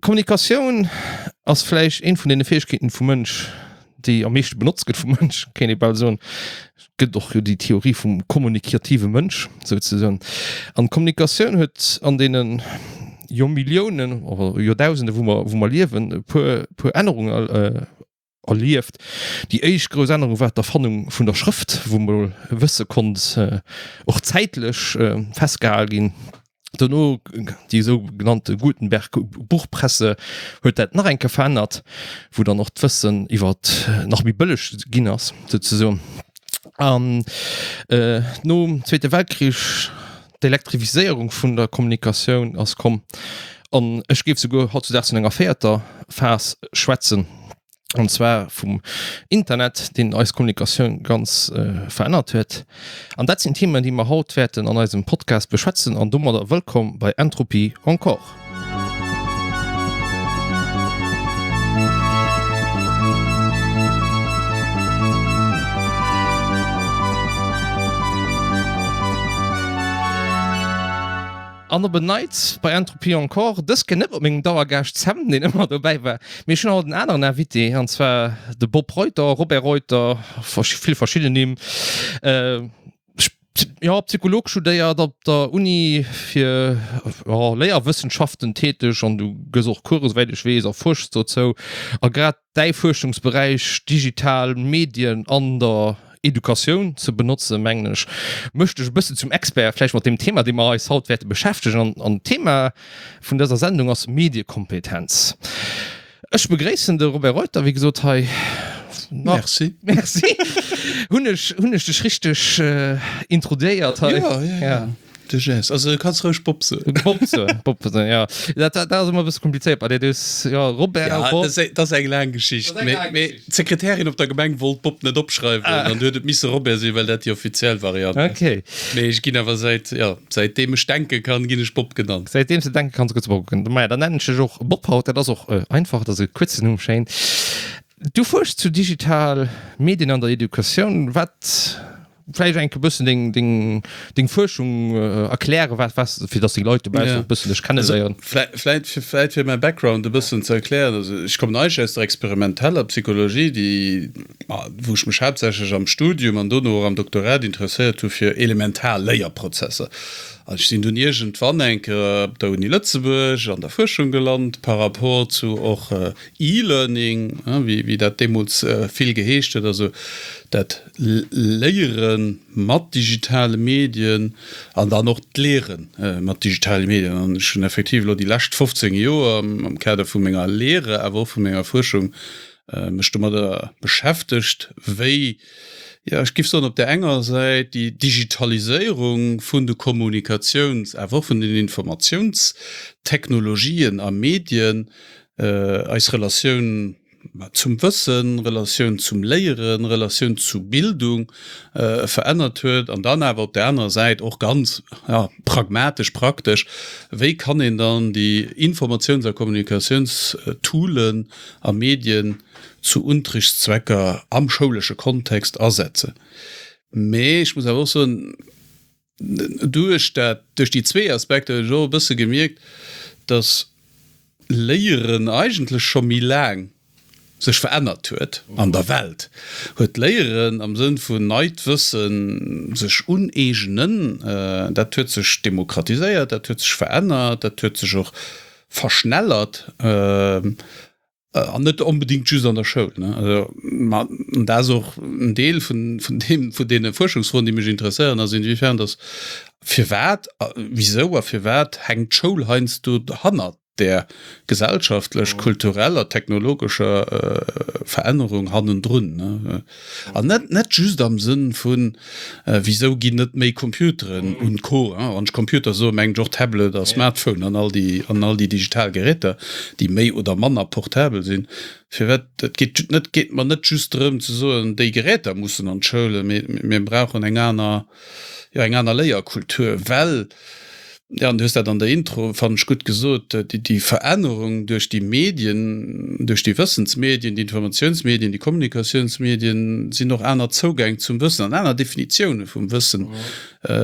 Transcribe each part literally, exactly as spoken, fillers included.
Kommunikatioun ass vläicht eent vun deene Fäegkeeten vum Mënsch, déi am meeschte benotzt gëtt vum Mënsch, kéint ee bal soen. Et gëtt och jo déi Theorie vum kommunikative Mënsch souzesoen. An d'Kommunikatioun huet an deene Joermilliounen oder Joerdausende wou mer, wou mer liewen, e puer, puer Ännerungen erlieft. Déi éischt grouss Ännerung war d'Erfannung vun der Schrëft, wou mol Wësse konnt och zäitlech festgehal ginn. Dono déi esou genannte Gutenberg-Buchpresse huet dat nach eng Kéier verännert, wou dann och d'Wëssen iwwer nach méi bëlleg ginn ass souzesoen. An nom Zweete Weltkrich d'Elektrifiséierung vun der Kommunikatioun ass komm an ech géif souguer hautzudaags vun enger véierter Phas schwätzen. An zwar vum Internet, deen eis Kommunikatioun ganz verännert huet. An dat sinn Themen, déi mer haut wäerten an eisem Podcast beschwätzen. An domadder wëllkomm bei Entropie encore. An op en Neits bei Entropie encore, dës Kéier net mat mengem Dauergaascht Sam, deen ëmmer dobäi war, mee ech hunn haut en aneren Invité, an zwar de Bob Reuter, Robert Reuter, vill verschidden Nimm, jo, Psycholog studéiert, op der Uni fir Léierwëssenschaften täteg an du gëss och Coursen, esouwäit ech weess, a fuerschs dozou. A grad däi Fuerschungsberäich, digital Medien an der Educatioun ze benotzen, mengen ech, mécht dech e bëssen zum Expert vläicht mat deem Thema, dee mer eis haut wäerte beschäftegen. An d'Thema vun dëser Sendung ass Mediekompetenz. Ech begréissen de Robert Reuter, wéi gesot, hei. Merci. Merci. Hunn ech, hunn ech dech richteg introduéiert hei? Jo, jo, jo. De Jess, also du kanns roueg Bob soen. Bob soen, Bob soen, ja. Dat, dat ass ëmmer e bësse komplizéiert bei dir. Du hues, ja, Robert, ja, Bob. Dat ass, dat ass eng laang Geschicht. Dat ass eng laang Mee Geschicht. d'Sekretärin op der Gemeng wollt Bob net opschreiwen Ah. an du huet et misse Robert sinn, well dat déi offiziell Variant ass. Okay. Mee ech ginn awer säit, ja, säitdeem ech denke kann, ginn ech Bob genannt. Säitdeem s de denke kanns, gëss du Bob genannt. Maja, dann nennen ech dech och Bob haut. Dat ass och einfach, dat ass e kuerzen Numm, schéin. Du fuerschs zu digital Medien an der Educatioun. Wat Vläicht enke bëssen deng, deng, deng Fuerschung erklären, wat, wat, fir dass déi Leit dobaussen och e bëssen dech kenneléieren. Vläicht, vläicht fir, vläicht fir mäi Background e bëssen ze erklären, also ech kommen eigentlech aus der experimenteller Psychologie, déi, wou ech mech haaptsächlech am Studium an dono och am Doktorat interesséiert hu fir elementar Léierprozesser. An ech sinn dunn iergendwann eng Kéier op der Uni Lëtzebuerg an der Fuerschung gelant par rapport zu och E-Learning, wéi, wéi dat deemools vill geheescht huet, also dat Léiere mat digitale Medien an dann och d'Leere mat digitale Medien. An ech hunn effektiv elo déi lescht fofzéng Joer am Kader vu menger Lehre, awer och vu menger Fuerschung mech domadder beschäftegt, wéi, jo, ech géif soen, op där enger Säit déi Digitaliséierung vun de Kommunikatiouns-, awer och vun den Informatiounstechnologien a Medien eis Relatioun zum Wëssen, Relatioun zum Léieren, Relatioun zu Bildung verännert huet an dann awer op där anerer Säit och ganz, ja, pragmatesch, praktesch, wéi kann een dann déi Informatiouns a Kommunikatiounstoolen a Medien zu Unterrichtszwecker am schoulesche Kontext asetzen. Mee ech muss awer och soen, duerch dat, duerch déi zwee Aspekter hunn ech och e bësse gemierkt, dass Léieren eigentlech scho méi laang sech verännert huet an der Welt, huet d'Léieren am Sënn vun neit Wëssen sech uneegnen, dat huet sech demokratiséiert, dat huet sech verännert, dat huet sech och verschnellert an net onbedéngt just an der Schoul. Ma dat ass och en Deel vun deem, vun deene Fuerschungsfroen, déi mech interesséieren, ass inwiefern dass, firwat, wisou a firwat hänkt d'Schoul heiansdo hannert där gesellschaftlech, kultureller, technologescher Verännerung hannendrun. An net net just am Sënn vun, wisou ginn net méi Computeren und Co. Wann ech Computer soen, mengen ech och Tablet a Smartphone an all déi an all déi digital Geräter, déi méi oder manner portabel sinn. Firwat? Et geet net geet mer net just drëm ze soen, déi Geräter mussen an d'Schoulen, mee mir brauchen eng aner, jo eng aner Léierkultur, well, Jo, an du hues dat an der Intro, fannen ech, gutt gesot, déi Verännerung duerch déi Medien, duerch déi Wëssensmedien, déi Informatiounsmedien, déi Kommunikatiounsmedien, sinn och aner Zougäng zum Wëssen an aner Definitioune vum Wëssen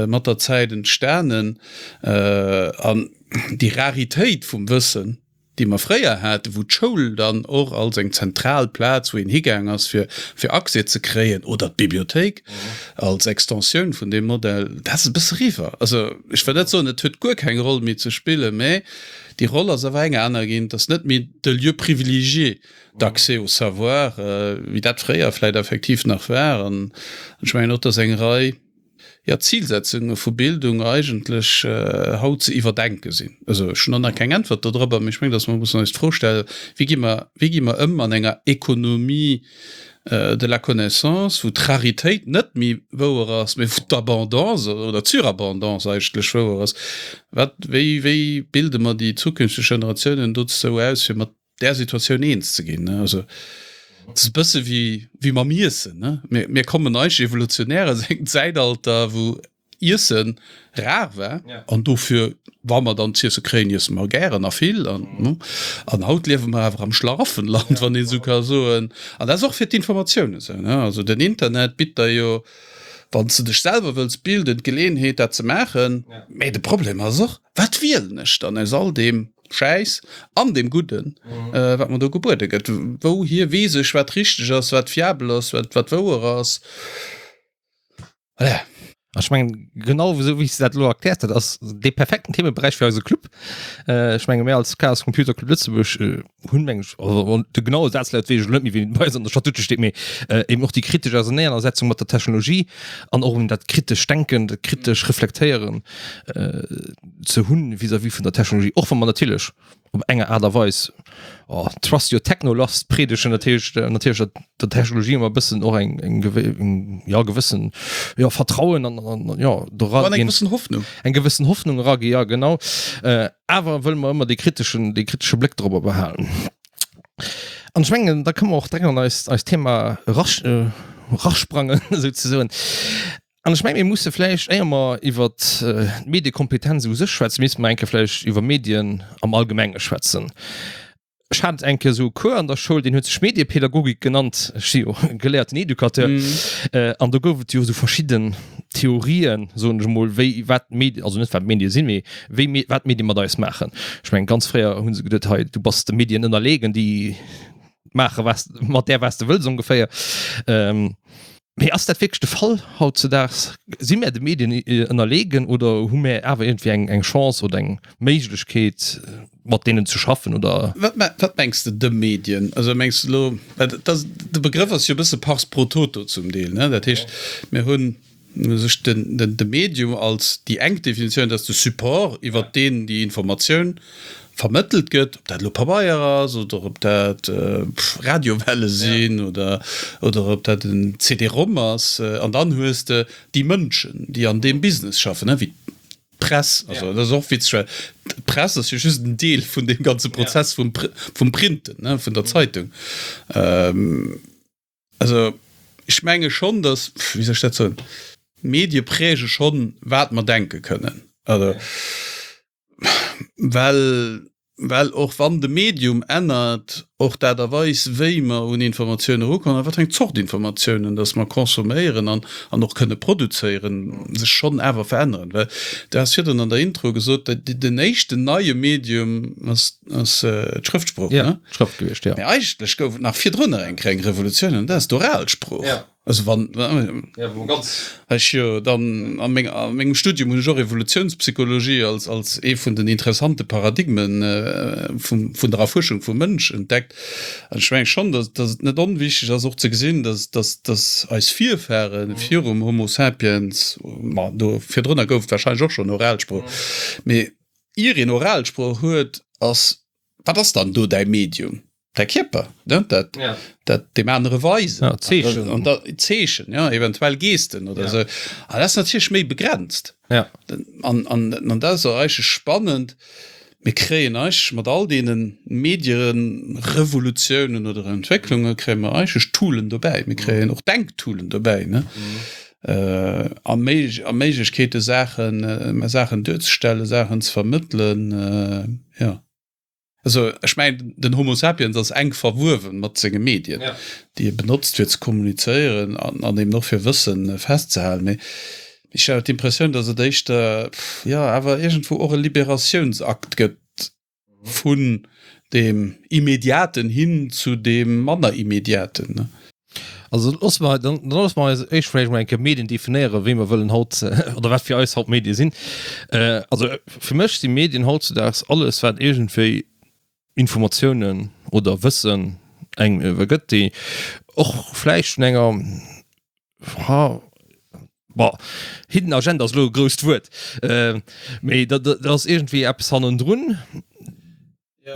mat der Zäit entstanen. An déi Raritéit vum Wëssen, dee mer fréier haten, wou d'Schoul dann och als eng zentral Plaz, wou een higaang ass, fir, fir Accès ze kréien, oder d'Bibliothéik als Extensioun vun deem Modell, dat ass e bësse eriwwer. Also, ech wëll net soen, et huet guer keng Roll méi ze spillen, mä déi Roll ass awer eng aner ginn. Et ass net méi de Lieu privilégié d'accès au savoir, wéi dat fréier vläicht effektiv nach war. An ech mengen och, dass eng Rei, jo, Zilsetzunge vu Bildung eigentlech haut ze iwwerdenke sinn. Also ech hunn och nach keng Äntwert dodrobber, mee ech mengen, dass mer mussen eis d'Fro stellen, Wéi gi mer, wéi gi mer ëm an enger Économie de la connaissance, wou d'Raritéit net méi wouer ass, mee wou d'Abondance oder d'Surabondance eigentlech wouer ass? Wat, wéi, wéi bilde mer déi zukünfteg Generatiounen dozou aus, fir mat där Situatioun eens ze ginn? Also et ass e bësse wéi, wéi mam Iessen, ne? Mir, mir kommen eigentlech evolutionär aus engem Zäitalter, wou Iessen rar war an dofir, wa mer dann z'iesse kréien, iesse mer gären a vill. An, ne? An haut liewe mer awer am Schlaraffenland, wann een esou ka soen. An dat ass och fir d'Informatioun esou, ne? Also den Internet bitt der jo, wann s de dech selwer wëlls bilden, d'Geleeënheet, dat ze maachen. Mä de Problem ass och, Wat wielen ech dann aus all deem Schäiss an deem Gudden, wat mer do gebuede gëtt? Wouhier weess ech, wat richteg ass, wat fiabel ass, wat, wat wouer ass? Voilà. Ech mengen, genau esou wéi s de dat elo erkläert, dat ass dee perfekten Themeberäich fir eise Club. Ech menge mir als Chaos Computer Club Lëtzebuerg hunn, meng ech, also de genaue Sazlaut weess ech elo net méi, wéi en bei eis an der Statute steet, mee eben och déi kritesch Auserneanersetzung mat der Technologie an och eben dat kritescht Denken, dat kritesch Reflektéieren ze hunn vis-à-vis vun der Technologie, och wa mer natierlech op enger Aart a Weis oh, trust your technolust predegen, dat heescht natierlech der, der Technologie ëmmer e bëssen och eng, eng, eng ja, gewëssen ja, Vertrauen an, an ja, do ra An eng gewëssen Hoffnung. Eng gewëssen Hoffnung eragi, ja genau. Äh, awer wëlle mer ëmmer dee kriteschen, dee kritesche Bléck dorobber behalen. An ech mengen, da kënne mer och direkt an eist, eist Thema erasch, erasprangen, souzesoen. An ech mengen, mir musse vläicht, éier mer iwwert d'Mediekompetenz u sech schwätzen, misste mer eng Kéier vläicht iwwer Medien am Allgemenge schwätzen. Ech hat eng Kéier esou e Cours an der Schoul, deen huet sech Mediepädagogik genannt. Ech si jo geléierten Educateur. An do gouf et jo esou verschidden Theorien, soen ech emol, wéi, wat Medien, also net wat Medie sinn, mee wéi, wat Medie mat eis maachen. Ech mengen, ganz fréier hu se geduet, hei, du bass de Medien ënnerleegen, déi maache was, mat där, wat s de wëlls ongeféier. Mee ass dat wierklech de Fall hautzedaags? Si mär de Medien ënnerleegen oder hu mär awer iergendwéi eng eng Chance oder eng Méiglechkeet, mat deenen ze schaffen oder? Wat wat mengs de, de Medien? Also mengs de elo, well dat ass, de Begrëff ass jo e bësse pars pro toto zum Deel, ne? Dat heescht, mir hunn u sech den den de Medium als déi enk Definitioun, dat ass de Support, iwwert deen déi Informatioun vermëttelt gëtt, ob dat elo Pabeier ass oder ob dat Radiowelle sinn oder oder ob dat en C D-Rom ass. An dann hues de déi Mënschen, déi an deem Business schaffen, wéi d'Press. Also dat ass och witzeg, well d'Press ass jo just en Deel vun deem ganze Prozess vum vum Printen, vun der Zeitung. Also ech menge schonn, datt, wéi soll ech dat soen, d'Medie präge schonn, wat mer denke kënnen. Also well, well och wann de Medium ännert, och d'Aart a Weis, wéi mer un Informatioune erukommen a wat fir eng Zort Informatiounen datt mer consomméieren an, an och kënne produzéieren, sech schonn awer veränneren. Well du has virdrun an der Intro gesot, den éischten neie Medium ass, ass d'Schrëftsprooch, ne? Ja, d'Schrëft gewiescht, jo. Mee eigentlech gouf et nach virdrunner eng kleng Revolutioun, an dat ass d'Oralsprooch. Ja. Also wann, ja, wou ganz. Ech jo dann a meng, a mengem Studium hunn ech och Evolutionspsychologie als, als ee vun den interessante Paradigmen vum, vun der Erfuerschung vum Mënsch entdeckt. An ech menge schonn, datt, datt et net onwichtig ass och ze gesinn, datt, datt, datt eis Virfahre virum Homo sapiens, ma do virdrunner gouf et wahrscheinlech och schonn Oralsprooch, mee ier een Oralsprooch huet, ass, wat ass dann do däi Medium? Däi Kierper, ne? Dat, ja. dat deem anere weisen. Ja, Zeechen. An da, Zeechen, ja, eventuell Gesten oder ja. sou. An dat ass natierlech méi begrenzt. Ja. An, an, an dat ass och eigentlech spannend. Mir kréien eigentlech mat all deene Mediererevolutiounen oder Entwécklunge kréie mer eigentlech Toolen dobäi. Mir kréien och Denktoolen dobäi, ne? Mhm. Äh, a Méig a Méiglechkeete Saachen, äh, Saachen duerzestellen, Saachen ze vermëttelen, äh, ja. Also ech mengen, den Homo sapiens ass enk verwuewen mat senge Medien, ja. déi e benotzt fir ze kommunizéieren an, an eben och fir Wëssen festzehalen. Mee ech hat d'Impressioun, datt et éischter, jo, awer iergendwou och e Liberatiounsakt gëtt vun deem Immediaten hin zu deem manner Immediaten, ne? Also loosse mer, dann loosse mer eis éischt vläicht emol eng Kéier Medien definéieren, wéi mer wëllen haut, oder wat fir eis haut Medie sinn. Also fir mech si Medien hautzudaags alles, wat iergendwéi Informatiounen oder Wëssen engem iwwergëtt, déi och vläicht vun enger, ha, bon, hidden agenda ass elo e grousst Wuert, mee da ass iergendwéi eppes hannendrun,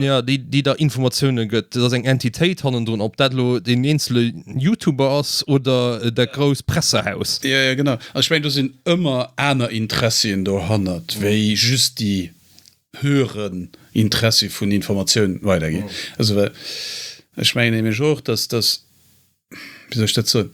ja, déi, déi der Informatioune gëtt. Dat ass eng Entitéit hannendrun, ob dat elo deen eenzele YouTuber ass oder dat grousst Pressehaus. Jo, jo, genau. Also ech mengen, do sinn ëmmer aner Interessien dohannert wéi just déi höheren Interessi vun Informatioun weiderginn. Also well ech mengen nämlech och, dass, dass, wéi soll ech dat soen,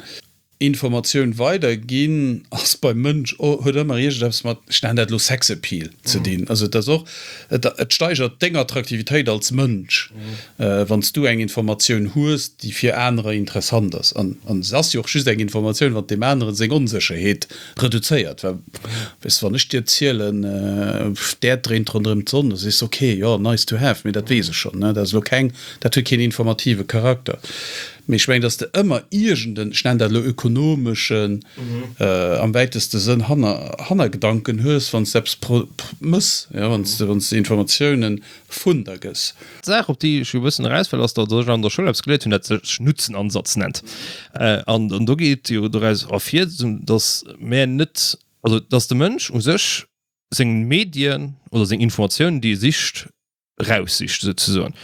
Informatioun weiderginn ass beim Mënsch, huet ëmmer iergendeppes mat, ech nennen dat elo Sexappeal ze dinn. Also et ass och, et et steigert deng Attraktivitéit als Mënsch, wann s du eng Informatioun hues, déi fir anerer interessant ass. An an se ass jo och just eng Informatioun, wann deem aneren seng Onsécherheet reduzéiert. Well weess de, wann ech dir zielen, d'Äerd dréint ronderëm d'Sonn, da sees de, ok, jo, nice to have, mee dat weess ech schonn, ne. Dat ass elo keng, dat huet keen informative Charakter. Mee ech mengen, dass de ëmmer iergenden, ech nennen dat elo ökonomeschen, am wäiteste Sënn, Hannergedanken hues, wann s de eppes mëss, jo, wann s de, wann s de Informatiounen vun der gëss. D'Saach, op déi ech jo e bëssen eraus wëll, ass, datt ech an der Schoul eppes geléiert hunn, dat sech Nutzenansatz nennt. An do geet jo doraus ervir, dass mär net, also dass de Mënsch u sech seng Medien oder seng Informatiounen, déi e sicht, raussicht souzesoen.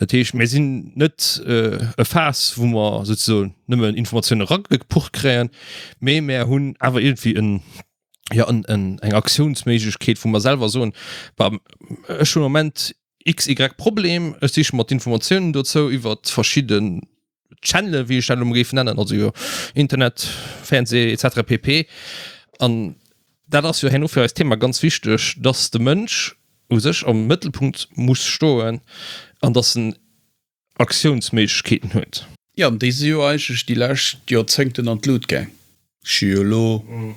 Dat heescht, mir sinn net e Faass, wou mer souzesoen nëmmen Informatiounen eragepucht kréien, mee mär hunn awer iergendwéi en, jo, en, en, eng Aktiounsméiglechkeet, wou mer selwer soen, bah, ech hunn am Moment XY Problem, ech siche mer d'Informatiounen dozou iwwert verschidden Channelen, wéi ech dat elo mol géif nennen, also jo Internet, Fernseh et cetera pp. An dat ass jo herno fir eist Thema ganz wichteg, dass de Mënsch u sech am Mëttelpunkt muss stoen an dass en Aktiounsméiglechkeeten huet. Jo, an déi si jo eigentlech déi lescht Joerzéngten an d'Lut gaang. Ech hu jo elo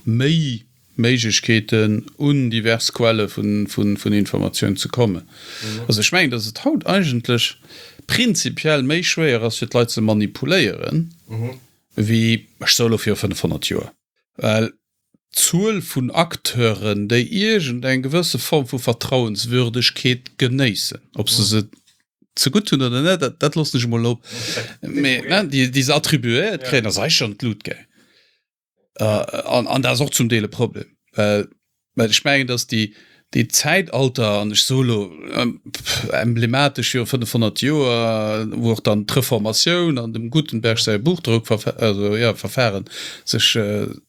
méi Méiglechkeeten, un divers Quelle vun Informatioun ze kommen. Also ech mengen, dass et haut eigentlech prinzipiell méi schwéier ass, fir d'Leit ze manipuléieren, wéi, ech soe elo, viru fënnefhonnert Joer. Well d'Zuel vun Acteuren, déi iergend eng gewësse Form vu Vertrauenswürdegkeet genéissen, ob se se zegutt hunn oder net, dat, dat loossen ech emol op, mee déi, déi se attribuéiert kréien, ass eigentlech an d'Lut gaang. An, an dat ass och zum Deel e Problem, well, well ech mengen, datt déi, déi Zäitalter, an ech soe lo emblematesch jo fënnefhonnert Joer, wou och dann d'Reformatioun an dem Gutenberg säi Buchdrockverfa-, also jo, Verfahren sech,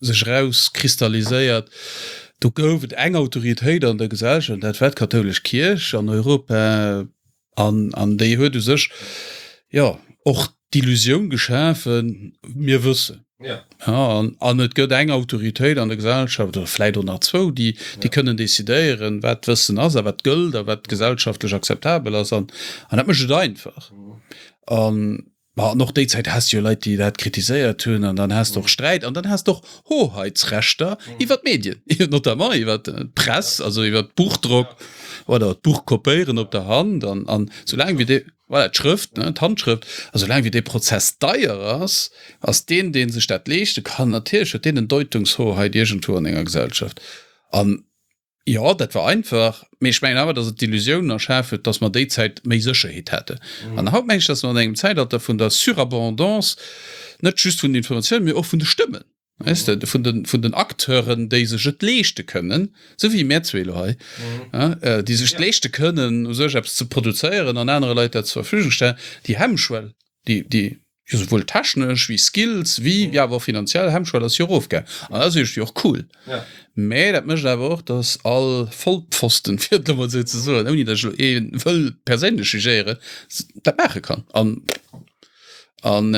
sech erauskristalliséiert, do gouf et eng Autoritéit an der Gesellschaft, an dat war d'kathoulesch Kierch an Europa. An, an déi huet u sech, jo, och d'Illusioun geschafen, mir wëssen. Ja. Ja, an, an et gëtt eng Autoritéit an der Gesellschaft, oder vläicht och nach zwou, déi, déi kënnen decidéieren, wat Wëssen ass a wat gëllt a wat gesellschaftlech akzeptabel ass. An, an dat mécht et einfach. An Ma an och déi Zäit has de jo Leit, déi dat kritiséiert hunn, an dann has de och Sträit an dann has de och Hoheitsrechter iwwer d'Medien, notamment iwwer d'Press, also iwwer d'Buchdrock oder d'Buchkopéieren op der Hand. An, an soulaang wéi dee, voilà, d'Schrëft, ne, d'Handschrëft, a soulaang wéi dee Prozess deier ass, ass deen, dee sech dat leeschte kann, natierlech huet deen en Deutungshoheit iergendwou an enger Gesellschaft. An Jo, dat war einfach, mee ech mengen awer, datt et d'Illusioun erschaf huet, datt mer déi Zäit méi Sécherheet haten. An haut mengen ech, datt mer an engem Zäitalter vun der Surabondance, net just vun den Informatiounen, mee och vun de Stëmmen, weess de, vun den, vun den Acteuren, déi sech et leeschte kënnen, esou wéi mär zwee elo hei, déi sech et leeschte kënnen, u sech eppes ze produzéieren an anere Leit dat zur Verfügung stellen, déi Hemmschwell, déi, déi jo souwuel technesch wéi Skills wéi jo awer och finanziell Hemmschwell ass jo erofgaang. An dat ass iergendwéi och cool. Mä dat mécht awer och, datt all Vollpfosten, fir et elo mol esou ze soen, ouni datt ech elo ee wëll perséinlech jugéieren, dat maache kann. An, an.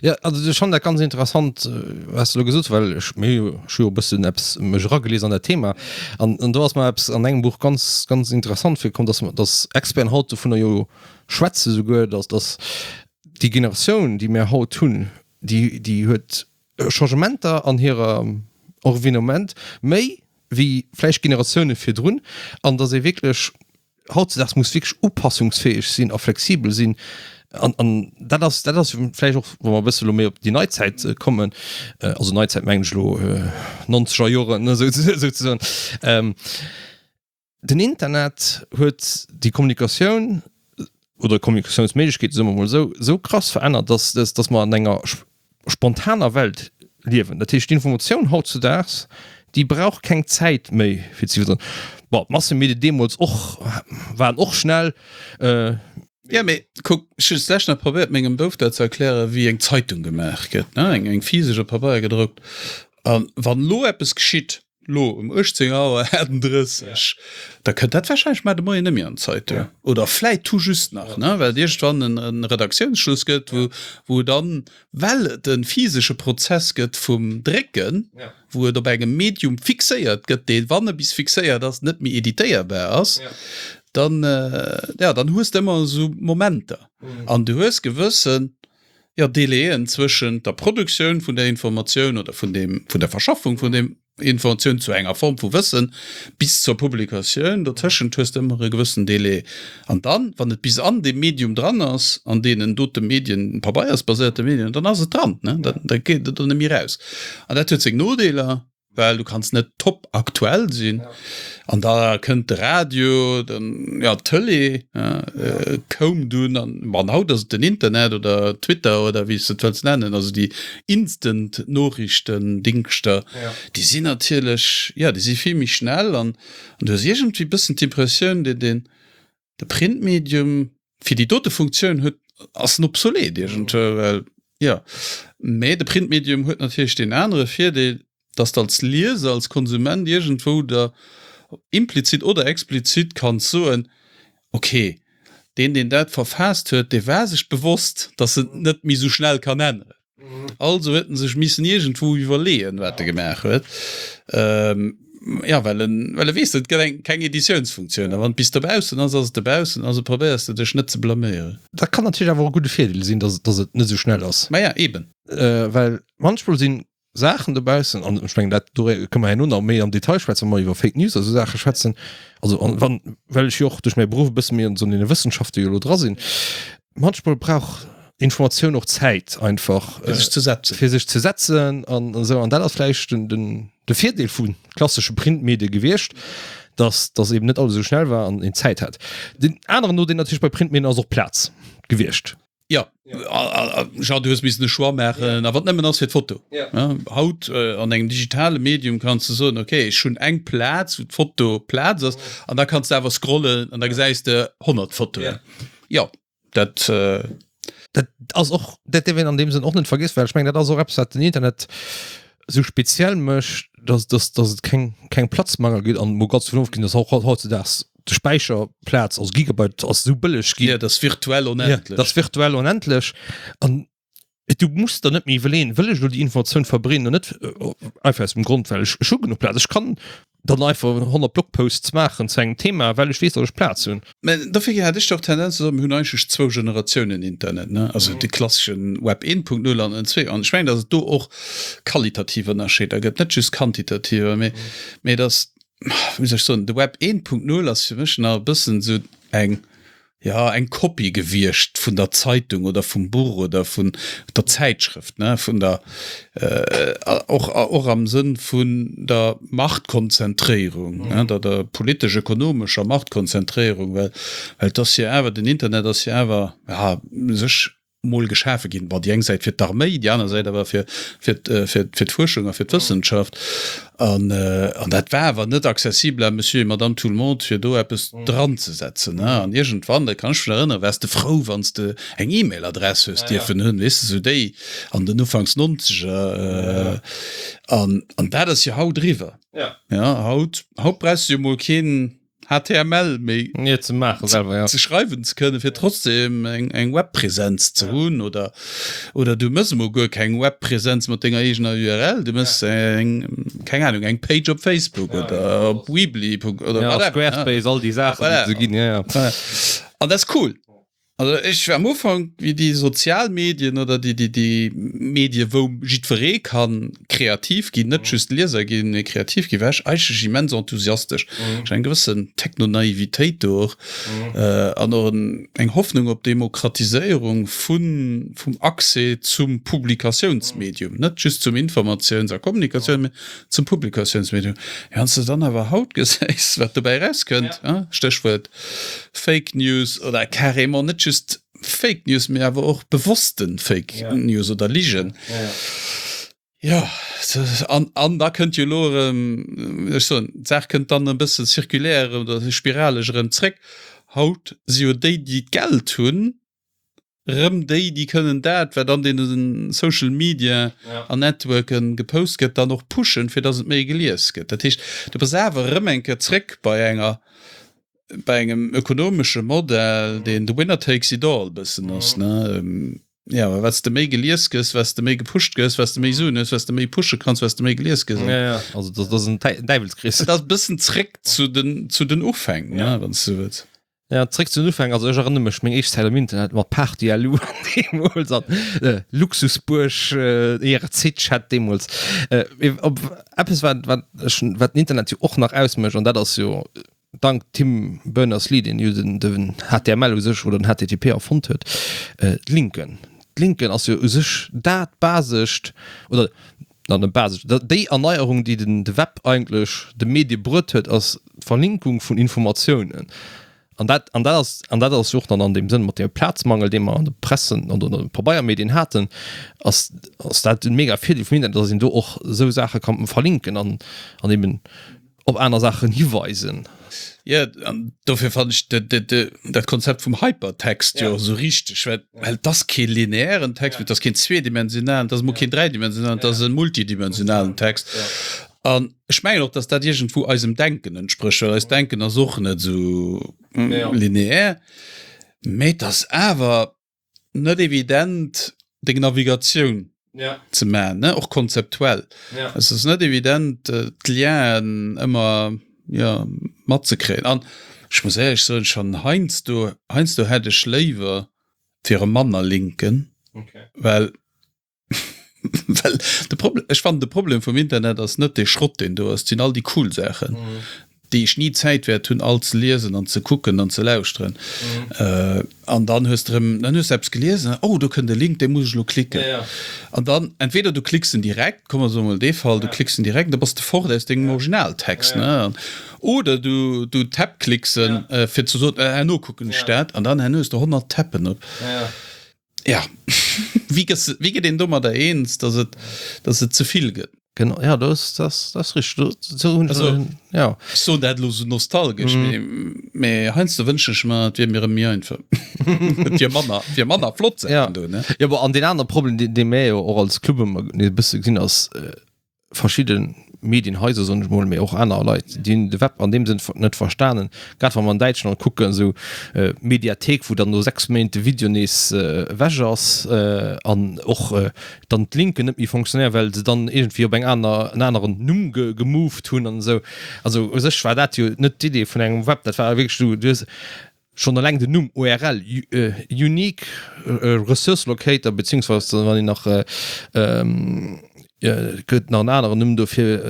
Jo, also ech fannen dat ganz interessant, wat s de elo gesot hues, well ech, mir hu jo, ech hu jo e bëssen eppes mech eragelies an dat Thema an, an do ass mer eppes an engem Buch ganz, ganz interessant virkomm, datt, datt Experten haut dovunner jo schwätze souguer, datt, datt déi Generatioun, déi mir haut hunn, déi, déi huet Changementer an hirem Environnement méi wéi vläicht Generatioune virdrun an datt ee wierklech hautzedaags muss wierklech upassungsfäeg sinn a flexibel sinn. An, an dat ass, dat ass vläicht och, wa mer e bësse elo méi op déi nei Zäit kommen, also nei Zäit mengen ech elo nonzeger Joren, ne, souzesoen, den Internet huet déi Kommunikatioun oder Kommunikatiounsméiglechkeete, soe mer emol esou, esou krass verännert, dass, dass mer an enger spontaner Welt liewen. Dat heescht, d'Informatioun hautzudaags, déi brauch keng Zäit méi fir ze iwwerdroen. Bon, d'Massemedien deemools och waren och schnell. Jo, mee kuck, ech hunn d'lescht nach probéiert mengem Bouf dat ze erklären, wéi eng Zeitung gemaach gëtt, ne, eng, eng physesch op Pabeier gedruckt. A wann elo eppes geschitt, elo um uechtzéng Auer achtendrësseg, da kënnt dat warscheinlech mar de Moien net méi an d'Zeitung. Oder vläit tout juste nach, ne, well et iergendwann en Redaktiounsschluss gëtt, wou, wou dann, well et e physesche Prozess gëtt vum Drécken, wou et op engem Medium fixéiert gëtt, dee, wann e bis fixéiert ass, net méi editéierbar ass, dann, ja, dann hues de ëmmer esou Momenter an du hues gewëssen, jo, Délaiën zwëschent der Produktioun vun der Informatioun oder vun deem, vun der Verschaffung vun deem Informatioun zu enger Form vu Wëssen bis zur Publikatioun, dotëschent hues de ëmmer e gewëssen Délai. An dann, wann et bis an deem Medium dran ass, an deenen dote Medien, pabeiersbaséierte Medien, dann ass et dran, ne, da, da geet et do net méi raus. An dat huet seng Nodeeler, well du kanns net top aktuell sinn. An da kënnt de Radio, dann, jo, d'Tëlee koum dunn an, bon, haut ass et den Internet oder Twitter oder wéi s de et wëlls nennen, also déi instant Noriichtendingschter, déi sinn natierlech, jo, déi si vill méi schnell an du hues iergendwéi e bëssen d'Impressioun, deen, deen, de Printmedium fir déi dote Funktioun huet, ass en obsolet iergendwou, well, jo, mä de Printmedium huet natierlech deen anere Virdeel, dass de als Lieser, als Konsument iergendwou der implizit oder explizit kanns soen, ok, deen, deen dat verfaasst huet, dee war sech bewosst, dass en et net méi esou schnell kann änneren. Also huet en sech missen iergendwou iwwerleeën, wat e gemaach huet. Jo, well en, well e weess, et gëtt eng, keng Editiounsfunktioun. A wann et bis dobaussen ass, ass et dobaussen. Also probéiers de dech net ze blaméieren. Dat kann natierlech awer och e gudde Virdeel sinn, dass, dass et net esou schnell ass. Maja, eben. Well manchmol sinn Saachen dobaussen, an ech mengen dat do kënne mer herno nach méi am Detail schwätzen, wa mer iwwer Fake News a sou Saache schwätzen, also an wann, well ech jo och duerch mäi Beruff e bësse méi an esou deene Wëssenschafte jo elo dra sinn, manchmol brauch Informatioun och Zäit einfach fir sech ze setzen, fir sech ze setzen an esou, an dat ass vläicht den, den, de Virdeel vu klassesche Printmedie gewiescht, dass, dass eben net alles esou schnell war an een Zäit hat. Den aneren Nodeel natierlech bei Printmedien ass och Plaz gewiescht. Ja, Jean, du hues missen e Choix maachen, a wat nëmmen ass fir d'Foto. Haut an engem digitale Medium kanns de soen, okay, ech hunn eng Plaz, wou d'Foto Plaz ass, an da kanns de awer scrollen an da gesäis de honnert Fotoen. Jo, dat. Dat ass och, dat dierf een an deem Sënn och net vergiessen, well ech mengen, dat ass och eppes, wat den Internet esou speziell mécht, dass, dass, dass et keng, keng Platzmangel gëtt an mol ganz dovun ofgesinn, dass och hautzedaags de Späicherplaz, also Gigabyte ass esou bëlleg ginn. Ja, dat ass virtuell onendlech. Ja, dat ass virtuell onendlech. An du muss der net méi iwwerleeën, wëll ech elo déi Informatioun verbreeden oder net, einfach aus dem Grond, well ech, ech hu genuch Plaz. Ech kann dann einfach honnert Blogposts maachen zu engem Thema, well ech weess, datt ech Plaz hunn. Mä dofir hätt ech doch d'Tendenz ze soen, mir hunn eigentlech zwou Generatiounen Internet, ne? Also de klasseschen Web een Punkt null an den zwee. An ech mengen, datt et do och qualitativ Ënnerscheeder gëtt, net just quantitativer, mä, mä datt, wéi soll ech soen, de Web een Punkt null ass fir mech nach e bëssen esou eng, jo, eng Kopie gewiescht vun der Zeitung oder vum Buch oder vun der Zäitschrëft, ne, vun der, och, och am Sënn vun der Machtkonzentréierung, ne, der, der politesch-ökonomescher Machtkonzentréierung, well, well et ass jo awer, den Internet ass jo awer, ja, u sech mol geschafe ginn, bon, déi eng Säit fir d'Arméi, déi aner Säit awer fir, fir, fir, fir d'Fuerschung a fir d'Wëssenschaft. An, an dat war awer net accessible à Monsieur et Madame Tout-le-monde, fir do eppes dranzesetzen. An iergendwann, dat kann ech mech nach erënneren, waars de frou, wann s de eng E-Mail-Adress hues dierfen hunn, weess de, sou déi an den Ufanks Nonzeger. An, an dat ass jo haut eriwwer. Ja, haut, haut brauchs de jo mol keen H T M L méi nee, ze maachen selwer, ja. ze schreiwen ze kënnen, fir trotzdem eng, eng Webpräsenz ze hunn oder, oder du mëss emol guer keng Webpräsenz mat denger eegener U R L, du mëss eng, keng Ahnung, eng Page op Facebook oder op Weebly oder Ja, whatever. Squarespace, all déi Saachen, déi Voilà. et esou ginn, ja, ja. An dat ass cool. Also ech war am Ufank, wéi déi sozial Medien oder déi, déi, déi Medie wou jiddweree kann kreativ ginn, net just Lieser ginn, mee kreativ ginn, war ech eigentlech immens enthusiastesch. Ech eng gewëssen Technonaivitéit do och an och eng Hoffnung op Demokratiséierung vun, vum Accès zum Publikatiounsmedium, net just zum Informatiouns a Kommunikatioun, mee zum Publikatiounsmedium. Wann s de dann awer haut gesäis, wat dobäi erauskënnt, Stéchwuert Fake News oder carrément net just Fake News, mee awer och bewosste Fake News oder Ligen. Jo, an, an da kënnt jo elo erëm, ech soen, d'Saach kënnt dann e bësse circulaire erëm oder spiraleg erëm zréck. Haut si jo déi, déi d'Geld hunn, erëm déi, déi kënnen dat, wat an deene Social Media an Networken gepost gëtt, dann och pushen, fir datt et méi gelies gëtt. Dat heescht, du bass awer erëm eng Kéier zréck bei enger, bei engem ökonomesche Modell, deen the winner takes it all bëssen ass, ne? Ja, well wat s de méi gelies gëss, wat s de méi gepusht gëss, wat s de méi Suen hues, wat s de méi pushe kanns, wat s de méi gelies gëss. Ja, ja. Also dat ass en Däiwelskrees. Dat ass e bëssen zréck zu den, zu den Ufäng, ne, ja. wann s du wëlls. Ja, zréck zu den Ufäng. Also ech erënnere mech, meng éischt Zäit am Internet mat Party.lu deemools an äh, Luxusbuerg, äh, I R C-Chat deemools. Äh, op eppes, wat, wat, ech, wat den Internet jo och nach ausmécht, an dat ass jo dank Tim Berners-Lee, deen jo den, den H T M L u sech oder den H T T P erfonnt huet, äh, d'Linken. D'Linken ass jo u sech dat basescht oder na net basescht, déi Erneierung, déi den de Web eigentlech de Medie bruet huet, ass d'Verlinkung vun Informatiounen. An dat, an dat ass, an dat ass jo och dann an deem Sënn mat deem Plazmangel, dee mer an de Pressen an de Pabeiermedien haten, ass, ass dat e mega Virdeel vum Internet, dass een do och esou Saache kann verlinken an, an eben op aner Saachen hiweisen. Jo, an dofir fannen ech dat Konzept vum Hypertext jo och esou richteg, well well et ass kee lineären Text, et ass keen zweedimensionalen, et ass emol keen dräidimensionalen, et ass e multidimensionalen Text. An ech mengen och, datt dat iergendwou eisem Denken entsprécht, well eist Denken ass och net esou lineär, mee et ass awer net evident deng Navigatioun ja. ze man ne och konzeptuell ja. Es ass net evident äh, d'Lienen ëmmer ja, matzekréien an ech muss éierlech soen schon heiansdo heiansdo hätt ech léiwer fir e manner Linken okay. well well de Problem ech fannen de Problem vum Internet ass net dee Schrott deen do ass, et sinn all déi cool Saachen mm. déi ech ni Zäit wäert hunn all ze liesen an ze kucken an ze lauschteren. Mm. Äh, an dann hues de erëm dann hues de eppes geliesen, oh do kënnt e Link, dee muss ech elo klicken. Ja, ja. An dann entweder du klicks en direkt, komm mer soe mol dee Fall, du Ja. klicks en direkt, da bass de fort aus dengem Ja. Originaltext, Ja, ja. ne? Oder du du tabklicks en Ja. äh, fir ze soen, äh, herno kucken ech Ja. dat, an dann herno hues de honnert Tappen op. Ja, ja. Ja, wéi gëss, wéi gëtt een domadder eens, dass et, dass et ze vill gëtt? Genau, ja, das, das, das richtig. Do, so hunn Also, ja. ech soen dat elo sou nostalgesch, Mm. mee, mee heiansdo wënschen ech mer, et wier mir erëm méi einfach. Et wier manner, et wier manner flott Ja. Saachen do, ne? Ja, aber an den anderen Problem, den, den mir jo och als Club ëmmer e bësse gesinn ass, äh, verschidde Medienhaiser, soen ech mol, mee och aner Leit, déi hunn de Web an deem Sënn net verstanen. Grad wa mer an Däitschland kucken, esou Mediathéik, wou dann no sechs Méint de Video nees ewech ass an och dann d'Linken net méi fonctionnéieren, well se dann iergendwéi op eng aner, en aneren Numm gemoved hunn an esou. Also u sech war dat jo net d'Idee vun engem Web. Dat war wierklech, du hues Schonn eleng den Numm U R L, Unique Resource Locator, beziehungsweise wann een nach, gëtt nach en aneren Numm dofir,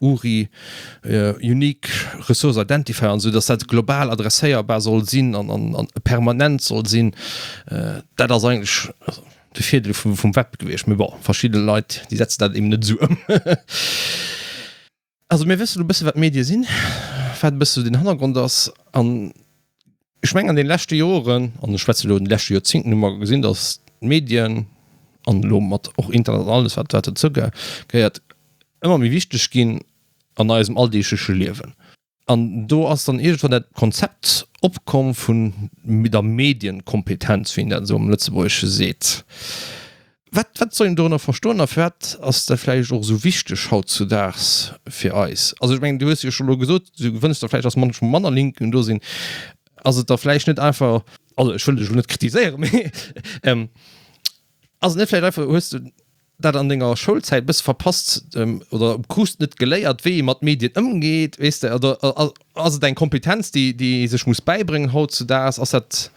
U R I, Unique Resource Identifier, an esou, dass dat global adresséierbar soll sinn an permanent soll sinn, dat ass eigentlech de Virdeel vum Web gewiescht. Mee bon, verschidde Leit, déi setzen dat eben net esou ëm. Also mir wëssen elo e bësse wat Medie sinn, wat e bësse sou den Hannergrond ass an ech mengen an den leschte Joren, an ech schwätze elo an de leschte Joerzingten, hu mer gesinn, datt d'Medien, an elo mat och Internet an alles wat wat dozou gehéiert, ëmmer méi wichteg ginn an eisem alldeegleche Liewen. An do ass dann iergendwann dat Konzept opkomm vun der Medienkompetenz, wéi een dat esou am Lëtzebuergesche seet. Wat, wat soll een dorënner verstoen a firwat ass dat vläicht och esou wichteg hautzudaags fir eis? Also ech mengen, du hues jo scho elo gesot, du wënschs der vläicht, dass munchmol manner Linken do sinn. Ass et da vläicht net einfach, also ech wëll dech elo net kritiséieren, mee ass et net vläicht einfach, hues de dat an denger Schoulzäit e bësse verpasst oder krus net geléiert, wéi ee mat Medien ëmgeet, weess de? Oder ass et eng Kompetenz, déi, déi ee sech muss bäibréngen hautzudaags? Ass dat.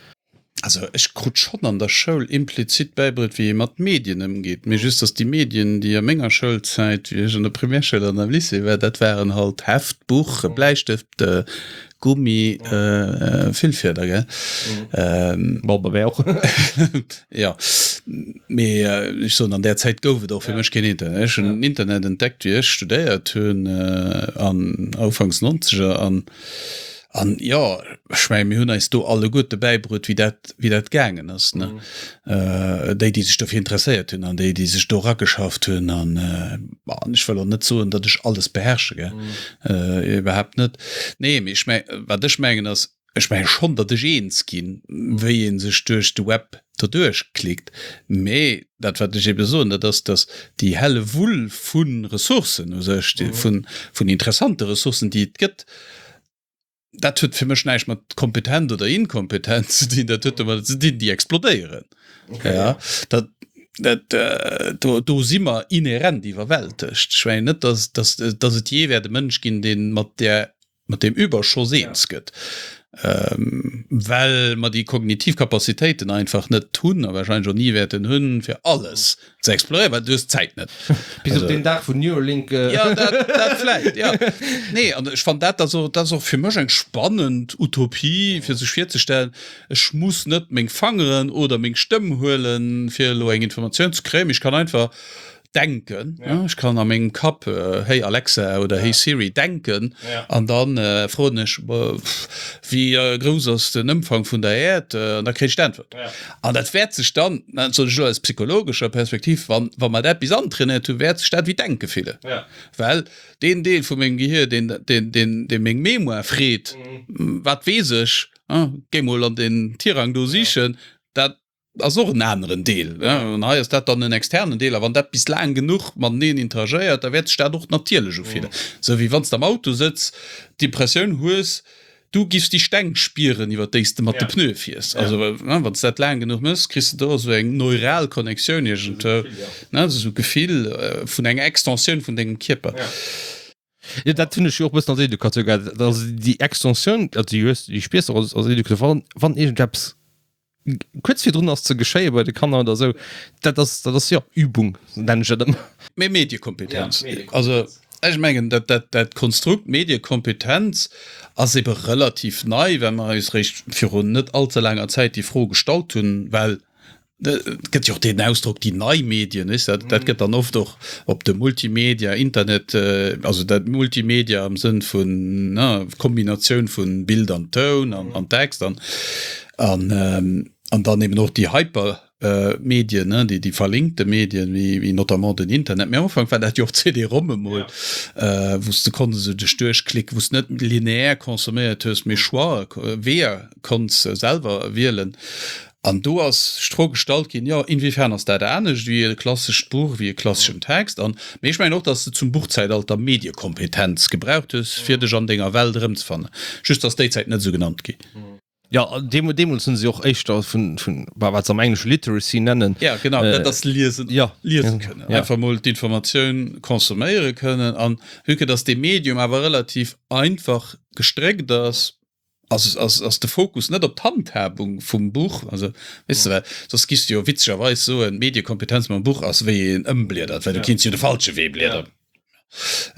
Also ech krut schonn an der Schoul implizit bäibruet, wéi ee mat Medien ëmgeet, mee just, datt déi Medien, déi a menger Schoulzäit, wéi ech an der Primärschoul an am Lycée war, dat waren halt Heft, Buch, Bläistëft, Gummi, Füllfieder, gell? Bon, bei mär och. Jo, mee ech soen, an där Zäit gouf et och fir mech keen Internet. Ech hunn den Internet entdeckt, wéi ech studéiert hunn, an ufanks Nonzeger, an An jo, ech mengen, mir hunn eis do alleguerte bäibruet, wéi dat, wéi dat gaangen ass, ne? Déi, déi sech dofir interesséiert hunn an déi, déi sech do erageschafft hunn. An, bon, ech wëll och net soen, datt ech alles beherrsche, gell, iwwerhaapt net. Nee, mee ech meng, wat ech mengen ass, ech menge schonn, datt ech eens ginn, wéi ee sech duerch de Web doduerch klickt. Mee dat, wat ech ebe soen, dat ass, datt déi Hellewull vu Ressourcen u sech, vun, vun interessante Ressourcen, déi et gëtt, dat huet fir mech näischt mat kompetent oder inkompetent ze dinn, dat huet domadder ze dinn, déi explodéieren. Okay. Ja, dat, dat, äh, do, do si mer inhärent iwwerwältegt. Ech mengen net, dass, dass, dass et jee wäert e Mënsch ginn, deen mat där, mat deem Überschoss eens gëtt, ähm, well mer déi kognitiv Capacitéiten einfach net hunn a wahrscheinlech och ni wäerten hunn, fir alles ze exploréieren, well du hues d'Zäit net. Bis op deen Dag vun Neuralink. Ja, dat, dat vläicht, ja. Nee, an ech fannen dat, also dat ass och fir mech eng spannend Utopie, fir sech virzestellen, ech muss net meng Fangeren oder meng Stëmm huelen, fir elo eng Informatioun ze kréien, mee ech kann einfach denken, ja. Ech kann a mengem Kapp Hey Alexa oder Hey Siri denken an dann froen ech, wéi grouss ass den Ëmfang vun der Äerd? An da kréich ech d'Äntwert. An dat wäert sech dann, dat soen ech elo aus psychologescher Perspektiv, wann, wa mer dat bis antrainéiert hunn, wäert sech dat wéi Denke fillen. Well deen Deel vu mengem Gehir, deen, deen, deen, dee meng Mémoire freet, wat weess ech, géi mol an den Tirang do sichen, dat ass och en aneren Deel. An hei ass dat dann en externen Deel. A wann dat bis laang genuch mateneen interagéiert, da wäert sech dat och natierlech ufillen. Esou wéi wann s de am Auto sëtz, d'Impressioun hues, du giffs déi Steng spieren, iwwer déi s de mat de Pneue fiers. Also wann s de dat laang genuch méchs, kriss de do esou eng neural Connectioun iergendwou, ne, esou e Gefill vun enger Extensioun vun dengem Kierper. Jo, dat hunn ech jo och e bëssen als Educateur gehat. Also déi Extensioun, also déi hues, déi spiers de och als, als Educateur, wann, wann iergendeppes kuerz virdrun ass ze geschéie bei de Kanner oder esou, dat ass, dat ass jo Übung, nennen ech dat ëmmer. Mee Mediekompetenz, also ech mengen, dat, dat, dat Konstrukt Mediekompetenz ass ebe relativ nei, well mer eis eréischt virun net allze laanger Zäit déi Fro gestallt hunn, well et gëtt jo och deen Ausdrock déi nei Medien, weess de, dat gëtt dann oft och op de Multimedia, Internet, also dat Multimedia am Sënn vun, ne, Kombinatioun vun Bild an Toun an, an Text an, An, an dann eben och déi Hypermedien, ne, déi, déi verlinkte Medien, wéi, wéi notamment den Internet. Mee am Ufank war dat jo och d'CD-ROM emol, ja. wou s de konns esou dech duerchklicken, wou s net lineär consomméiert hues, mee Choix, Weeër konns selwer wielen. An do ass sech d'Fro gestallt ginn, jo, inwiefern ass dat anescht wéi e klassescht Buch, wéi e klasseschen Text? An, mee ech mengen och, dass de zum Buchzäitalter Mediekompetenz gebraucht hues, fir dech an denger Welt erëmzefannen. Just ass déi Zäit net esou genannt ginn. Ja, deemools hunn se och éischter vun, vun, wat se am Englesche Literacy nennen. Ja, genau, dat ass liesen, ja, liese kënnen. Ja. Einfach mol d'Informatioun consomméiere kënnen. An vue que dass dee Medium awer relativ einfach gestréckt ass, ass, ass, ass de Fokus net op d'Handhabung vum Buch. Also, weess de, well soss giffs de jo witzegerweis soen, Mediekompetenz mam Buch ass, wéi een ëmbliedert, well du kinns jo de falsche Wee bliederen.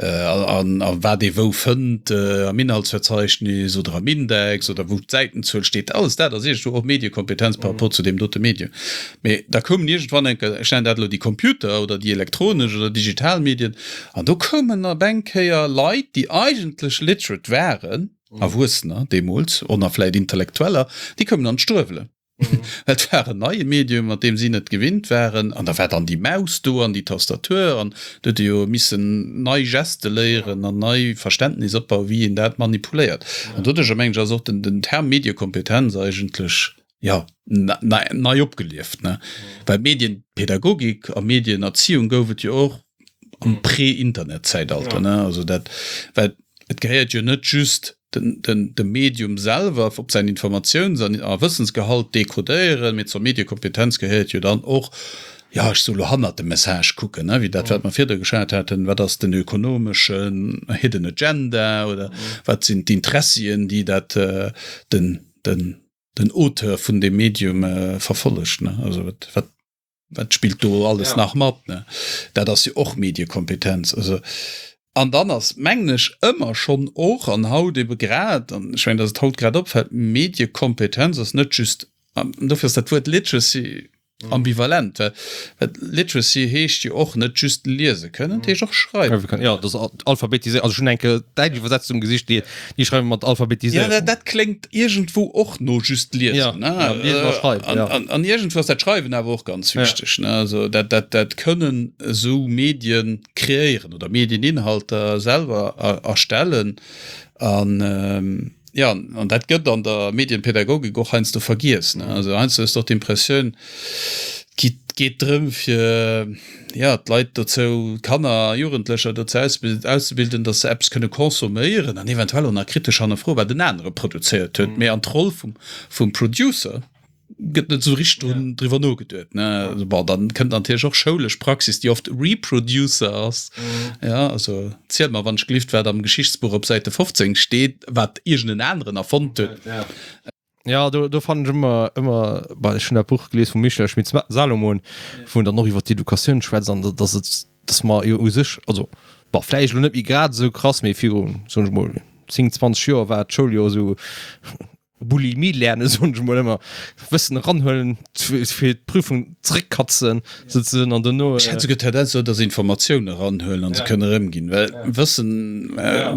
An a wat ee wou fënnt, am Inhaltsverzeichnis oder am Index oder wou d'Säitenzuel steet, alles dat ass iergendwou och Mediekompetenz par rapport zu deem dote Medium. Mee da koumen iergendwann eng Kéier, ech nennen dat elo déi Computer oder déi elektronesch oder digital Medien, an do koumen op eng Kéier Leit, déi eigentlech literate waren, Erwuessener deemools, och nach vläicht Intellektueller, déi koumen an d'Struewelen. Et war en neie Medium, mat deem si net gewinnt waren. An da war dann déi Maus do an déi Tastatur an do huet ee jo missen nei Geste léieren an nei Verständnis opbauen, wéi een dat manipuléiert. An doduercher, mengen ech, ass och den Term Mediekompetenz eigentlech, jo, nei opgelieft, ne? Well Medienpädagogik a Medienerziehung gouf et jo och am Prä-Internet-Zäitalter, ne? Also dat, well et gehéiert jo net just den, den, de Medium selwer op säin Informatiouns an a Wëssensgehalt dekodéieren, mee zur Mediekompetenz gehéiert jo dann och, jo, ech soe lo, hannert dem Message kucken, ne, wéi dat, wat mer virdru geschwat haten, wat ass den ökonomeschen hidden agenda oder wat sinn d'Interessien, déi dat den, den, den Auteur vun deem Medium verfollegt, ne? Also wat, wat, wat spillt do alles ja. nach mat, ne? Dat ass jo och Mediekompetenz. Also an dann ass mengen ech ëmmer schonn och an haut ebe grad, an ech mengen, datt et haut grad opfält, Mediekompetenz ass net just, an dofir ass dat Wuert Literacy ambivalent, well well Literacy heescht jo och net just liese kënnen, et heescht och schreiwe kënnen. Jo, dat ass Alphabetiséierung. Also ech hunn eng Kéier däitsch Iwwersetzung gesicht, déi déi schreiwe mat Alphabetiséierung. Jo, dat kléngt iergendwou och no just liesen, ne? Ja, liesen a schreiwen, jo. An an iergendwou ass dat Schreiwen awer och ganz wichteg, ne? Also dat dat dat kënnen esou Medien kreéieren oder Medieninhalter selwer erstellen an. Jo, an dat gëtt an der Medienpädagogik och heiansdo vergiess. Ne? Also heiansdo hues de och d'Impressioun, et geet drëm, fir jo, d'Leit dozou, d'Kanner a Jugendlecher dozou auszebilden, datt se eppes kënne consomméieren an eventuell och nach kritesch hannerfroen, wat en anere produzéiert huet. Mee an d'Roll vum, vum Producer gëtt net esou richteg drun, driwwer nogeduet, ne. Also bon, dann kënnt natierlech och schoulesch Praxis, déi oft Reproducer ass. Ja, also ziel mer wann ech gelift, wat am Geschichtsbuch op Säite fofzéng steet, wat iergend en aneren erfonnt huet. Ja, do, do fannen ech ëmmer, ëmmer, bah, ech hunn dat Buch gelies vum Michel Schmitt-Salomon, wou en dann och iwwer d'Educatioun schwätzt an dass et, dass mer jo u sech, also bon, vläicht elo net méi grad esou krass, mee viru, soen ech mol, zéng, zwanzeg Joer war d'Schoul jo esou Bulimie lernen, soen ech mol ëmmer, Wëssen eranhuelen, fir d'Prüfung zeréckkatzen souzesoen an dono. Ech hätt souguer d'Tendenz esou, dass Informatioun eranhuelen an se kënne erëmginn, well Wëssen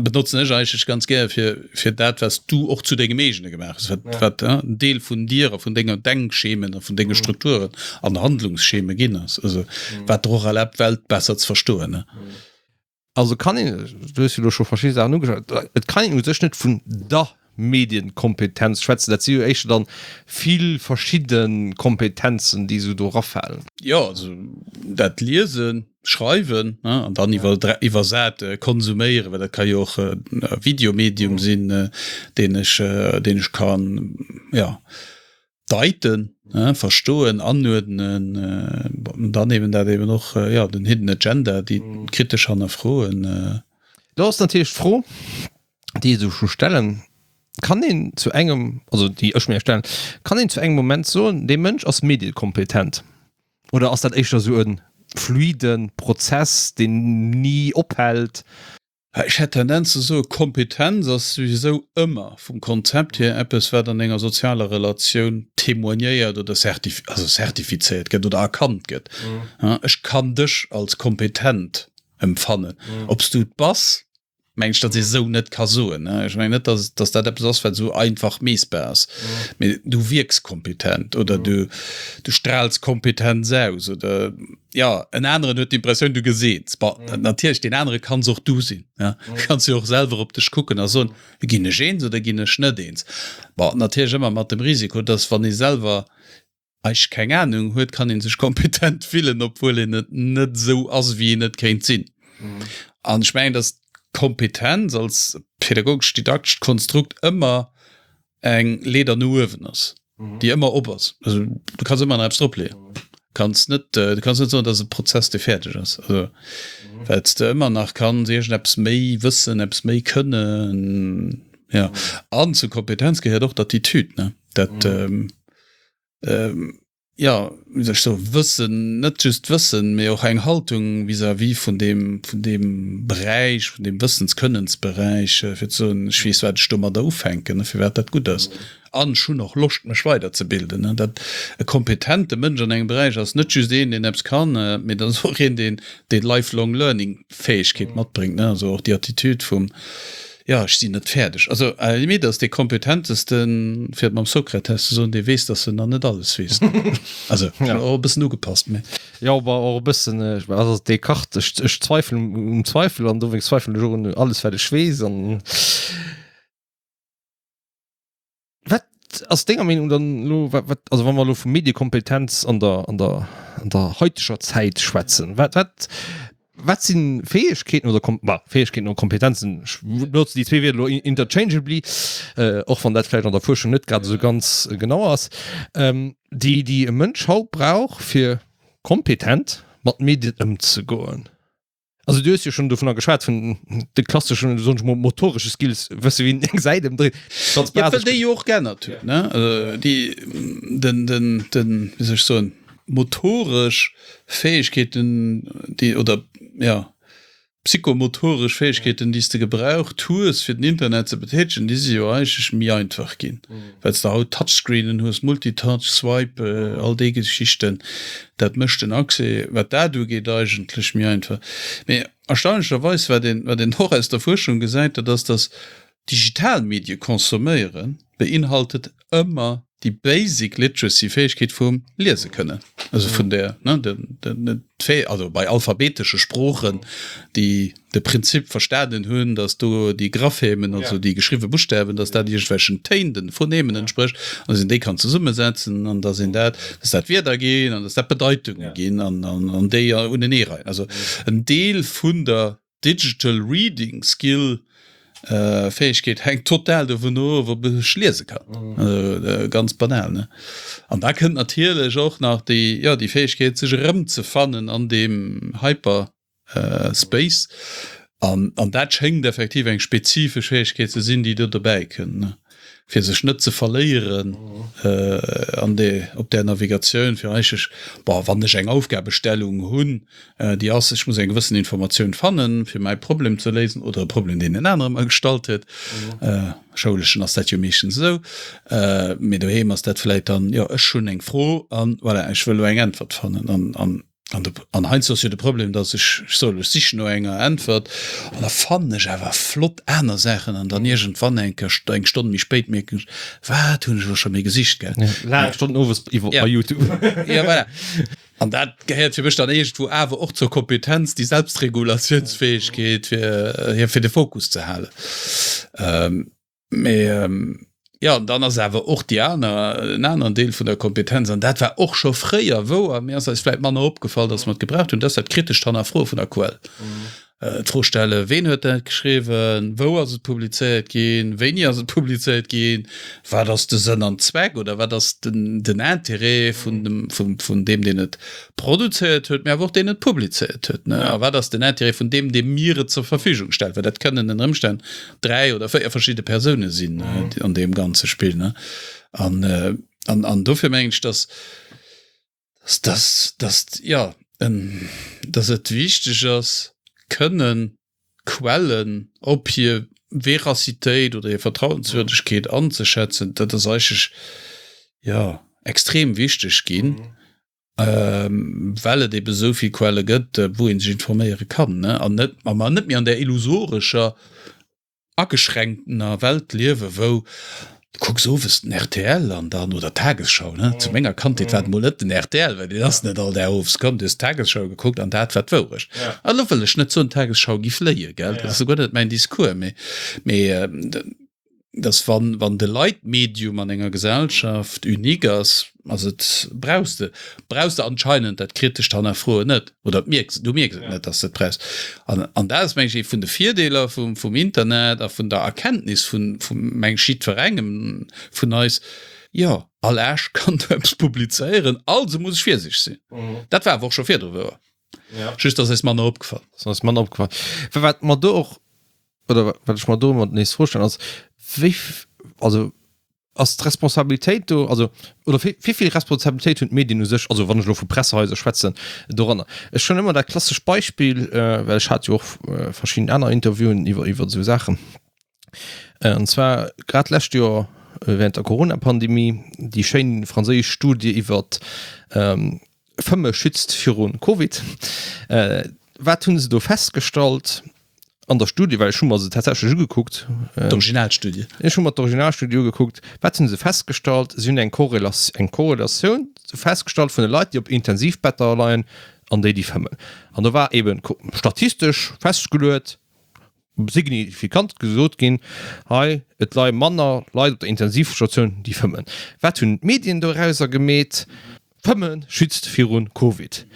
benotzen ech eigentlech ganz gär fir fir dat wat s du och zu dengem eegene gemaach hues, wat wat en Deel vun dir a vun denger Denkschemen a vun denge Strukturen an Handlungsscheme ginn ass, also wat der och erlaabt d'Welt besser ze verstoen. Also kann een, du hues jo elo scho verschidde Saachen ugeschwat, et kann een u sech net vun der Medienkompetenz schwätzen. Dat si jo éischter dann vill verschidde Kompetenzen, déi esou do erafalen. Jo, also dat Liesen, Schreiwen an dann iwwersat konsuméieren, well dat ka jo och e Videomedium sinn, deen ech, deen ech kann, jo. Deiten, verstoen, anuerdnen, dann eben dat eben och, jo, den Hidden Agenda, déi kritesch hannerfroen. Do ass natierlech d'Fro, déi ee sech scho stellen, Kann een zu engem, also déi ech mir stellen, kann een zu engem Moment soen, dee Mënsch ass mediekompetent? Oder ass dat éischter esou e fluide Prozess, deen ni ophält? Ech hätt d'Tendenz ze soen, Kompetenz ass souwisou ëmmer vum Konzept hier eppes, wat an enger sozialer Relatioun témoignéiert oder also zertifizéiert gëtt oder erkannt gëtt. Ech kann dech als kompetent empfannen. Ob s du et bass, mengen ech, datt ee sou net ka soen. Ech mengen net, datt datt dat eppes ass, wat esou einfach meessbar ass. Mee du wierks kompetent oder du du straals Kompetenz aus oder. Jo, en aneren huet d'Impressioun, du geseets. Bon, natierlech, deen anere kanns och du sinn. Ja, du kanns jo och selwer op dech kucken a soen, Ginn ech eens oder ginn ech net eens? Bon, natierlech ëmmer mat dem Risiko, dass, wann ee selwer eigentlech keng Anung huet, kann ee sech kompetent fillen, obwuel een et net esou ass, wéi een et kéint sinn. An ech mengen, dass d'Kompetenz als pädagogesch-didaktescht Konstrukt ëmmer eng Leeder no uewen ass, déi ëmmer op ass. Also du kanns ëmmer nach eppes drop leeën. Kanns net, du kanns net soen, dat ass e Prozess, dee fäerdeg ass. Also well s de ëmmer nach kanns iergendeppes méi wëssen, eppes méi kënnen. Ja. An zur Kompetenz gehéiert och d'Attitüd, ne? Dat jo, wéi soll ech soen, Wëssen, net just Wëssen, mee och eng Haltung vis-à-vis vun deem, vun deem Beräich, vun deem Wëssens-Kënnensberäich, fir ze soen, ech weess, wat ech domadder ufänken, firwat dat gutt ass. An ech hunn och Loscht, mech weiderzebilden. Dat, e kompetente Mënsch an engem Beräich ass net just een, deen eppes kann, mee dat ass och een, deen déi lifelong learning Fäegkeet matbréngt, also och déi Attitüd vum, Jo, ech sinn net fäerdeg. Also à la limite ass dee kompetentesten, fir et mam Sokrates ze soen, dee weess, datt en nach net alles weess. Also ech hunn och e bëssen ugepasst, mee. Jo, awer och e bëssen, also Descartes, ech, ech zweifelen um Zweifel an dowéinst zweifelen ech och un alles, wat ech weess. An wat ass denger Meenung dann elo, wat, wat, also wa mer elo vu Mediekompetenz an der, an der, an der haiteger Zäit schwätzen, wat, wat, wat si Fäegkeeten oder Kom, bah, Fäegkeeten oder Kompetenzen, ech benotzen déi zwee Wierder elo interchangeably, och wann dat vläicht an der Fuerschung net grad esou ganz genau ass, déi, déi e Mënsch haut brauch, fir kompetent mat Medien ëmzegoen? Also du hues jo schonn dovunner geschwat, vun de klasseschen, soen ech mol, motoresche Skills, wësse wéi een eng Säit ëmdréit, ganz Ja, well basesch. déi jo och geännert hunn, ne? Also déi, den, den, den, wéi soll ech soen, motoresch Fäegkeeten, déi, oder ja, psychomotoresch Fäegkeeten, déi s de gebraucht hues, fir den Internet ze betätegen, déi si jo eigentlech méi einfach ginn, well s de haut Touchscreenen hues, Multitouch, Swipe, all déi Geschichten. Dat mécht den Accès, wat dat ugeet, eigentlech méi einfach. Mee erstaunlecherweis, wat een, wat een och aus der Fuerschung gesäit, dat ass, dass digital Medie consomméieren beinhaltet ëmmer déi basic literacy, Fäegkeet vum liese kënnen, also vun der, ne, den, den, d'Fäh, also bei alphabetesche Sproochen, déi de Prinzip verstanen hunn, dass do déi Graphemen, also déi geschriwwe Buschtawen, dass dat iergendwelchen Téin, den Phonemen entsprécht, an dass een déi kann zesummesetzen an dass een dat, dass dat Wierder ginn an dass dat Bedeitunge ginn an, an, an déi uneneereien. Also en Deel vun der Digital Reading Skill, Fäegkeet hänkt total dovun of, ob ech liese kann. Also ganz banal, ne? An da kënnt natierlech och nach déi, jo, déi Fäegkeet, sech erëmzefannen an deem Hyper Space. An, an dat schéngt effektiv eng spezifesch Fäegkeet ze sinn, déi do dobäi kënnt, ne? Fir sech net ze verléieren an de, op där Navigatioun, fir eigentlech, bon, wann ech eng Aufgabestellung hunn, déi ass, ech muss eng gewëssen Informatioun fannen, fir mäi Problem ze léisen oder e Problem, deen en anere mer gestallt huet. Schouleschen ass dat jo meeschtens esou, mee doheem ass dat vläit dann, jo, ech hunn eng Fro an voilà, ech wëll elo eng Äntwert fannen. An, an, an de, an heiansdo ass jo de Problem, datt ech, ech soll, ech sichen no enger Äntwert an da fannen ech awer flott aner Saachen an dann iergendwann eng Kéier, eng Stonn méi spéit mierken ech, wat hunn ech elo scho méi gesicht, gell? Laang Stonnen owes iwwer bei YouTube. Ja, voilà. An dat gehéiert fir mech dann iergendwou awer och zur Kompetenz, déi Selbstregulatiounsfäegkeet, fir, fir de Fokus ze halen. Mee jo, an dann ass awer och déi aner, en aneren Deel vun der Kompetenz, an dat war och scho fréier wouer, mee ass eis vläicht manner opgefall, datt mer et gebraucht hunn, dat ass dat kritescht Hannerfroe vun der Quell. D'Fro stellen, Ween huet dat geschriwwen? Wou ass et publizéiert ginn? Wéini ass et publizéiert ginn? Wat ass de Sënn an Zweck oder wat ass den Intérêt vun deem, deen et produzéiert huet, mee awer och deen et publizéiert huet? A wat ass den Intérêt vun deem, dee mir et zur Verfügung stellt? Well dat kënnen ënner Ëmstänn dräi oder véier verschidde Persoune sinn an deem ganze Spill. An dofir mengen ech, dass dass, dass, ja, dass et wichteg ass, kënnen Quellen op hir Veracitéit oder hir Vertrauenswürdegkeet anzeschätzen. Dat ass eigentlech, ja, extrem wichteg ginn, well et ebe esou vill Quelle gëtt, wou ee sech informéiere kann, ne, an net, a mer net méi an där illusorescher ageschränktener Welt liewen, wou du kucks owes den rtl an dann, oder d'Tagesschau, ne, zu menger Kandheet war et mol net den rtl, well deen ass net all Dag owes komm, du hues d'Tagesschau gekuckt an dat war d'Wourecht. An elo wëll ech net soen, d'Tagesschau giff léien, gell, dat ass souguer net mäin Discours, mee, mee dass wann, wann de Leitmedium an enger Gesellschaft unique ass, ass et, brauchs de, brauchs de anscheinend dat kritescht Hannerfroen net. Oder mierks, du mierks et net, dass de et brauchs. An, an dat ass, meng ech, ee vun de Virdeeler vum, vum Internet a vun der Erkenntnis vun, vum, meng ech, jiddwerengem vun eis, Jo, all Aarsch kann do eppes publizéieren, also muss ech virsiichteg sinn. Dat war awer och scho virdru wouer. Just ass eis manner opgefall. Ass eis manner opgefall. Wat mer do och, oder wat ech mer do ëmmer nees d'Fro stellen, ass, wéi, also ass d'Responsabilitéit do, also oder wéi vill Responsabilitéit hunn d'Medien u sech, also wann ech elo vu Pressehaiser schwätzen, doranner? Ech hunn ëmmer dat klassescht Beispill, well ech hat jo och verschidden aner Interviewen iwwer iwwer esou Saachen, an zwar grad d'lescht Joer während der Corona-Pandemie déi schéin franséisch Studie iwwert Fëmme schützt viru Covid. Wat hu se do festgestallt an der Studie? Well ech hu mer se tatsächlech ugekuckt. D'Originalstudie. Ech hu mer d'Originalstudie ugekuckt. Wat hu se festgestallt? Si hunn eng eng Korrelatioun festgestallt vun de Leit, déi op Intensivbetter leien an déi, déi fëmmen. An do war eeben statistesch festgeluet, signifikant gesot ginn, hei, et leie manner Leit op der Intensivstatioun, déi fëmmen. Wat hunn d'Medien dorauser gemeet? Fëmme schützt viru Covid.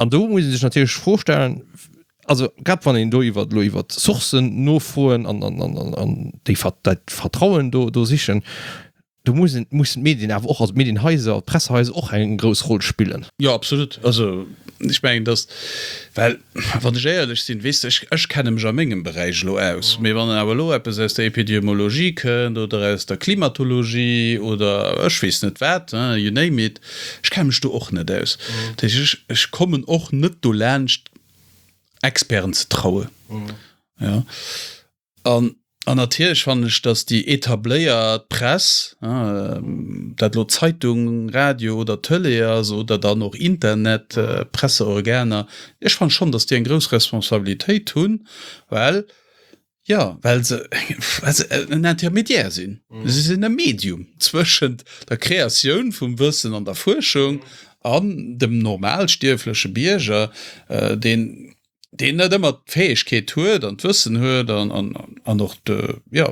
An do muss ee sech natierlech d'Fro stellen, also grad wann een do iwwer elo iwwer Sourcen nofroen an déi dat Vertrauen do do sichen, do mussen mussen d'Medien awer och, also d'Medienhaiser, d'Pressehaiser och eng grouss Roll spillen. Jo, absolut. Also Ech mengen, dass, well wann ech éierlech sinn, weess de, ech, ech kenne mech a mengem Beräich elo aus, mee wann awer elo eppes aus der Epidemiologie kënnt oder aus der Klimatologie oder ech weess net wat, you name it, ech kenne mech do och net aus. Dat heescht, ech, ech kommen och net dolaanscht, Experten ze trauen. Ja. An, an natierlech fannen ech, dass déi etabléiert Press, dat elo Zeitung, Radio oder Tëlee ass oder dann och Internet, Presseorganer, ech fannen schonn, dass déi eng grouss Responsabilitéit hunn, well, jo, well se, well se en Intermédiaire sinn. Si sinn e Medium zwëschent der Kreatioun vum Wëssen an der Fuerschung an dem normalstierfleche Bierger, deen, deen net ëmmer d'Fäegkeet huet an d'Wëssen huet an, an, an och de, jo,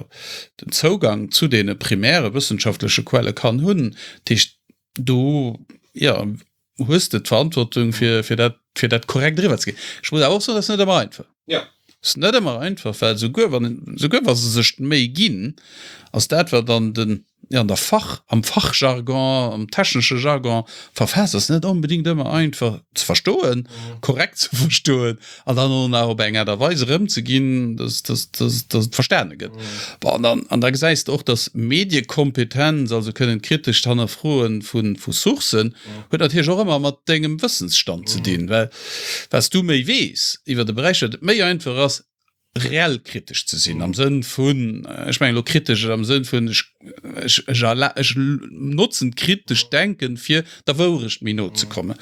den Zougang zu deene primäre wëssenschaftleche Quelle kann hunn. Dat heescht, do, jo, hues de d'Verantwortung, fir, fir dat, fir dat korrekt eriwwerzeginn. Ech muss awer och soen, dat ass net ëmmer einfach. Ja. Ass net ëmmer einfach, well souguer wann, souguer wa se sech d'Méi ginn, ass dat, wat an den, jo, an der Fach, am Fachjargon, am technesche Jargon verfaasst ass, net onbedéngt ëmmer einfach ze verstoen, korrekt ze verstoen an dann och nach op eng Aart a Weis erëmzeginn, dass, dass, dass, dass et verstane gëtt. Bon, an dann, an da gesäis de och, dass Mediekompetenz, also kënnen kritescht Hannerfroe vu, vu Sourcen, huet natierlech och ëmmer mat dengem Wëssensstand ze dinn, well wat s du méi weess iwwer e Beräich, wat et méi einfach ass, reell kritesch ze sinn am Sënn vun, ech mengen elo kritesch am Sënn vun, ech, ech, ech erla-, ech notzen d'kritescht Denken, fir der Wourecht méi no ze kommen.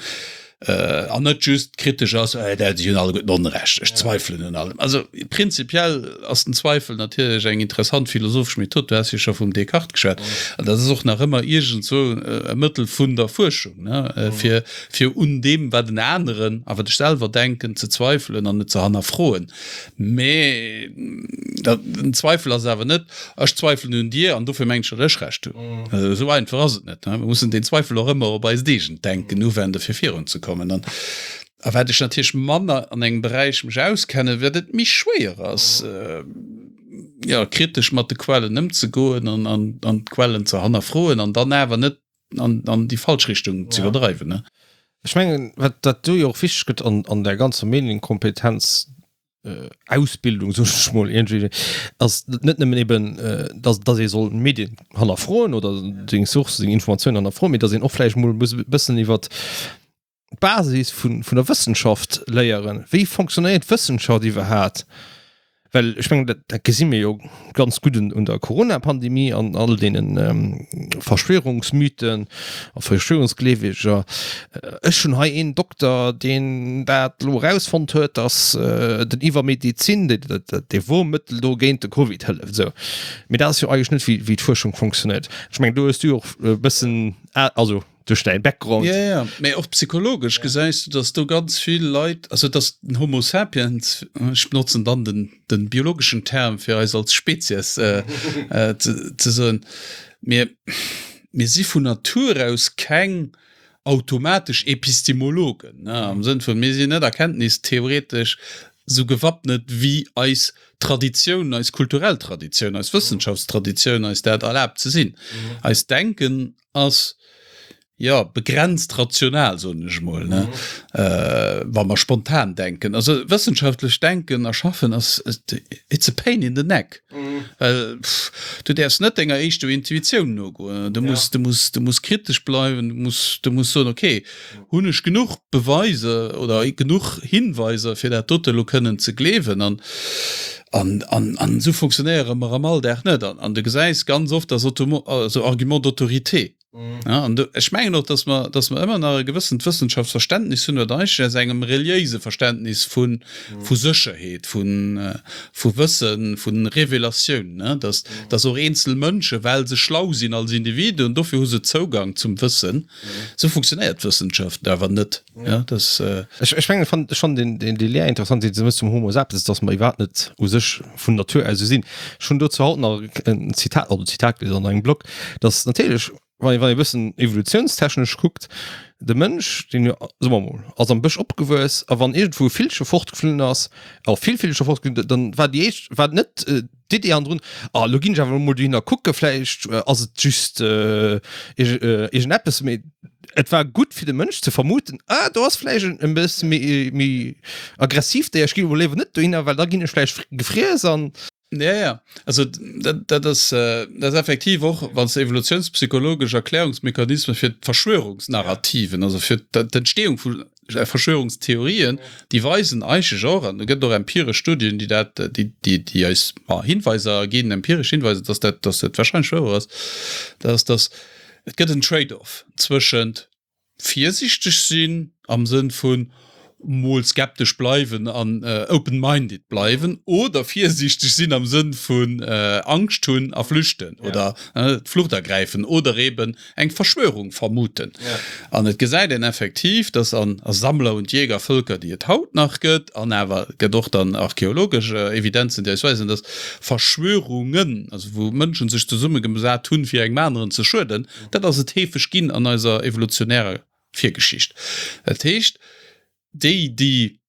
An net just kritesch ass, äh, déi hunn alleguerten Onrecht, ech zweifelen un allem. Also prinzipiell ass den Zweifel natierlech eng interessant philosophesch Method, du has jo scho vum Descartes geschwat, an dat ass och nach ëmmer iergendzwou e Mëttel vun der Fuerschung, ne, fir, fir un deem, wat en aneren a wat ech selwer denken, ze zweifelen an et ze hannerfroen. Mee den Zweifel ass awer net, ech zweifelen un dir an dofir mengen ech, datt ech Recht hunn. Esou einfach ass et net. Mir mussen deen Zweifel och ëmmer op eist eegent Denken uwenden, fir virunzekommen. An a wat ech natierlech manner an engem Beräich mech auskennen, wat et méi schwéier ass, jo, kritesch mat de Quellen ëmzegoen an an d'Quellen ze hannerfroen an dann awer net an an déi falsch Richtung ze iwwerdreiwen. Ech mengen, wat dat do jo och wichteg gëtt an an där ganzer Medienkompetenz, Ausbildung, soen ech mol iergendwéi, ass net nëmmen eben, dass dass ee soll d'Medien hannerfroen oder seng Sourcë, seng Informatiounen hannerfroen, mee dass een och vläicht mol muss e bëssen iwwert d'Basis vun vun der Wëssenschaft léieren. Wéi fonctionnéiert d'Wëssenschaft iwwerhaat? Well ech mengen, dat dat gesi mir jo ganz gutt un un der Corona-Pandemie an all deene Verschwörungsmythen a Verschwörungsgleeweger. Ech hunn hei een Dokter, deen dat elo erausfonnt huet, datt den Iwwermedizin, dee Wurmmëttel do géint de Covid hëlleft. Esou. Mee dat ass jo eigentlech net, wéi wéi d'Fuerschung funktionéiert. Ech mengen, do hues du jo och e bëssen, also duerch däin Background. Ja, ja, mee och psychologesch gesäis du, dass do ganz vill Leit, also dass den Homo sapiens, ech benotzen dann den, den biologeschen Term fir eis als Spezies äh, äh, ze, ze soen, mir, mir si vun Natur aus keng automatesch Epistemologen, ne, am Sënn vun, mir sinn net erkenntnistheoretesch sou gewappnet wéi eis Traditioun, eis kulturell Traditioun, eis Wëssenschaftstraditioun eis dat erlaabt ze sinn. Eist Denken ass, jo, begrenzt rational, soen ech emol, ne, wa mer spontan denken. Also wëssenschaftlech denken a schaffen ass, it's a pain in the neck, well du däerfs net denger éischter Intuitioun nogoen. Du muss, du muss, du muss kritesch bleiwen, du muss, du muss soen, okay, hunn ech genuch Beweiser oder genuch Hinweiser, fir dat dote elo kënnen ze gleewen? An, an, an, an esou funktionéiere mer am Alldag net. An, an du gesäis ganz oft, dass automo-, also Argument d'autorité. Ja, an do, ech mengen och, dass mer, dass mer ëmmer nach e gewëssent Wëssenschaftsverständnis hunn, wat eigentlech aus engem reliéise Verständnis vu, vu Sécherheet, vu, vu Wëssen, vu Revelatioun, ne, dass, dass och eenzel Mënsche, well se schlau sinn als Individuen, dofir hu se Zougang zum Wëssen. Sou funktionéiert d'Wëssenschaft awer net. Ja, das, äh Ech, ech mengen, fand schon den, den, déi Lehr interessant, déi du méchs zum Homo sapiens, dass mer iwwerhaapt net u sech vun Natur aus esou sinn. Ech hunn dozou haut nach en Zitat, also Zitat gelies an engem Blog, dass natierlech, wann ee, wann ee bëssen evolutionstechnesch kuckt, de Mënsch, deen jo, soe mer mol, ass am Bësch opgewuess a wann iergendwou e Villche fortgeflunn ass, a vill Villcher fortgeflunn, dann war déi éischt, war net d'Idee hannendrun, ah lo ginn ech awer mol dohinner kucken, vläicht ass et just iergendeppes, mee Et war gutt fir de Mënsch ze vermuten, ah do ass vläicht en e bësse méi méi aggressiv Déier, ech gi mol léiwer net dohinner, well da ginn ech vläicht gefriess an. Ja, ja. Also dat, dat ass, dat ass effektiv och, wann s de evolutionspsychologesch Erklärungsmechanisme fir d'Verschwörungsnarrativen, also fir d'Entstehung vu Verschwörungstheorien, déi weisen eigentlech och, an et gëtt och empiresch Studien, déi dat, déi, déi, déi eis Hinweiser ginn, empiresch Hinweiser, dass dat, dass dat wahrscheinlech wouer ass, dat ass, dass et gëtt en Trade-off zwëschent virsiichteg sinn am Sënn vun mol skeptesch bleiwen an open-minded bleiwen oder virsiichteg sinn am Sënn vun Angscht hunn a flüchten oder d'Flucht ergräifen oder eben eng Verschwörung vermuten. An et gesäit een effektiv, dass an Sammler und Jägervölker, déi et haut nach gëtt, an awer et gëtt och dann archeologesch Evidenzen, déi eis weisen, dass Verschwörungen, also wou Mënschen sech zesummegesat hunn, fir engem aneren ze schueden, Dat ass et heefeg ginn an eiser evolutionärer Virgeschicht. Dat heescht, déi, déi,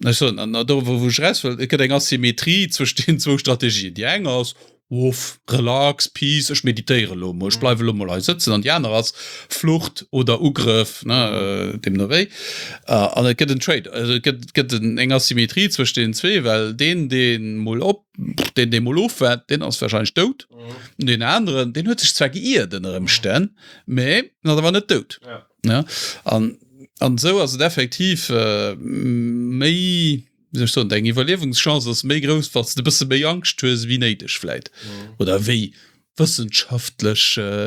ech soen, an do wou ech eraus wëll, et gëtt eng Asymmetrie zwëscht deenen zwou Strategien. Déi eng ass, Uff, relax, peace, ech meditéiere elo emol, ech bleiwe elo emol hei sëtzen. An déi aner ass Flucht oder Ugrëff, ne, deemno wéi. An et gëtt en Trade, also et gëtt, gëtt eng Asymmetrie zwëscht deenen zwee, well deen, dee mol op, deen, dee mol ofwaart, deen ass warscheinlech dout. Mm. Den aneren, deen huet sech zwar geiert ënner Ëmstänn, mä en ass awer net dout. Ja. Ja? An, an esou ass et effektiv äh, méi, wéi soll ech soen, deng Iwwerliewungschance ass méi grouss, wann s de e bësse méi Angscht hues wéi néideg vläit. Mm. Oder wéi wëssenschaftlech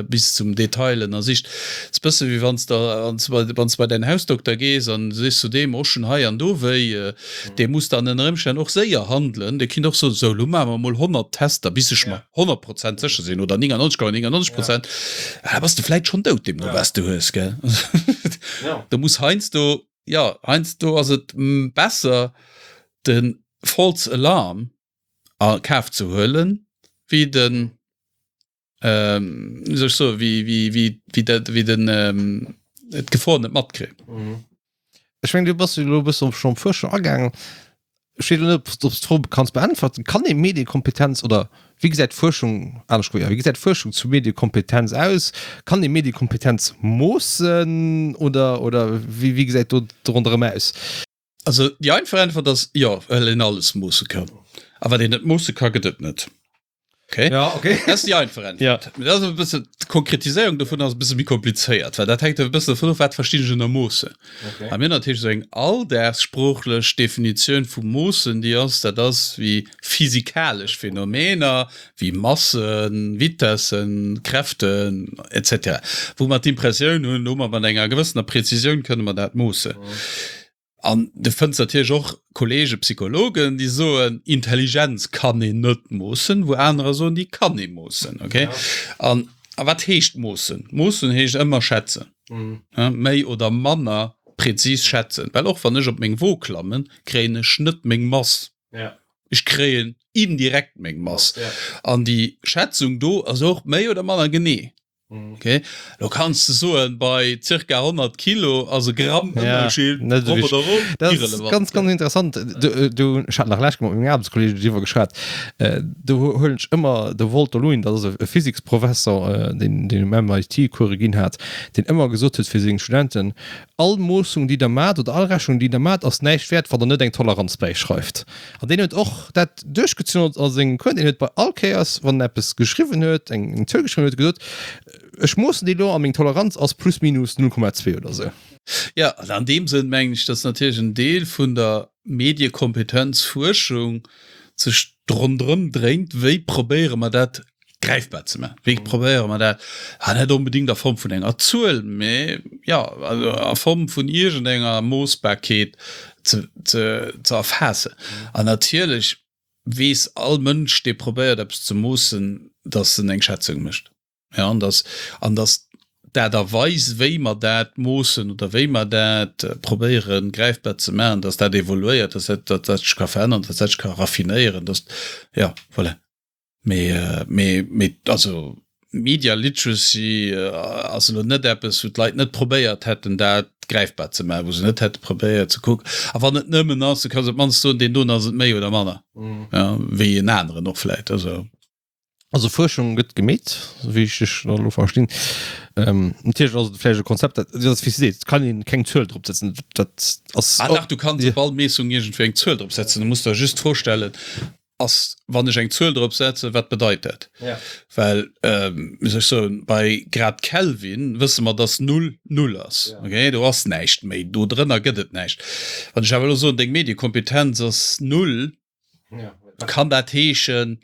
bis zum Detail ënnersicht. Et ass bësse wéi wann s de wann s de bei däin Hausdokter gees an du sees zu deem, och schonn hei an do wéi, dee muss dann ënner Ëmstänn och séier handelen. Dee kinnt och soen, sou elo maache mer emol honnert Tester bis ech mer honnert Prozent sécher sinn oder néngannonzeg Komma néngannonzeg Prozent. Da bass de vläit schonn dout deemno wat s de hues, gell. Do muss heiansdo, jo heiansdo ass et besser de False Alarm a Kaf ze huelen, wéi den, wéi soll ech soen, wéi, wéi, wéi, wéi dat, wéi den d'Gefor net matkritt. Ech mengen, du bass jo elo e bëssen schonn op Fuerschung agaangen. Ech weess elo net, ob s du d'Fro kanns beäntwerten. Kann ee Mediekompetenz oder wéi gesäit d'Fuerschung, anescht gesot, jo, wéi gesäit d'Fuerschung zu Mediekompetenz aus? Kann ee Mediekompetenz moossen oder, oder wéi, wéi gesäit do ronderëm aus? Also déi einfach Äntwert ass jo, well een alles moosse kann. A wat een net moosse ka, gëtt et net. Okay? Ja, okay. Dat ass déi einfach Äntwert. Ja. Mee dat ass e bësse, d'Konkretiséierung dovun ass e bësse méi komplizéiert, well dat hänkt e bësse dovun of, wat verstinn ech ënner moossen. Okay. A mir hunn natierlech esou eng alldagssproochlech Definitioun vu moossen, déi ass, dat ass wéi physikalesch Phänomener, wéi Massen, Vitessen, Kräften, et cetera, wou mer d'Impressioun hunn, hu mer mat enger gewëssener Präzisioun kënne mer dat moossen. An du fënns natierlech och Kollege Psychologen, déi soen, Intelligenz kann een net moossen, wou anerer soen, déi kann ee moossen. Okay? Ja. An, a wat heescht moossen? Moossen heescht ëmmer schätzen. Mhm. Ja, méi oder manner präzis schätzen. Well och wann ech op meng Wo klammen, kréien ech net meng Mass. Ja. Ech kréien indirekt meng Mass. Ja. An déi Schätzung do ass och méi oder manner genee. Mhm. Okay. Lo kanns du soen, bei circa honnert Kilo ass e Gramm Ënnerscheed ja, net rop oder erof Dat ass irrelevant. ganz, ganz interessant. Du, du, ech hat nach lech mat mengem Aarbechtskolleegen driwwer geschwat. Äh, do huelen ech ëmmer de Walter Lewin, dat ass e Physiksprofessor, äh, deen, deen um M I T Coure ginn hat, deen ëmmer gesot huet fir seng Studenten, All Moossung, déi der maacht oder all Rechnung, déi der maacht, ass näischt wäert, wann der net eng Toleranz bäischreift. An deen huet och dat duerchgezunn a sengem Cours. Deen huet bei all Kéiers, wann en eppes geschriwwen huet, eng eng Zuel geschriwwen huet, gesot, Ech moossen déi elo a meng Toleranz ass plus minus null Komma zwee oder esou. Jo, an an deem Sënn mengen ech, datt natierlech en Deel vun der Mediekompetenzfuerschung sech ronderëm dréint, wéi probéiere mer dat gräifbar ze maachen. Wéi probéiere mer dat? Ah, net onbedéngt a Form vun enger Zuel, mä jo, also a Form vun iergendenger Moossbarkeet ze, ze, ze erfaassen. An natierlech weess all Mënsch, dee probéiert eppes ze moossen, datt en eng Schätzung mécht. Ja, an datt, an datt d'Aart a Weis, wéi mer dat moossen oder wéi mer dat probéieren gräifbar ze maachen, datt dat evoluéiert, datt dat, datt dat sech ka verännern, datt dat sech ka raffinéieren, datt, ja, voilà. Mee, mee, mee also Media Literacy ass elo net eppes, wou d'Leit net probéiert hätten, dat gräifbar ze maachen, wou se net hätte probéiert ze kucken. A wann et nëmmen ass, du kanns op d'mannst soen, deen doen ass et méi oder manner, ja, wéi en aneren och vläicht. Also. Also Fuerschung gëtt gemeet, esou wéi ech dech da elo verstinn. Natierlech ass et vläicht e Konzept, dat, dat ass wéi s du sees, et kann een keng Zuel drop setzen, dat ass. Ah dach, du kanns op all Meessung iergendwéi eng Zuel drop setzen. Du muss der just d'Fro stellen, ass, wann ech eng Zuel drop setzen, wat bedeit dat? Well, wéi soll ech soen, bei Grad Kelvin wësse mer, dass null null ass, okay? Do ass näischt méi, do drënner gëtt et näischt. Wann ech awer elo soen, deng Mediekompetenz ass null, Kann dat heeschen,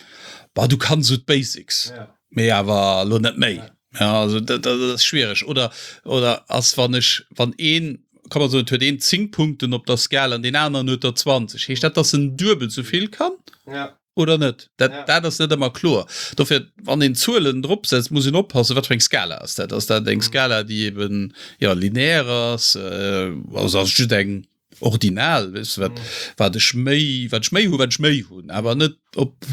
bah, du kanns esou d'Basics, mee awer elo net méi. Ja, also dat, dat ass schwiereg. Oder, oder ass, wann ech, wann een, kann man soen, et huet een zéng Punkten op der Skala an deen aneren huet der zwanzeg, heescht dat, dass en duebel esou vill kann oder net? Dat, dat ass net ëmmer kloer. Dofir, wann een Zuelen dropsetzt, muss een oppassen, wat fir eng Skala ass dat? Ass dat eng Skala, déi eben, jo, linear ass, also ass et just eng Ordinal, weess de, wat, wat ech méi, wat ech méi hu, wat ech méi hunn, awer net op,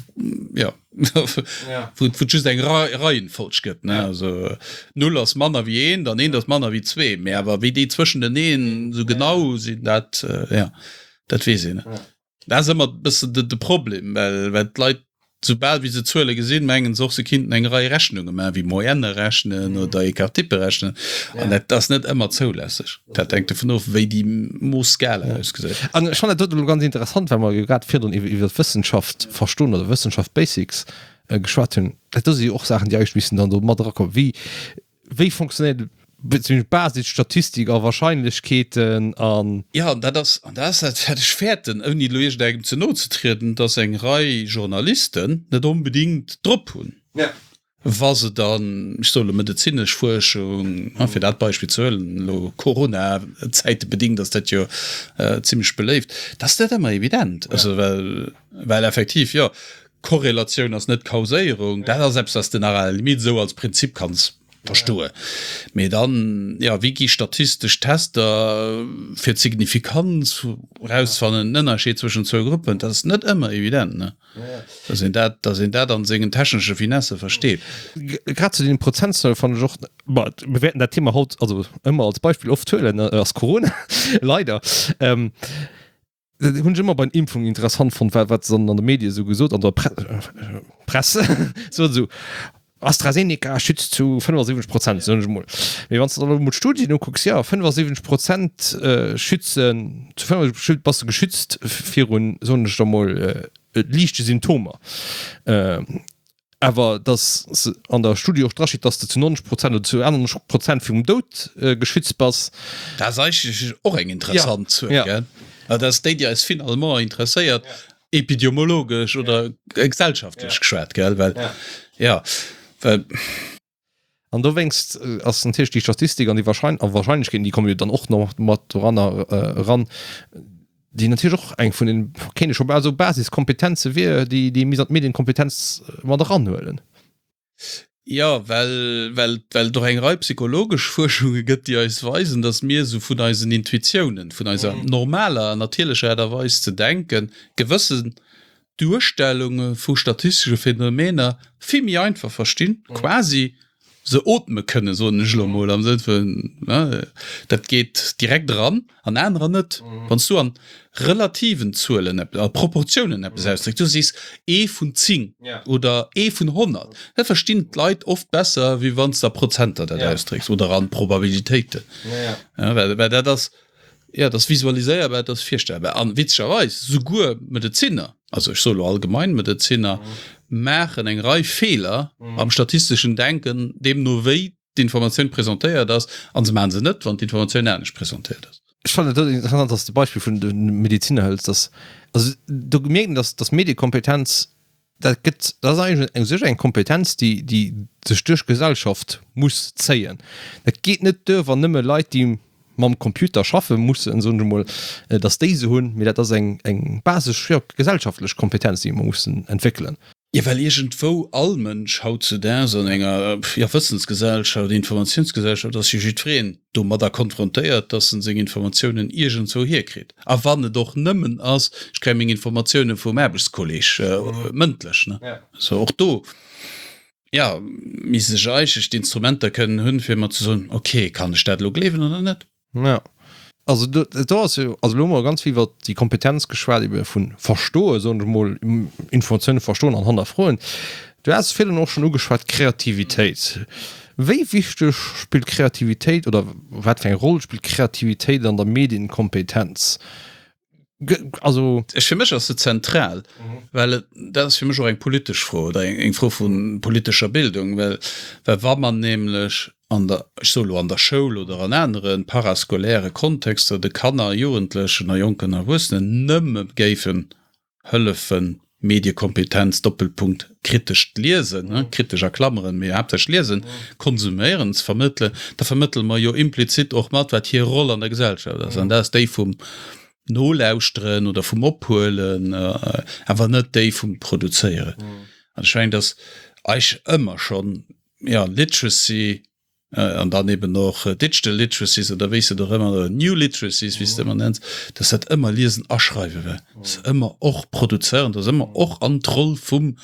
ja, wou et just eng Reihenfolg gëtt, ne, also null ass manner wéi eent an eent ass manner wéi zwee, mä awer wéi déi zwëschenteneen esou genau sinn, dat, ja, dat weess een net. Dat ass ëmmer e bëssen de Problem, well, well d'Leit Soubal wéi se Zuele gesinn, mengen se och, se kinnten eng Rei Rechnunge maachen, wéi Moyenne rechnen oder Écart-type rechnen. An dat ass net ëmmer zoulässeg. Dat hänkt dovun of, wéi déi Moosskala ausgesäit. An ech fannen dat doten elo ganz interessant, well mer jo grad virdrun iwwer Wëssenschaft verstoen oder Wëssenschaft Basics geschwat hunn. Dat do si jo och Saachen, déi eigentlech missten dann do mat erakommen. Wéi Wéi fonctionnéiert beziehungsweise Basisstatistik a Wahrscheinlechkeeten an. Jo, an dat ass, an dat ass dat, wat ech fäerten, ouni elo iergendengem ze no ze trieden, dass eng Rei Journalisten net onbedéngt drop hunn, wa se dann, ech soe elo medezinesch Fuerschung, fir dat Beispill ze huelen, elo Corona-zäitebedéngt ass dat jo zimlech beléift, dass dat ëmmer evident, also well, well effektiv, jo, Korrelatioun ass net Kauséierung, dat ass eppes, wat s de nach à la limite esou als Prinzip kanns verstoen. Mee dann, jo, wéi gi statistesch Tester fir d'Signifikanz erausfannen, den Ënnerscheed zwëschen zwou Gruppen, dat ass net ëmmer evident, ne, dass een dat, dass een dat an sengen technesche Finesse versteet. Grad zu deene Prozentzuele fannen ech och, bon, mir wäerten dat Thema haut, also ëmmer als Beispill oft huelen, ass Corona, leider. Dat hunn ech ëmmer bei den Impfungen interessant fonnt, wat wat se dann an de Medie sou gesot, an der Pre Press sot esou, AstraZeneca schützt zu fënnefasiwwenzeg Prozent, soen ech emol. Mee wann s de dann elo emol d'Studien ukucks, jo, fënnefasiwwenzeg Prozent schützen, zu fënnefasiwwenzeg bass de geschützt virun, soen ech da mol, liichte Symptomer. Awer dass an der Studie och drasteet, dass de zu neunzeg Prozent oder zu achtundneunzeg Prozent virum Doud geschützt bass. Dat ass eigentlech och eng interessant Zuel, gell? Dat ass déi, déi eis finalement interesséiert, epidemiologesch oder gesellschaftlech geschwat, gell? Well, jo, well. An dowéinst ass natierlech déi Statistik an déi Wahrschein a Wahrscheinlechkeeten, déi komme jo dann och nach mat doranner eran, déi natierlech och eng vun den, kéint ee scho bal soen, Basiskompetenze wier, déi déi misst an d'Medienkompetenz mat eranhuelen. Jo, well well well et och eng Rei psychologesch Fuerschunge gëtt, déi eis weisen, datt mir esou vun eisen Intuitiounen, vun eiser normaler an natierlecher Aart a Weis ze denken, gewëssen Duerstellunge vu statistesche Phänomener vill méi einfach verstinn, quasi se ootme kënnen, soen ech elo mol, am Sënn vun, dat geet direkt eran an anerer net. Wann s du an relativen Zuelen, a Proportiounen eppes ausdrécks, du sees ee vun zéng oder ee vun honnert, dat verstinn d'Leit oft besser, wéi wann s de a Prozenter dat ausdrécks oder a Probabilitéiten. Well dat ass, Jo, et ass visualiséierbar, et ass virstellbar. An witzegerweis, souguer Medezinner, also ech soe lo allgemein Medezinner, maachen eng Rei Feeler am statisteschen Denken, deemno wéi d'Informatioun presentéiert ass, a se maache se net, wann d'Informatioun anescht presentéiert ass. Ech fannen et interessant, dass de Beispill vun de Medezinner hëls, dass, also do mierkt een, dass, dass Mediekompetenz Dat gëtt, dat ass eigentlech u sech eng Kompetenz, déi, déi sech duerch d'Gesellschaft muss zéien. Dat geet net duer, wann nëmme Leit, déi mam Computer schaffe mussen, soen ech emol, datt déi se hunn, mee dat ass eng, eng basesch, jo, gesellschaftlech Kompetenz, déi mer mussen entwéckelen. Jo, well iergendwou all Mënsch hautzedaags an enger, jo, Wëssensgesellschaft, Informatiounsgesellschaft ass jo jiddwereen domadder konfrontéiert, dass en seng Informatiounen iergendzwou hierkritt. A wann et och nëmmen ass, ech kréie meng Informatioune vum Aarbechtskolleg mëndlech. Also och do, jo, misst ech eigentlech d'Instrumenter kënnen hunn, fir mer ze soen, ok, kann ech dat elo gleewen oder net? Jo, also do, do ass jo, also elo hu mer ganz vill iwwert déi Kompetenz geschwat ebe vu verstoen, soen ech emol, Informatioune verstoen an hannerfroen. Du has virdrun och schonn ugeschwat, Kreativitéit. Wéi wichteg spillt Kreativitéit oder wat fir eng Roll spillt Kreativitéit an der Medienkompetenz? Also. Ech, fir mech ass se zentral, well et, dat ass fir mech och eng politesch Fro oder eng Fro vu politescher Bildung, well, well wa mer nämlech an der, ech soe lo an der Schoul oder an anere parascolaire Kontexter de Kanner, Jugendlechen a jonken Erwuessenen nëmme géifen hëllefen, Mediekompetenz, Doppelpunkt, kritescht Liesen, kritesch a Klammeren, mee haaptsächlech Liesen, konsuméieren, ze vermëttelen, da vermëttele mer jo implizit och mat, wat hir Roll an der Gesellschaft ass. An dat ass déi vum Nolauschteren oder vum Ophuelen, awer net déi vum Produzéieren. An ech mengen, datt eich ëmmer schonn, jo, Literacy, an dann eben och Digital Literacies oder wéi s de et och ëmmer, oder New Literacies, wéi s de et ëmmer nenns, dass dat ëmmer Liesen a Schreiwe war, dass ëmmer och produzéieren, dass ëmmer och an d'Roll vum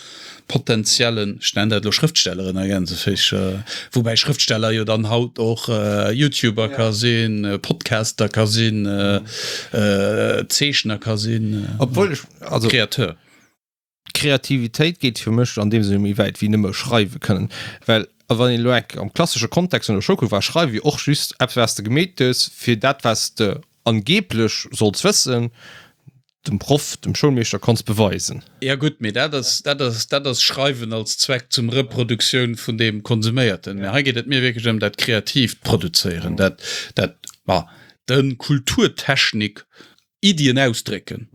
potenziellen, ech nennen dat elo Schrëftstellerin a Gänseféicher, woubäi Schrëftsteller jo dann haut och YouTuber ka sinn, Podcaster ka sinn, Zeechner ka sinn, Obwuel ech, also. Créateur. Kreativitéit geet fir mech an deem Sënn méi wäit wéi nëmme schreiwe kënnen, well wann een elo enk am klassesche Kontext vun der Schoul kuckt, war schreiwe jo och just eppes wat s de gemeet hues, fir dat wat s de angeblech solls wëssen, dem Proff, dem Schoulmeeschter konns beweisen. Jo gutt, mee dat ass, dat ass, dat ass Schreiwen als Zweck zum Reproduktioun vun deem Konsuméierten. Mee hei geet et mir wierklech ëm dat kreatiivt Produzéieren, dat, dat, ma, de Kulturtechnik Iddien ausdrécken.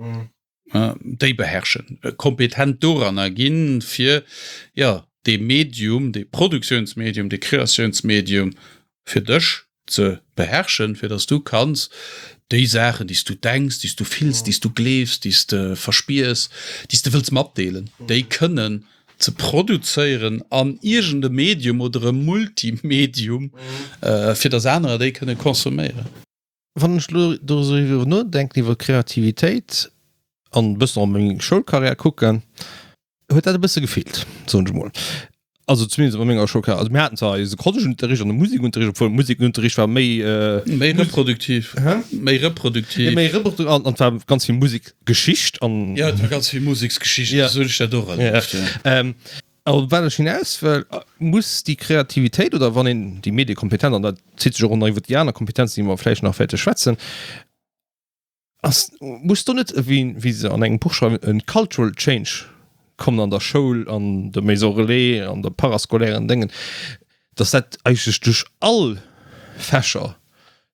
Déi beherrschen, kompetent doranner ginn, fir, jo, dee Medium, dee Produktiounsmedium, dee Kreatiounsmedium fir dech ze beherrschen, fir dass du kanns déi Saachen, déi s du denks, déi s du fills, déi s du gleefs, déi s de verspiers, déi s de wëlls matdeelen, déi kënnen ze produzéieren an iergend e Medium oder e Multimedium, fir dass anerer déi kënne consomméieren. Wann ech elo doriwwer nodenken, iwwer Kreativitéit an e bëssen och op meng Schoulkarriär kucken, huet dat e bësse gefeelt, soen ech emol. Also zumindest a menger Schoulkarriär. Also mir haten zwar eise Kollegenunterricht an de Musikunterricht, obwuel Musikunterricht war méi. Méi reproduktiv. Hä? Méi reproduktiv. Méi reproduktiv an et war ganz vill Musikgeschicht an. Jo, et war ganz vill Museksgeschicht, esou hunn ech dat och erlieft, jo. Op wat ech hinaus wëll, muss déi Kreativitéit oder wann een déi Mediekompetenz, an dat zitt sech och nach iwwer déi aner Kompetenzen, déi mer vläicht nach wäerte schwätzen, ass, muss do net, wéi wéi se an engem Buch schreiwen, e cultural change kommen an der Schoul, an der Maison relais, an der parascolairen Déngen, dass dat eigentlech duerch all Fächer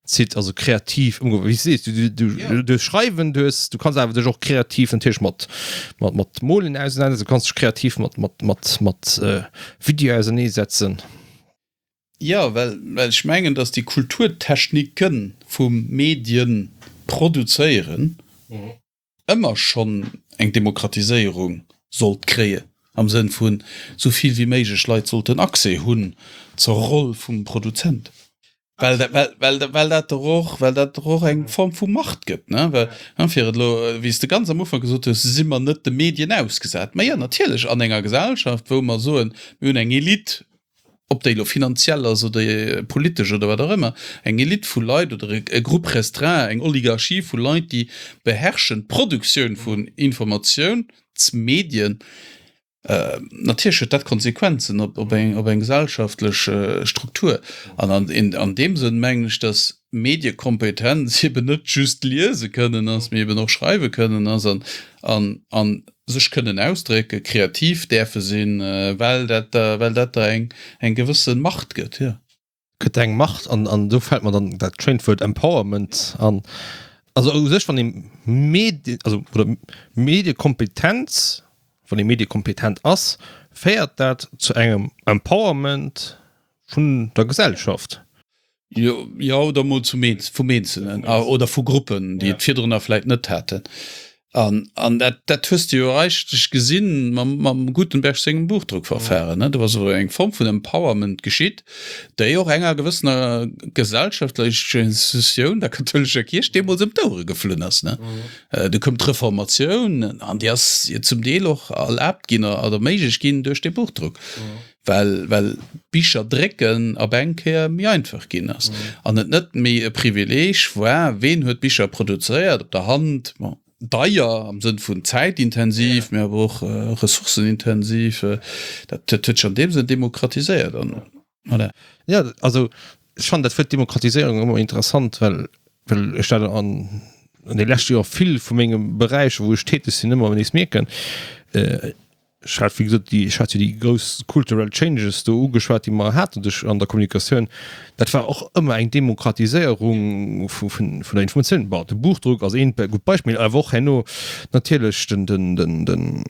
zitt, also kreativ ëmgoen, wéi s de sees, du, du, du, du schreiwen, du hues, du kanns awer dech och kreativ natierlech mat, mat, mat Molen ausenanersetzen, du kanns dech kreativ mat, mat, mat, mat Video auserneesetzen. Jo, well, well ech mengen, datt déi Kulturtechnike vum Medien produzéieren ëmmer schonn eng Demokratiséierung sollt kréien, am Sënn vun esou vill wéi méiglech Leit sollten Accès hunn zur Roll vum Produzent, well well dat der och well dat der och eng Form vu Macht gëtt, ne? Well, fir et elo, wéi s de ganz am Ufank gesot hues, si mer net de Medien ausgesat. Majo, natierlech, an enger Gesellschaft, wou mer soen, mir hunn eng Elite, ob déi elo finanziell ass oder politesch oder wat och ëmmer, eng Elite vu Leit oder e Groupe restreint, eng Oligarchie vu Leit, déi beherrschen d'Produktioun vun Informatiounsmedien. Natierlech huet dat Konsequenzen op eng op eng gesellschaftlech Struktur. An an deem Sënn mengen ech, datt Mediekompetenz eben net just liese kënnen ass, mee eben och schreiwe kënnen ass an an sech kënnen ausdrécken, kreativ däerfe sinn, well dat der, well dat der eng, eng gewësse Macht gëtt, jo. Gëtt der eng Macht an, an do fält mer dann dat schéint Wuert Empowerment an. Also u sech, wann ee Medien, also oder Mediekompetenz, wann ee mediekompetent ass, féiert dat zu engem Empowerment vun der Gesellschaft. Jo, jo, oder mol zum Eenz, vum Eenzelnen oder vu Gruppen, déi et virdrunner vläit net haten. An, an dat, dat hues de jo eigentlech gesinn mam, mam Gutenberg sengem Buchdruckverfahren, ne? Do ass elo eng Form vun Empowerment geschitt, déi och enger gewëssener gesellschaftlecher Institutioun, der kathoulescher Kierch, deemools ëm d'Ouere geflunn ass, ne? Du koum d'Reformatioun an déi ass jo zum Deel och erlaabt ginn oder méiglech ginn duerch dee Buchdruck. Well well Bicher drécken op eng Kéier méi einfach ginn ass an et net méi e Privileeg war, ween huet Bicher produzéiert op der Hand, bon, deier am Sënn vun zäitintensiv, mee awer och ressourcenintensiv. Dat huet sech an deem Sënn demokratiséiert an voilà. Jo, also ech fannen dat Wuert Demokratiséierung ëmmer interessant, well well ech dat an an de leschte Joer vill vu menge Beräicher, wou ech täteg sinn, ëmmer nees mierken. Ech hat, wéi gesot, déi, ech hat jo déi grouss cultural changes do ugeschwat, déi mer haten duerch an der Kommunikatioun. Dat war och ëmmer eng Demokratiséierung vu, vun, vun der Informatioun. Bon, de Buchdruck ass eent gutt Beispill, awer och herno natierlech den, den, den, den,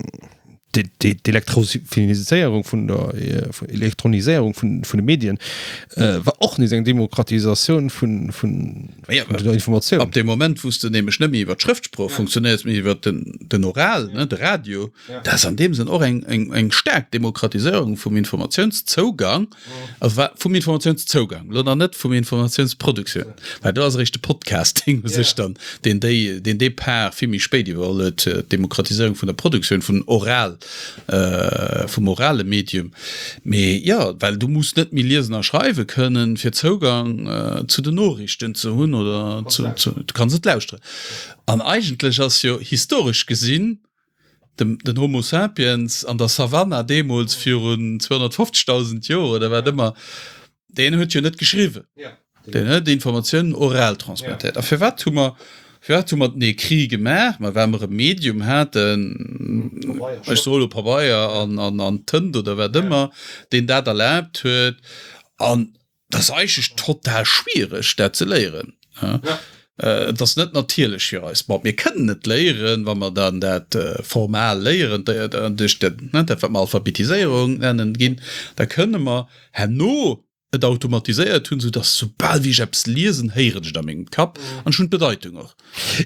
d'Elektroniséierung vun der, Elektroniséierung vun, vun de Medien war och nees eng Demokratisatioun vun, vun der Informatioun. Ab deem Moment, wou s de nämlech net méi iwwer d'Schrëftsprooch funktionéiers, mee iwwer den, den Oral, ne, de Radio, dat ass an deem Sënn och eng, eng, eng staark Demokratiséierung vum Informatiounszougang, also vum Informatiounszougang, elo nach net vum Informatiounsproduktioun, well do ass eréischt de Podcasting u sech dann, deen déi, deen dee Part vill méi spéit iwwerholl huet, d'Demokratiséierung vun der Produktioun vun oral, vum orale Medium. Mee jo, well du muss net méi liesen a schreiwe kënnen, fir Zougang zu den Noriichten ze hunn oder zu, zu, du kanns et lauschteren. An eigentlech ass jo historesch gesinn, dem, den Homo sapiens an der Savanna deemools virun zweehonnertfofzegdausend Joer oder wat ëmmer, deen huet jo net geschriwwen. Deen huet Informatiounen oral transmettéiert. A firwat hu mer, firwat hu mer den Écrit gemaach? Ma well mer e Medium haten, ech soe lo Pabeier an, an, an Tënt oder wat ëmmer, deen dat erlaabt huet. An Dat ass eigentlech total schwiereg, dat ze léieren. Et ass net natierlech fir eis. Bon, mir kënnen et léieren, wa mer dann dat formal léieren, duerch dat, dat wat mer Alphabetiséierung nennen ginn, da kënne mer herno et automatiséiert hunn, soudass soubal wéi ech eppes liesen, héieren ech et a mengem Kapp an ech hunn d'Bedeitung och.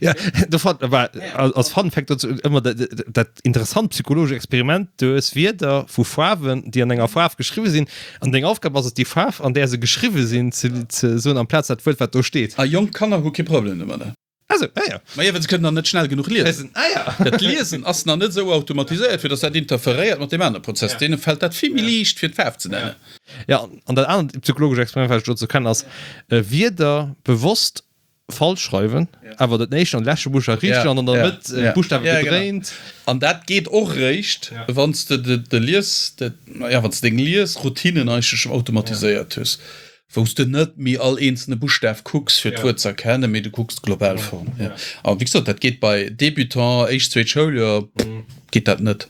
Ja, do fand, war, als Fun Fact dazu ëmmer dat, dat interessant psychologesch Experiment, du hues Wierder vu Faarwen, déi an enger Faarf geschriwwe sinn, an deng Aufgab ass et, déi Faarf, an där se geschriwwe sinn, ze, ze soen, amplaz dat Wuert, wat do steet. A jonk Kanner hu kee Problem domadder. Ah sou, ah ja. Ma jo, well se kënnen nach net schnell genuch liesen. Ah ja. Dat Liesen ass nach net esou automatiséiert, fir datt dat interferéiert mat deem anere Prozess. Deene fält dat vill méi liicht, fir d'Faarf ze nennen. Ja, an dat anert psychologesch Experiment, wat ech dozou kennen, ass, Wierder bewosst falsch schreiwen, awer den éischten an de leschte Buschtaf richteg an an der Mëtt d'Buschtawe gedréint. An dat geet och eréischt, wann s de de Lies, ja, wann s de deng Liesroutinen eigentlech automatiséiert hues, wou s de net méi all eenzelne Buschtaf kucks, fir d'Wuert ze erkennen, mee du kucks d'global Form. A wéi gesot, dat geet bei Débutant, éischt, zweet Schouljoer, geet dat net.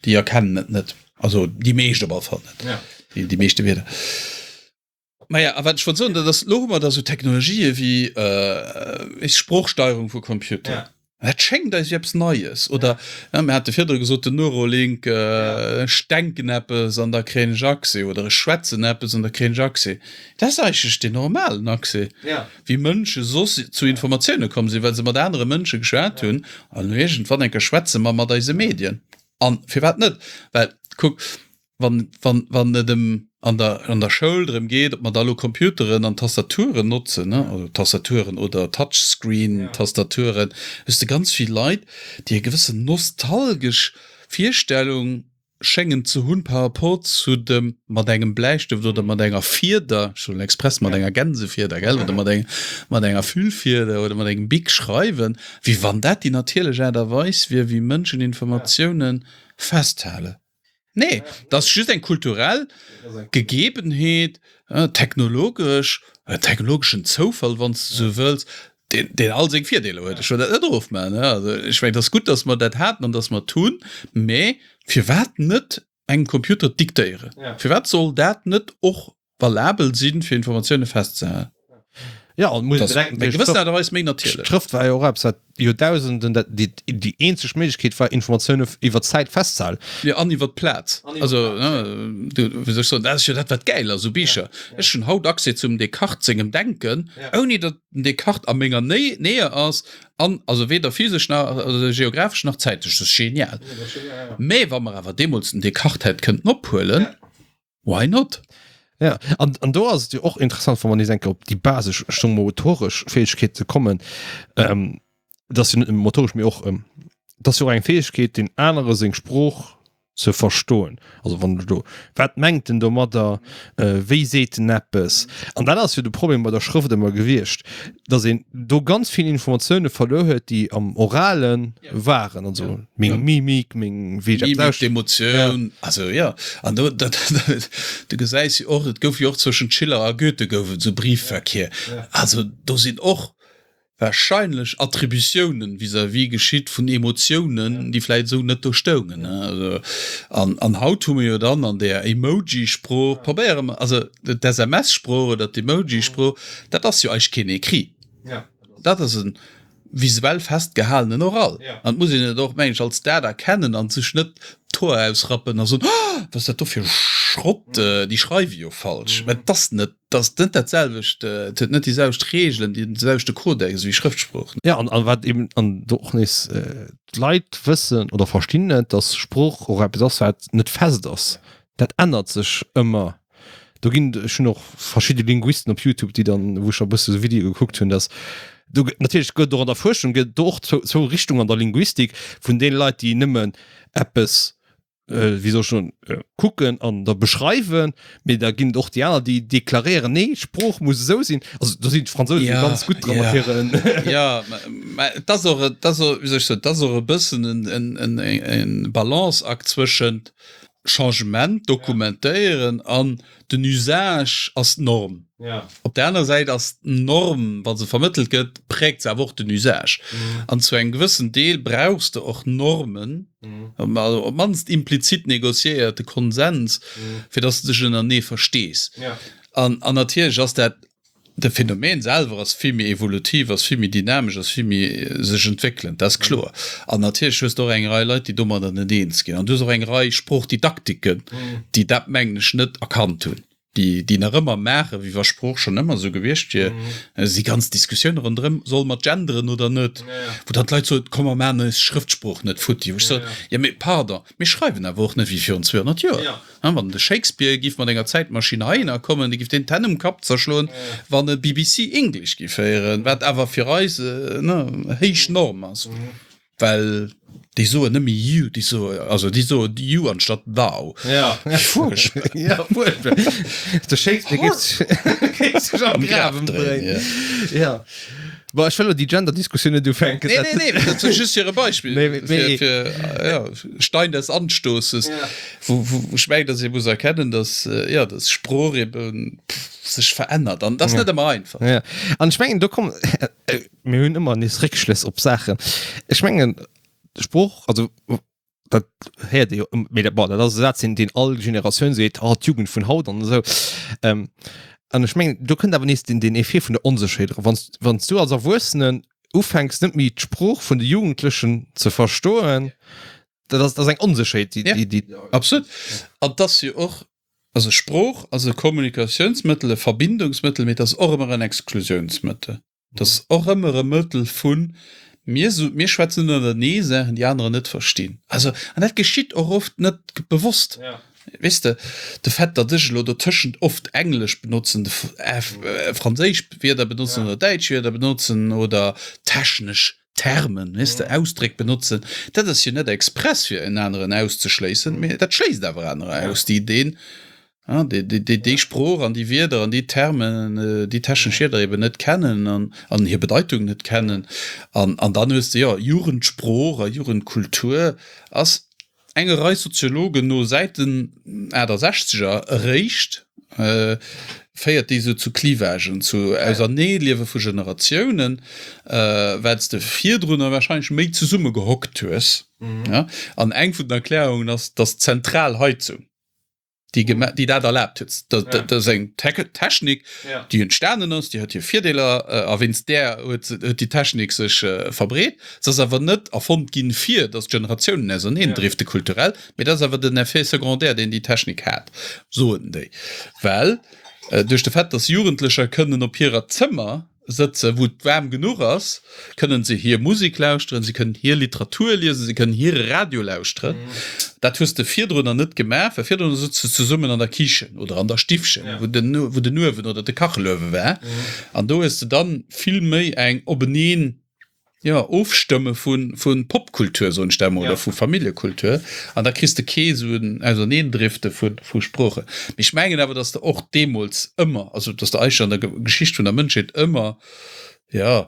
Déi erkennen et net. Also déi meescht op alle Fall net, déi meeschte Wierder. Maja, a wat ech wollt soen, dat ass, elo hu mer da sou Technologië wéi äh, Sproochsteierung vu Computer. Ja. Dat schéngt eis wéi eppes Neies. Oder ja, mir hate virdru gesot, den Neurolink, äh, ech denken eppes an da kréien ech Accès oder ech schwätzen eppes an da kréien ech Accès. Dat ass eigentlech deen normalen Accès, ja. wéi Mënsche soss zu Informatioune komm sinn, well se mat anere Mënsche geschwat hunn. An iergendwann eng Kéier schwätze mer mat eise Medien. An firwat net? Well kuck, wann, wann, wann et ëm an der, an der Schoul drëm geet, ob mer da elo Computeren an Tastaturen notzen, ne, also Tastaturen oder Touchscreen-Tastaturen, hues de ganz vill Leit, déi e gewëssen nostalgesch Virstellung schéngen ze hunn par rapport zu dem mat engem Bläistëft oder mat enger Fieder, ech soen express mat enger Gänsefieder, gell, oder mat eng, mat enger Füllfieder oder mat engem Bic schreiwen, wéi wann dat déi natierlech Aart a Weis wier, wéi Mënschen Informatiounen festhalen. Nee, dat ass just eng kulturell Gegebenheet, technologesch, e technologeschen Zoufall, wann s de esou wëlls, deen, deen all seng Virdeeler huet. Ech wëll dat net erofmaachen. Also ech mengen, et ass gutt, datt mer dat haten an datt mer et hunn, mä firwat net engem Computer diktéieren? Firwat soll dat net och valabel sinn, fir Informatioune festzehalen. Ja, an muss bedenken, eng gewëssen Aart a Weis méi natierlech. D'Schrëft war jo och eppes, wat Joerdausenden dat déi déi eenzeg Méiglechkeet war, Informatioune iwwer d'Zäit festzehalen. Jo, an iwwer d'Plaz. Also, du, wéi soll ech soen, dat ass jo dat, wat gäil ass u Bicher. Ech hunn haut Accès zum Descartes sengem Denken, ouni datt den Descartes a menger Nähe ass, an also weder physesch nach also geographesch nach zäitlech. Dat ass genial. Mä wa mer awer deemools den Descartes hätt kënnten ophuelen, Why not? Ja, an, an do ass et jo och interessant, wann mer nees eng Kéier op déi basesch, ech soe motoresch Fäegkeete kommen, ähm, dat ass jo net nëmme motoresch, mee och, ähm, dat ass jo och eng Fäegkeet, deen anere seng Sprooch ze verstoen. Also wann du do, wat mengt en domadder, wéi seet en eppes? An dat ass jo de Problem bei der Schrëft ëmmer gewiescht, datt een do ganz vill Informatioune verluer huet, déi am Orale waren, also meng Mimik, meng, wéi ech eppes Mimik, d'Emotioun, also jo. An do, dat, du gesäis jo och, et gouf jo och zwëschent Schiller a Goethe gouf et esou Briefverkehr. Also do sinn och wahrscheinlech Attributiounen vis-à-vis geschitt vun Emotiounen, déi vläit esou net do stoungen. An, an haut hu mir jo dann an där Emoji-Sprooch, probéiere mer, also d'SMS-Sprooch oder d'Emoji-Sprooch, dat ass jo eigentlech keen Écrit. Dat ass e visuell festgehalenen Oral. An et muss een et och, meng ech, als dat erkennen a sech net d'Hoer ausrappen a soen, Oh, wat ass dat do fir Schrott, déi schreiwe jo falsch. Mä et ass net Et ass net dat selwecht, et huet net déi selwecht Reegelen, dee selwechte Kodex wéi Schrëftsprooch. Jo, an wat eben, an do och nees, d'Leit wëssen oder verstinn net, datt Sprooch och eppes ass, wat net fest ass. Dat ännert sech ëmmer. Do ginn, ech hunn och verschidde Linguisten op Youtube, déi dann, wou ech e bësse sou Videoe gekuckt hunn, datt do gëtt, natierlech gëtt et och an der Fuerschung gëtt et do och zwou, zwou Richtungen an der Linguistik, vun deene Leit, déi nëmmen eppes wéi soll ech soen, kucken an da beschreiwen, mee da ginn et och déi aner, déi deklaréieren, nee, d'Sprooch muss esou sinn. Also do sinn d'Fransousen ja, ganz gutt dran mat hiren. Ja, mä et ass och, et ass och, wéi soll ech soen, et ass och e bëssen en, en, en, en Balanceakt zwëschent Changement dokumentéieren an den Usage ass d'Norm. Ja. Op der aner Säit ass d'Norm, wa se vermëttelt gëtt, prägt se awer och den Usage. Mhm. An zu engem gewëssen Deel brauchs de och Normen, mhm. also op d'mannst implizit negociéierte Konsens, mhm. fir dass du dech ënnerenee verstees. Ja. An, an natierlech ass dat de Phänomen selwer ass vill méi evolutiv, ass vill méi dynamesch, ass vill méi sech entwéckelend, dat ass kloer. An natierlech hues de och eng Rei Leit, déi domadder net eens ginn. An du hues och eng Rei Sproochdidaktiken, déi dat, mengen ech, net erkannt hunn, déi, déi nach ëmmer maachen, wéi wa Sprooch schonn ëmmer esou gewiescht wier. Et si ganz Diskussioune ronderëm, Solle mer genderen oder net? Wou dann d'Leit soen, Komm mer maachen eis Schrëftsprooch net futti. Wou ech soen, Jo, mee pardon, mir schreiwen awer och net wéi virun zweehonnert Joer. Wann de Shakespeare giff mat enger Zäitmaschinn heihinner kommen, de giff deen d'Hänn um Kapp zerschloen, wann e B B C English giff héieren, wat awer fir eis héich Norm ass, well déi soen net méi you, déi soen, also déi soen you anstatt thou. Fuerchtbar. Ja, fuerchtbar. De Shakespeare géif sech am Graf ëmdréien. Ja. Bon, ech wëll elo déi Gender-Diskussioun net ufänken. Nee, nee, nee, dat ass just fir e Beispill. Nee, nee. Fir, fir, ja, Stein des Anstoßes, ja. Wou, wou ech mengen, dass ee muss erkennen, dass, ja, dass Sprooch eben sech verännert. An dat ass ja. net ëmmer einfach. Ja. An ech mengen, do komm, mir hunn ëmmer nees Réckschlëss op Saachen. Ech mengen, Sprooch, also dat héiert ee jo, mee dat, bon, dat ass e Saz, deen, deen all Generatioun seet, oh, d'Jugend vun haut an esou. Ähm, an ech mengen, do kënnt awer nees den, den Effet vun der Onsécherheet era. Wann s, wann s du als Erwuessenen ufänks, net méi d'Sprooch vun de Jugendlechen ze verstoen, dat ass, dat ass eng Onsécherheet, déi, Ja, déi, déi. Absolut. An 't ass jo och, also Sprooch ass e Kommunikatiounsmëttel, e Verbindungsmëttel, mee et ass och ëmmer en Exklusiounsmëttel. Et ass och ëmmer e Mëttel vun, mir so, mir schwätzen ënnerenee Saachen, déi anerer net verstinn. Also, an dat geschitt och oft net bewosst. Weess de, de Fait, datt ech elo dotëschent oft Englesch benotzen, franséisch Wierder benotzen oder däitsch Wierder benotzen oder technesch Termen, weess de, Ausdréck benotzen, dat ass jo net express, fir en aneren auszeschléissen, mee dat schléisst awer anerer aus, déi deen déi Sprooch an déi Wierder an déi Termen, déi technesch Wierder eben net kennen an an hir Bedeitung net kennen. An an dann hues de jo Jugendsprooch a Jugendkultur ass enger Rei Soziologen no säit den aachtesechzeger eréischt féiert déi esou zu Clivagen, zu Auserneeliewe vu Generatiounen, well s de virdrunner warscheinlech méi zesumme gehockt hues. An eng vun den Erklärungen ass, dass d'zentral Heizung, déi gema déi dat erlaabt huet. Dat ja. dat ass eng Te Technik, ja. déi entstanen ass, déi huet hir Virdeeler äh, a wéinst där huet, huet déi Technik sech äh, verbreet. Se ass awer net erfonnt ginn, fir datt d'Generatiounen auserneen ja. drifte kulturell, mee dat ass awer den Effet secondaire, deen déi Technik hat, soen déi. Well äh, duerch de Fait, datt Jugendlecher kënnen op hirer Zëmmer sëtzen, wou et waarm genuch ass, kënnen se hir Musek lauschteren, se kënnen hir Literatur liesen, se kënnen hire Radio lauschteren. Dat hues de virdrunner net gemaach, well virdrunner sutz de zesummen an der Kichen oder an der Stiffchen, wou den, wou den Uewen oder de Kacheluewe war. An do hues de dann vill méi eng openeen Jo, Ofstëmme vu Popkultur, soen ech dat emol, oder vu Familljekultur. An da kriss de kee sou en Auserneendrifte vu Sproochen. Mee ech mengen awer, datt de och deemools ëmmer, also datt de eigentlech an der Geschicht vun der Mënschheet ëmmer, jo,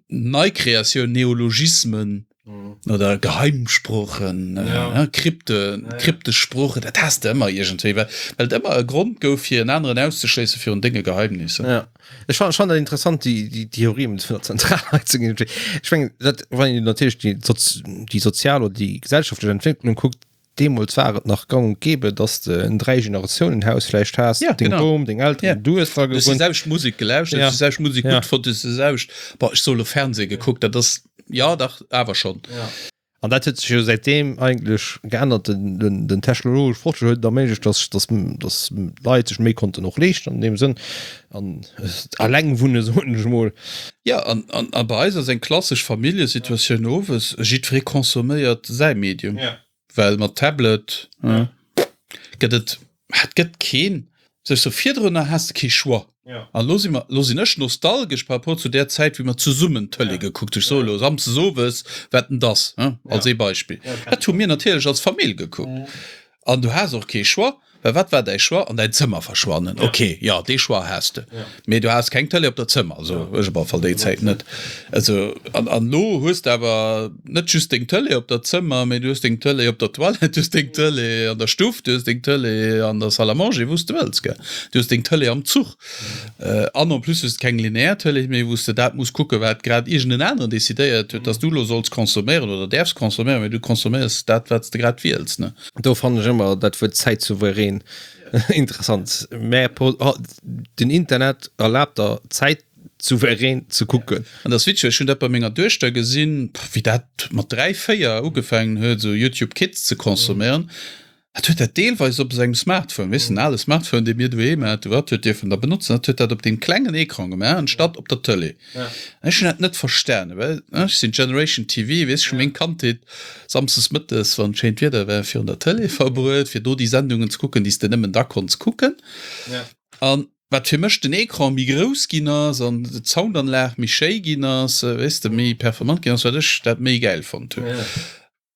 Neikreatioun, Neologismen oder Geheimsproochen, Krypte, kryptesch Sproochen, dat has de ëmmer iergendwéi, well et ëmmer e Grond gouf, fir en aneren auszeschléissen virun denge Geheimnisser. Ech fannen fannen dat interessant déi déi Theorie vun der Zentralheizung irgendwie. Ech mengen dat wann een natierlech déi soz déi sozial oder déi gesellschaftlech Entwécklung kuckt, deemools war et nach gang und gäbe, dass de en Dräigenerationenhaus vläicht has, Ja, deng genau. Bom, deng Elteren, Ja. du hues dra Du hues déi gewunnt. selwecht Musek gelauschtert, Ja. du hues déi selwecht Musek Ja. gutt fonnt, du hues déi selwecht, boah, ech soe lo Fernseh gekuckt, dat ass, ja dach, awer schonn. An dat huet sech jo säitdeem eigentlech geännert. Den, den, den technologesche Fortschritt huet et erméiglecht, dass, dass, dass d'Leit sech méi konnten och leeschten an deem Sënn an eleng wunne soen ech emol. Jo, an, an, a bei eis ass eng klassesch Familljesituatioun owes, jiddweree consomméiert säi Medium, well mat Tablet gëtt et, et gëtt keen, Sech sou virdrunner has de kee Choix. An elo si mer, elo sinn ech nostalgesch par rapport zu där Zäit, wéi mer zesummen Tëlee gekuckt hunn. Ech soe elo samsdes owes, Wetten dass, hein, als ee Beispill. Dat hu mir natierlech als Famill gekuckt. An du has och kee Choix, well wat war däi Choix? An däin Zëmmer verschwannen. Ok, jo, dee Choix has de. Mee du has keng Tëlee op der Zëmmer, also ech op alle Fall déi Zäit net. Also, an, an elo hues de awer net just deng Tëlee op der Zëmmer, mee du hues deng Tëlee op der Toilette, du hues deng Tëlee an der Stuff, du hues deng Tëlee an der Salle à manger, wou s de wëlls, gell. Du hues deng Tëlee am Zuch. An en plus hues de keng lineär Tëlee méi, wou s de dat muss kucken, wat grad iergend en aneren decidéiert huet, dass du elo solls consomméieren oder däerfs consomméieren, mee du consomméiers dat, wat s de grad wiels, ne. Do fannen ech ëmmer dat Wuert zäitsouverän interessant. Mä den Internet erlaabt der Zäit souverän ze kucken. An dat ass witzeg, ech hunn dat bei menger Duechter gesinn, wéi dat mat dräi, véier ugefaangen huet, esou Youtube Kids ze consomméieren. Dat huet dat deelweis op sengem Smartphone, weess de, den ale Smartphone, dee mir doheem haten, wat huet dierfen da benotzen, dat huet dat op deem klengen Ecran gemaach, anstatt op der Tëlee. Ech hunn dat net verstanen, well ech sinn Generation T V, weess, ech hu meng Kandheet samsdes mëttes, wann schéint Wieder war, virun der Tëlee verbruet, fir do déi Sendungen ze kucken, déi s de nëmmen da konns kucken. An Wat fir mech den Ecran méi grouss ginn ass an d'Soundanlag méi schéi ginn ass, weess de, méi performant ginn ass, wat ech dat méi gäil fonnt hunn.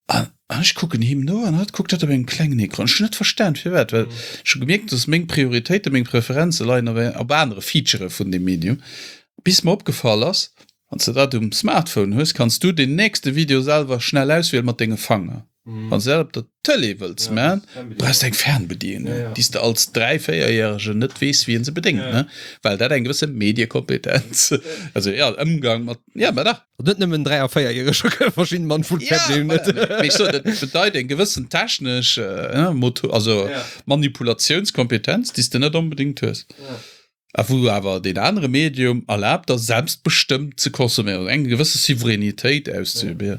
An ech kucken him no an hatt kuckt dat op engem klengen Ecran. Ech hunn net verstan firwat, well ech hu gemierkt, dass meng Prioritéiten, meng Preferenze leien op op anere Featurë vun deem Medium. Bis mer opgefall ass, wann s de dat um Smartphone hues, kanns du deen nächste Video selwer schnell auswielen mat denge Fanger. Wann s de dat op der Tëlee wëlls man, brauchs de eng Fernbedienung, déi s de als dräi-, véierjäregen net weess, wéi een se bedéngt, ne? Well dat eng gewësse Mediekompetenz, also jo, Ëmgang mat, jo, mä dach. Net nëmmen dräi a véierjäreger kënne verschidden Mann vun Fernbedienung net. Ja, mee ech soen, dat bedeit eng gewëssen technesch, Moto, also Manipulatiounskompetenz, déi s de net onbedéngt hues. A wou awer deen anere Medium erlaabt, der selbstbestëmmt ze consomméieren, eng gewësse Souveränitéit auszeüben.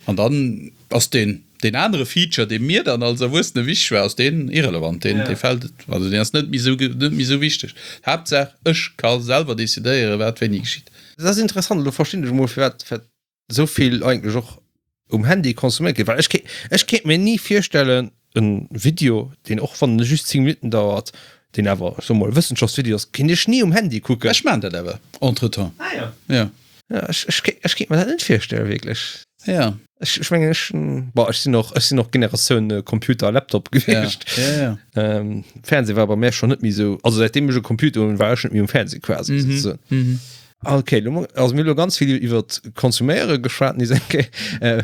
An dann ass deen, deen anere Feature, dee mir dann als Erwuessene wichteg war, ass deen irrelevant, deen, dee fält, also deen ass net méi esou, net méi esou wichteg. Haaptsaach, ech ka selwer decidéieren, wat wéini geschitt. Dat ass interessant, elo verstinn ech emol, firwat, firwat esou vill eigentlech och um Handy consomméiert gëtt, well ech kéint, ech kéint mir ni virstellen, en Video, deen och wann en just zéng Minutten dauert, deen awer, ech soe mol, e Wëssenschaftsvideo ass, kéint ech ni um Handy kucken. Ech maachen dat awer entretemps. Ah jo. Jo. Ja, ech, ech, ech kéint mer dat net virstellen, wierklech. Ja. Ech, ech mengen, ech, boah, ech sinn och, ech sinn och Generatioun äh, Computer a Laptop gewiescht. Ja, ja, ja. Ähm, Fernseh war bei mir schon net méi sou, also seitdem ech e Computer hunn, war ech net méi um Fernseh quasi. Mhm. sozusagen. Mhm. Okay, lo, also mir hu lo ganz vill iwwer Konsuméiere geschwat, ni enke. Äh,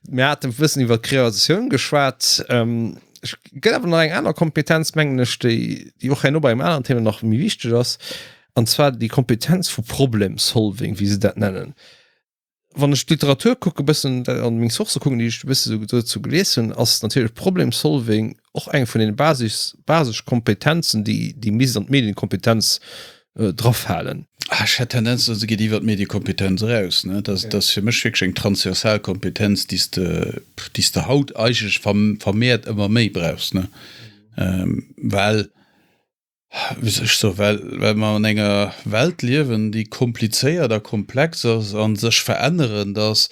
mir haten e bëssen iwwer Kreatioun geschwat. Ähm, ech gëtt awer nach eng aner Kompetenz, mengen ech, déi, déi och herno bei engem aneren Thema nach méi wichteg ass. An zwar déi Kompetenz vu Problem Solving, wéi se dat nennen. Wann ech d'Literatur kucke bëssen an meng Sourcë kucken, déi ech e bësse sou dozou gelies hunn, ass natierlech Problem Solving och eng vun den Basis, Basiskompetenzen, déi, déi misst an d'Medienkompetenz drafalen. Ah, ech hätt Tendenz, se geet iwwer d'Mediekompetenz eraus. Ne? Dat, dat ass fir mech wierklech eng transversal Kompetenz, déi s de, déi s de haut eigentlech vermehrt ëmmer méi brauchs. Ne? Well Wéi soll ech soen, well, well mer an enger Welt liewen, déi komplizéiert a komplex ass a sech verännerend ass,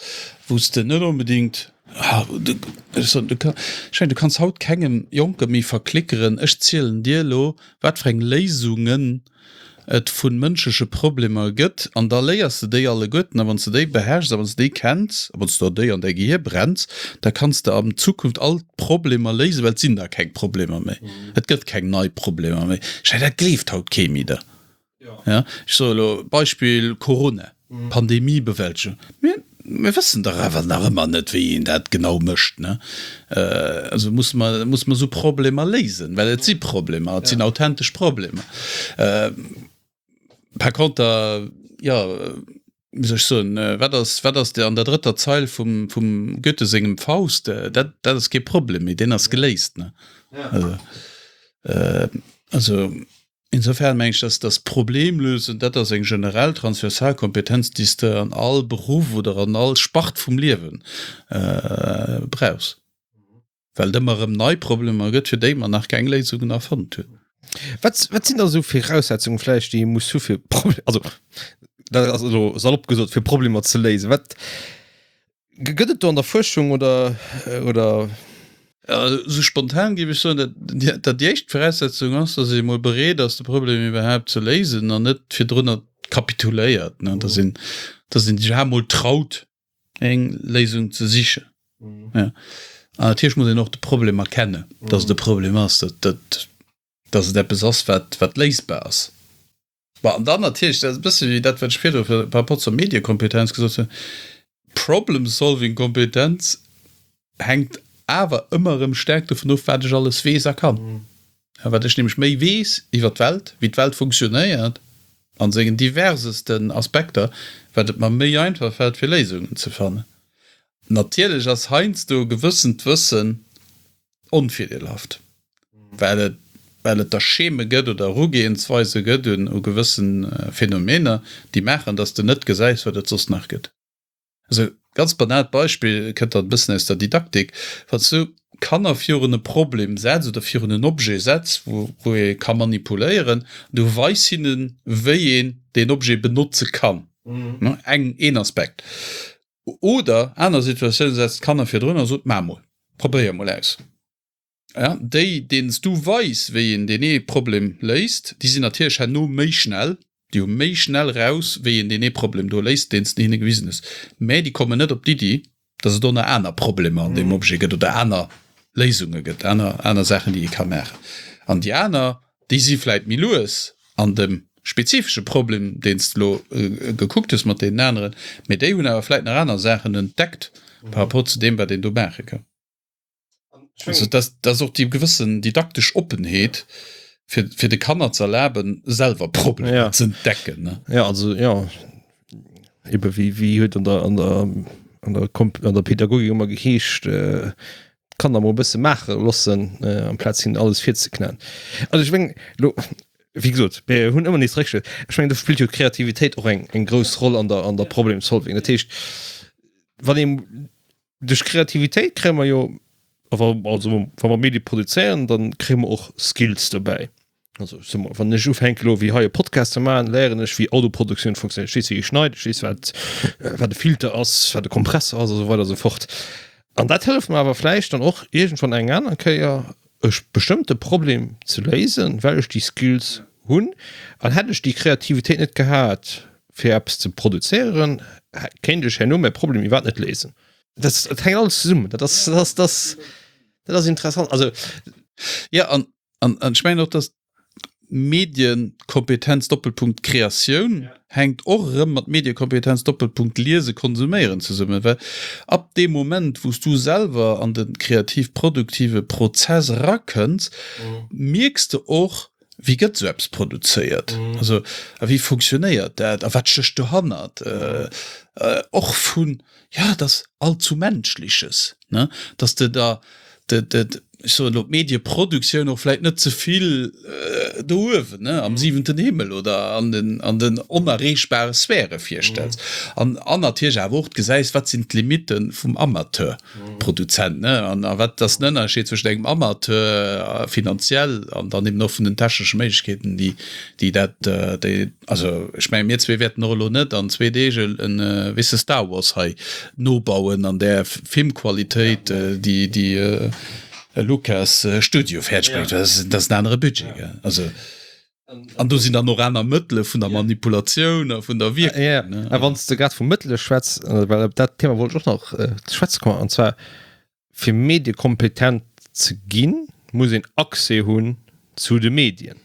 wou s de net onbedéngt, ech soen, du ka, ech mengen, du kanns haut kengem Jonke méi verklickeren, ech zielen dir elo, wat fir eng Léisungen et vu mënschleche Problemer gëtt an da léiers de déi alleguerten a wann s de déi beherrschs a wann s de déi kenns a wann s de der déi an däi Gehier brenns, da kanns de an Zukunft all d'Problemer léisen, well et sinn da keng Problemer méi. Et gëtt keng nei Problemer méi. Ech mengen, dat gleeft haut kee méi da. Ja, ech soe elo Beispill Corona, Pandemiebewältegung. Mir, mir wëssen dach awer nach ëmmer net, wéi een dat genau mécht, ne? Also musse mer, musse mer esou Problemer léisen, well et si Problemer, et sinn authentesch Problemer. Par conter, jo, wéi soll ech soen, wat ass, wat ass an der drëtter Zeil vum, vum Goethe sengem Faust? Dat, dat ass kee Problem méi, deen ass geléist, ne? Also, also Insofern mengen ech, dass das Problemlösen, dat ass eng generell transversal Kompetenz, déi s de an all Beruff oder an all Spart vum Liewe brauchs, well et ëmmer erëm nei Problemer gëtt, fir déi mer nach keng Léisungen erfonnt hunn. Wat, wat sinn da sou Viraussetzungen vläicht, déi ee muss hu fir Proble-, also dat ass elo salopp gesot, fir Problemer ze léisen? Wat Gëtt et do an der Fuerschung oder oder? Esou spontan géif ech soen, datt déi éischt Voraussetzung ass, datt ee mol bereet ass, de Problem iwwerhaapt ze léisen an net virdrunner kapituléiert, datt een, datt een sech iwwerhaapt mol traut, eng Léisung ze sichen. An natierlech muss een och de Problem erkennen, datt et e Problem ass, datt, datt et eppes ass, wat, wat léisbar ass. Bon, an dann natierlech, dat ass e bësse wéi dat, wat ech virdru par rapport zur Mediekompetenz gesot hunn, Problem-solving-Kompetenz hänkt awer ëmmer erëm staark dovun of, wat ech alles weess a kann. A wat ech nämlech méi weess iwwer d'Welt, wéi d'Welt funktionéiert a sengen diversesten Aspekter, wat et mer méi einfach fält, fir Léisungen ze fannen. Natierlech ass heiansdo e gewëssent Wëssen onvirdeelhaft, well et well et der Scheme gëtt oder Erugehensweise gëtt un u gewësse Phänomener, déi maachen, dass de net gesäis, wat et soss nach gëtt. Also ganz banaalt Beispill, kënnt dann e bëssen aus der Didaktik, Wann s du Kanner virun e Problem setz oder virun en Objet setz, wou wou ee ka manipuléieren, du weis hinnen, wéi een deen Objet benotze kann, eng een Aspekt. Oder aner Situatioun, setzt d'Kanner virdrun a sot, Maach mol, probéier mol aus. Ja, déi, deenen s du weis, wéi een deen ee Problem léist, déi sinn natierlech herno méi schnell, déi hu méi schnell raus, wéi een deen ee Problem do léist, deen s de hinne gewisen hues. Mä déi kommen net op d'Iddi, dass et och nach aner Problemer an deem Objet gëtt oder aner Léisunge gëtt, aner, aner Saachen, déi ee ka maachen. An déi aner, déi si vläit méi lues an dem spezifesche Problem, deen s de elo gekuckt hues mat deenen aneren, mä déi hunn awer vläit nach aner Saachen entdeckt par rapport zu deem, wat een do maache kann. Also dat, dat ass och déi gewëssen didaktesch Oppenheet, fir, fir de Kanner ze erlaben, selwer Problemer ja. ze entdecken. Ne? Ja, also ja, eben wéi, wéi huet an der, an der, an der, Komp an der Pädagogik ëmmer geheescht, äh, d'Kanner mol e bësse maache loossen, äh, amplaz hinnen alles virzeknäen. Also ech meng, lo, wéi gesot, mir hunn ëmmer nees Réckschlëss. Ech mengen, do spillt jo d'Kreativitéit och eng, eng grouss Roll an der, an der Problem Solving. Dat heescht, wann ee Duerch Kreativitéit kréie mer jo, also wa mer Medie produzéieren, dann kréie mer och Skills dobäi. Also ech soe mol, wann ech ufänke elo wéi hei e Podcast ze maachen, léieren ech wéi Autoproduktioun funktionéiert. Ech weess wéi ee schneit, ech weess wat wat e Filter ass, wat e Kompressor ass a sou weider a sou fort. An dat hëlleft mer awer vläicht dann och iergendwann eng aner Kéier e bestëmmte Problem ze léisen, well ech déi Skills hunn. An hätt ech déi Kreativitéit net gehat, fir eppes ze produzéieren, kéint ech herno mäi Problem iwwerhaapt net léisen. Dat, dat hänkt alles zesummen. Dat ass, dat ass, dat ass, dat ass interessant. Also ja, an, an, an ech mengen och, dass Medienkompetenz Doppelpunkt Kreatioun ja. hänkt och erëm mat Medienkompetenz Doppelpunkt Liese konsuméieren zesummen, well ab deem Moment, wou s du selwer an de kreativ-produktive Prozess erakënns, mhm. mierks de och, Wéi gëtt esou eppes produzéiert? Also a wéi funktionéiert dat? A wat stécht dohannert? Och vun, jo, dat ass allzu Menschliches, ne? Dass de der, de, de, ech soen elo, d'Medieproduktioun och vläicht net ze vill do uewen, ne, am siwenten Himmel oder an den, an den onerreechbare Sphäre virstells. An, an natierlech awer och gesäis, wat sinn d'Limitte vum Amateur? Produzent, ne? An a wat ass den Ënnerscheed zwëschent engem Amateur finanziell an dann eben och vun den technesche Méiglechkeeten, déi, déi dat, déi, also ech menge mir zwee wäerten och elo net an zwee Deeg en, weess de, Star Wars hei nobauen an där Filmqualitéit, déi, déi e Lucas Studio fäerdeg bréngt. Dat ass, dat ass en anere Budget, gell? Also. An do sinn dann och aner Mëttele vun der Manipulatioun a vun der Wierkung. Ja, a wann s de grad vu Mëttele schwätz, well op dat Thema wollt ech och nach ze schwätze kommen, an zwar fir mediekompetent ze ginn, muss een Accès hunn zu de Medien.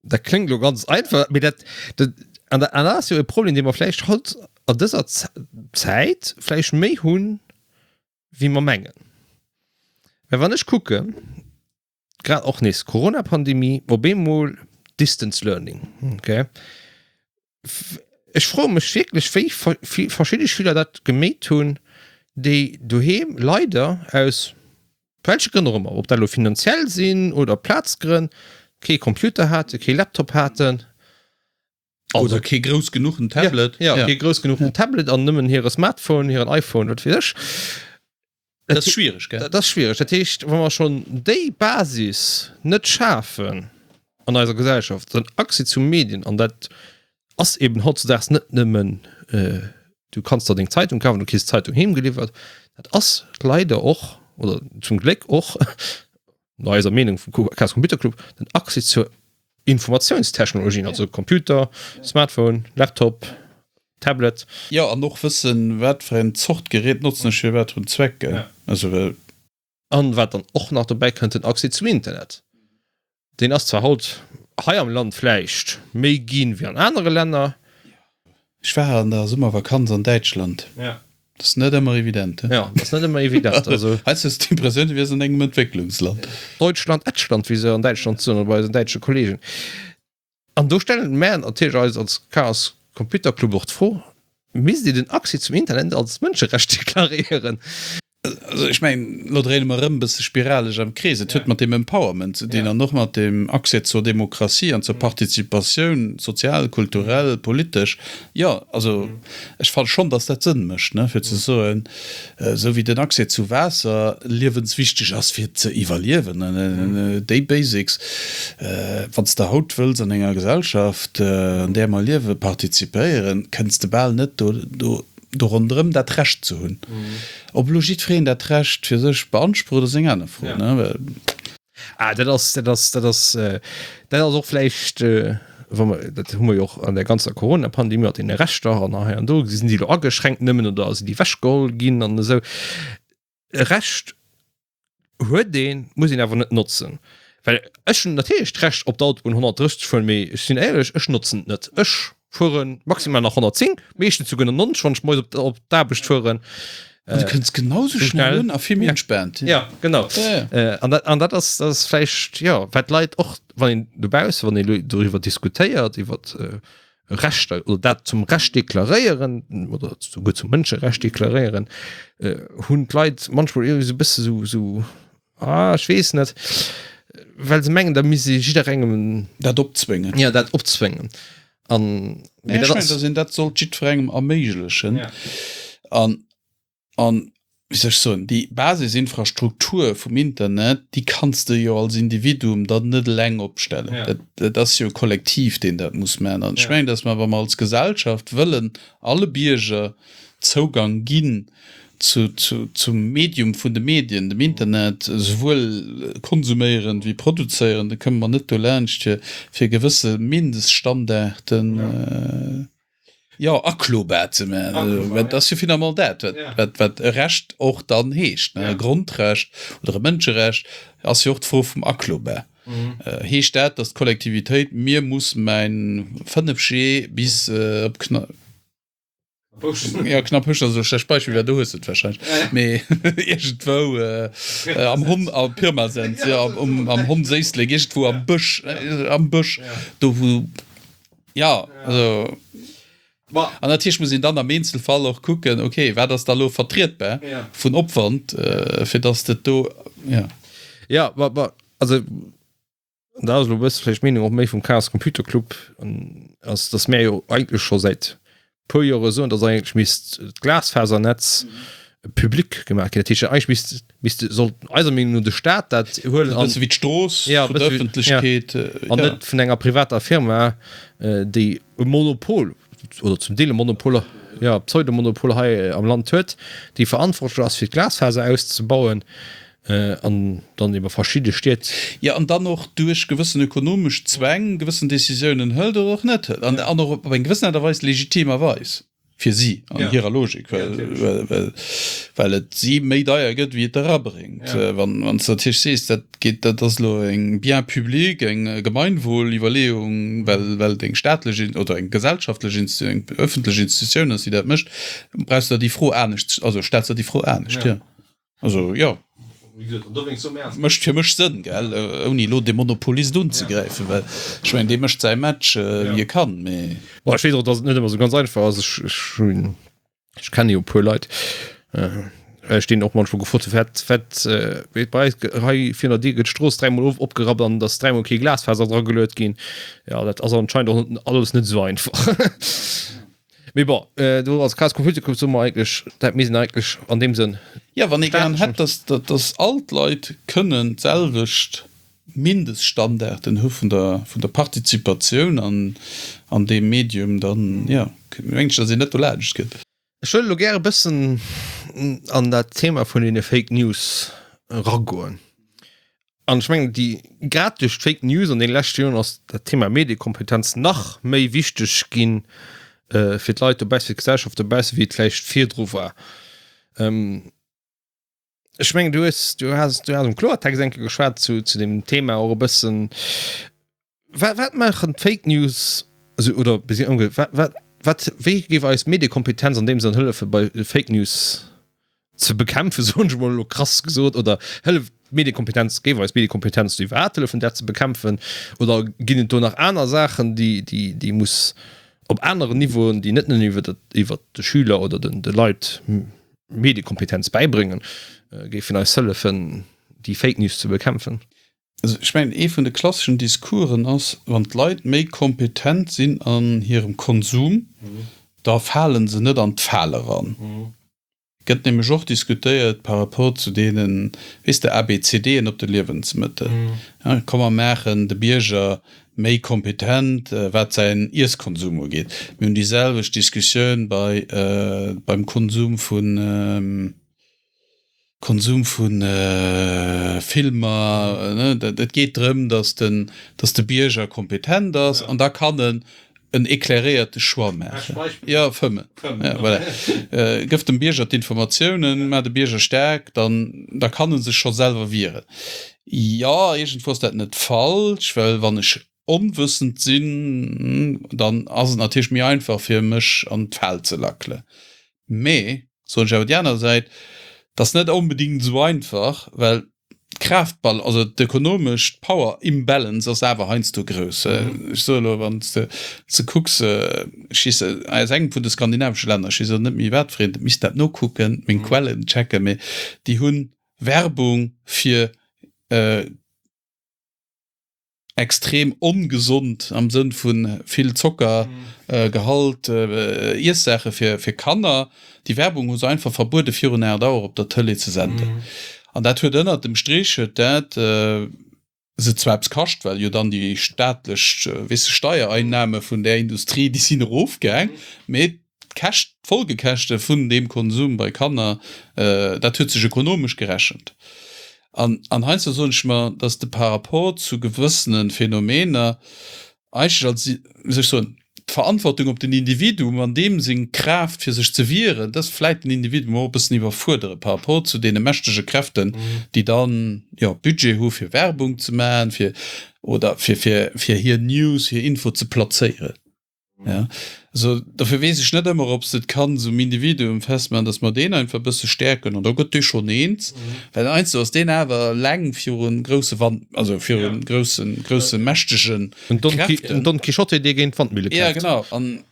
Dat kléngt elo ganz einfach, mee dat, dat, an dat ass jo e Problem, dee mer vläicht haut an dëser Zäit vläicht méi hunn, wéi mer mengen. Well wann ech kucken, grad och nees Corona-Pandemie, op eemol Distance Learning, okay. Ech froe mech wierklech, wéi verschidde Schüler dat gemeet hunn, déi doheem leider aus welche Grënn och ëmmer, ob dat elo finanziell sinn oder Plazgrënn, kee Computer haten, kee Laptop haten. Oder kee grouss genuchen Tablet. Ja, ja, kee grouss genuchen Tablet an nëmmen hire Smartphone, hiren iPhone, wat weess ech. Dat ass schwiereg, gell? Dat ass schwiereg. Dat heescht, wa mer schonn déi Basis net schafen an eiser Gesellschaft, den Accès zu Medien, an dat ass eben hautzedaags net nëmmen, du kanns der deng Zeitung kafen, du kriss d'Zeitung heem geliwwert, dat ass leider och, oder zum Gléck och, no eiser Meenung vum Chaos Computer Club, den Accès zur Informatiounstechnologien, also Computer, Smartphone, Laptop, Tablet. Jo, an och wëssen, wat fir eng Zort Gerät notzen ech fir wat fir en Zweck, gell? Also well. An wat dann och nach dobäi kënnt, den Accès zum Internet. Deen ass zwar haut hei am Land vläicht méi ginn wéi an anere Länner. Ech war an der Summervakanz an Däitschland. Ja. Dat ass net ëmmer evident, he? Jo, dat ass net ëmmer evident. Also. Heiansdo hues du d'Impressioun, du wiers an engem Entwécklungsland. Deutschland, Ätschland, wéi se an Däitschland soen, oder bei eisen däitsche Kollegen. An do stelle mär natierlech eis als Chaos Computer Club och d'Fro, Misst een den Accès zum Internet als Mënscherecht deklaréieren? Also ech mengen, elo dréine mer erëm e bësse spiraleg am Krees. Et huet mat deem Empowerment ze dinn an och mat deem Accès zur Demokratie an zur Participatioun, sozial, kulturell, politesch. Jo, also ech fanne schonn, datt dat Sënn mécht, ne, fir ze soen, esou wéi den Accès zu Waasser liewenswichteg ass fir ze iwwerliewen, déi Basics, wann s de haut wëlls an enger Gesellschaft, an där mer liewen, participéieren, kënns de bal net do, do, do ronderëm dat Recht ze hunn. Ob elo jiddwereen dat Recht fir sech beansprucht, ass eng aner Fro, ne? Well. Ah, dat ass, dat ass, dat ass, dat ass och vläicht, wa mer, dat hu mer jo och an der ganzer Corona-Pandemie mat deene Rechter an hei an do, sinn déi elo ageschränkt nëmmen oder sinn déi ewechgeholl ginn an esou. E Recht huet een, muss een awer net notzen. Well ech hunn natierlech d'Recht op der Autobunn honnertdrësseg ze fueren, mee ech sinn éierlech, ech notzen et net. Ech fuere maximal nach honnertzéng, meeschtens souguer nach nonzeg, wann ech moies op op d'Aarbecht fueren. An du kënns genau sou schnell un a vill méi entspaant. Ja, genau. An dat, an dat ass, dat ass vläicht, jo, wat d'Leit och, wann een dobausse, wann een elo doriwwer diskutéiert, iwwer Rechter oder dat zum Recht deklaréieren oder souguer zum Mënscherecht deklaréieren, hunn d'Leit manchmol irgendwie sou e bësse sou, sou, ah, ech weess net, well se mengen, da misst ee jidderengem Dat opzwéngen. Ja, dat opzwéngen. An, mee dat ass. Ech mengen, dass een dat sollt jiddwerengem erméiglechen. An An, wéi soll ech soen, déi Basisinfrastruktur vum Internet, déi kanns de jo als Individuum dann net eleng opstellen. Ja. Dat, dat ass jo e Kollektiv, deen dat muss maachen. An ech mengen, dass mer, wa mer als Gesellschaft wëllen alle Bierger Zougang ginn zu, zu, zum Medium vun de Medien, dem Internet, esouwuel konsuméierend wéi produzéierend, da këmme mer net dolaanscht, fir, fir gewësse Mindeststandarden, Jo, aklobar ze maachen. Dat ass jo finalement dat, wat, wat e Recht och dann heescht. E Grondrecht oder e Mënscherecht ass jo och d'Fro vum aklobar. Heescht dat, datt d'Kollektivitéit mir muss mäin fënnef G bis op Kna jo, Knapphouschen ass elo e schlecht Beispill, well do hues de et warscheinlech, mee iergendwou am Hon, a Pirmasens, jo, am Hondséislek, iergendwou am Bësch, am Bësch, do wou. Ja, also. An natierlech muss een dann am Eenzelfall och kucken, okay, wat ass da elo vertrietbar vun Opwand, fir dass dat do, ja. Ja, ma, ma, also, da ass elo e bësse vläicht d'Meenung och méi vum Chaos Computer Club, ass, dass mär jo eigentlech scho säit puer Jore soen, dass eigentlech misst d'Glasfasernetz public gemaach ginn. Dat heescht, eigentlech misst, misst, sollt eiser Meenung no de Staat dat huelen. E bësse wéi d'Strooss vun der Ëffentlechkeet. An net vun enger privater Firma, déi e Monopol oder zum Deel e Monopol, jo, Pseudomonopol hei am Land huet, déi verantwortlech ass fir d'Glasfaser auszebauen. An dann iwwer verschidde Stied. Jo, an dann och duerch gewëssen ökonomesch Zwäng gewëssen Décisiounen hëlt oder och net hëlt. An och op eng gewëssen Aart a Weis legitimerweis fir si an hirer Logik, well et si méi deier gëtt, wéi et erabréngt. Wann s de natierlech sees, dat geet, dat ass elo eng Bien public, eng Gemeinwohl-Iwwerleeung, well et eng staatlech oder eng gesellschaftlech, eng öffentlech Institutioun ass, déi dat mécht, brauchs de der déi Fro anescht, also stells de der déi Fro anescht, jo. Also jo, mécht fir mech Sënn, gell, ouni elo de Monopolist unzegräifen, well ech mengen, dee mécht säi Match wéi e kann, mee. Bon, ech weess och, datt et net ëmmer esou ganz einfach ass. Ech, ech hunn, ech kenne jo e puer Leit, ech deenen och manchmol gefrot hunn, wat, wat, wéi bei eis hei virun der Dier gëtt d'Strooss dräimol of, opgerappt an et ass dräimol kee Glasfaser drageluet ginn. Jo, dat ass anscheinend och net alles net esou einfach. Mee bon, do als Chaos Computer Club soe mer eigentlech, dat misst een eigentlech an deem Sënn. Jo, wann ee gären hätt, dass, dass all d'Leit kënnen d'selwecht Mindeststandarden hu vun der, vun der Partizipatioun an, an deem Medium, dann, jo, mengen ech, dass een net dolaanscht kënnt. Ech wëll elo gär e bëssen an dat Thema vun deene Fake News eragoen. An ech mengen, déi, grad duerch d'Fake News an deene leschte Joren ass dat Thema Mediekompetenz nach méi wichteg ginn fir d'Leit dobaussen, fir d'Gesellschaft dobaussen, wéi et vläicht virdru war. Ech mengen, du hues, du has, du has am Kloertext eng Kéier geschwat zu, zu deem Thema och e bëssen. Wat, wat maachen d'Fake News, also, oder wat, wat, wat, wéi géif eis Mediekompetenz an deem Sënn hëllefe bei Fake News? ze bekämpfen, soen ech emol elo krass gesot, oder hëlleft d'Mediekompetenz, géif eis Mediekompetenz do iwwerhaapt hëllefen dat ze bekämpfen, oder ginn et do nach aner Saachen, déi, déi, déi muss op aneren Niveauen, déi net nëmmen iwwer dat, iwwer de Schüler oder den, de Leit Mediekompetenz bäibréngen, géifen eis hëllefen déi Fake News ze bekämpfen? Also ech mengen, ee vun de klasseschen Discoursen ass, wann d'Leit méi kompetent sinn an hirem Konsum, da fale se net an d'Fal eran. Gëtt nämlech och diskutéiert par rapport zu deenen, weess de, ABCDen op de Liewensmëttel. Komm mer maachen de Bierger méi kompetent, wat säin Iesskonsum ugeet. Mir hunn déi selwecht Diskussioun bei, beim Konsum vun, Konsum vu Filmer. Et geet drëm, datt den, datt de Bierger kompetent ass an da kann en en éclairéierte Choix maachen. Jo, fëmmen. Ja, voilà. Gëff dem Bierger d'Informatiounen, maach de Bierger staark, dann, da kann e sech scho selwer wieren. Jo, iergendwou ass dat net falsch, well wann ech onwëssend sinn, dann ass et natierlech méi einfach fir mech an d'Fal ze lackelen. Mee, soen ech awer déi aner Säit, 't ass net onbedingt esou einfach, well d'Kraaftbal-, also d'ökonomesch Power Imbalance ass awer heiansdo grouss. Ech soe elo, wann s de se kucks, ech weess, aus engem vun de skandinavesche Länner, ech weess elo net méi wat fir eent, misst dat nokucken, meng Quellen checken, mee déi hu Werbung fir extrem ongesond am Sënn vu vill Zockergehalt Iessaache fir fir Kanner. Déi Werbung hu se einfach verbuede virun aacht Auer op der Tëlee ze senden. An dat huet ënnert dem Strich huet dat se zwar eppes kascht, well jo dann déi staatlech, weess de, Steiereinnahme vun där Industrie, déi sinn erofgaang, mee d'Käscht, d'Folgekäschte vun deem Konsum bei Kanner, dat huet sech ökonomesch gerechent. An, an heiansdo soen ech mer, dass de par rapport zu gewëssene Phänomener eigentlech als, wéi soll ech soen, d'Verantwortung op den Individuum an deem seng Kraaft fir sech ze wieren, dass vläit den Individuum och e bëssen iwwerfuerdere par rapport zu deene mächtege Kräften, déi dann, jo, Budget hu fir Werbung ze maachen, fir, oder fir, fir, fir hir News, hir Info ze plazéieren. Ja, also dofir weess ech net ëmmer, ob s de et kanns um Individuum festmachen, dass mer deen einfach e bësse stäerken an da gëtt dee schonn eens, well heiansdo ass deen awer eleng viru grousse Wand, also viru groussen, grousse mächtege Kräften. En Don Quichotte, dee géint d'Wandmille kämpft. Ja, genau. An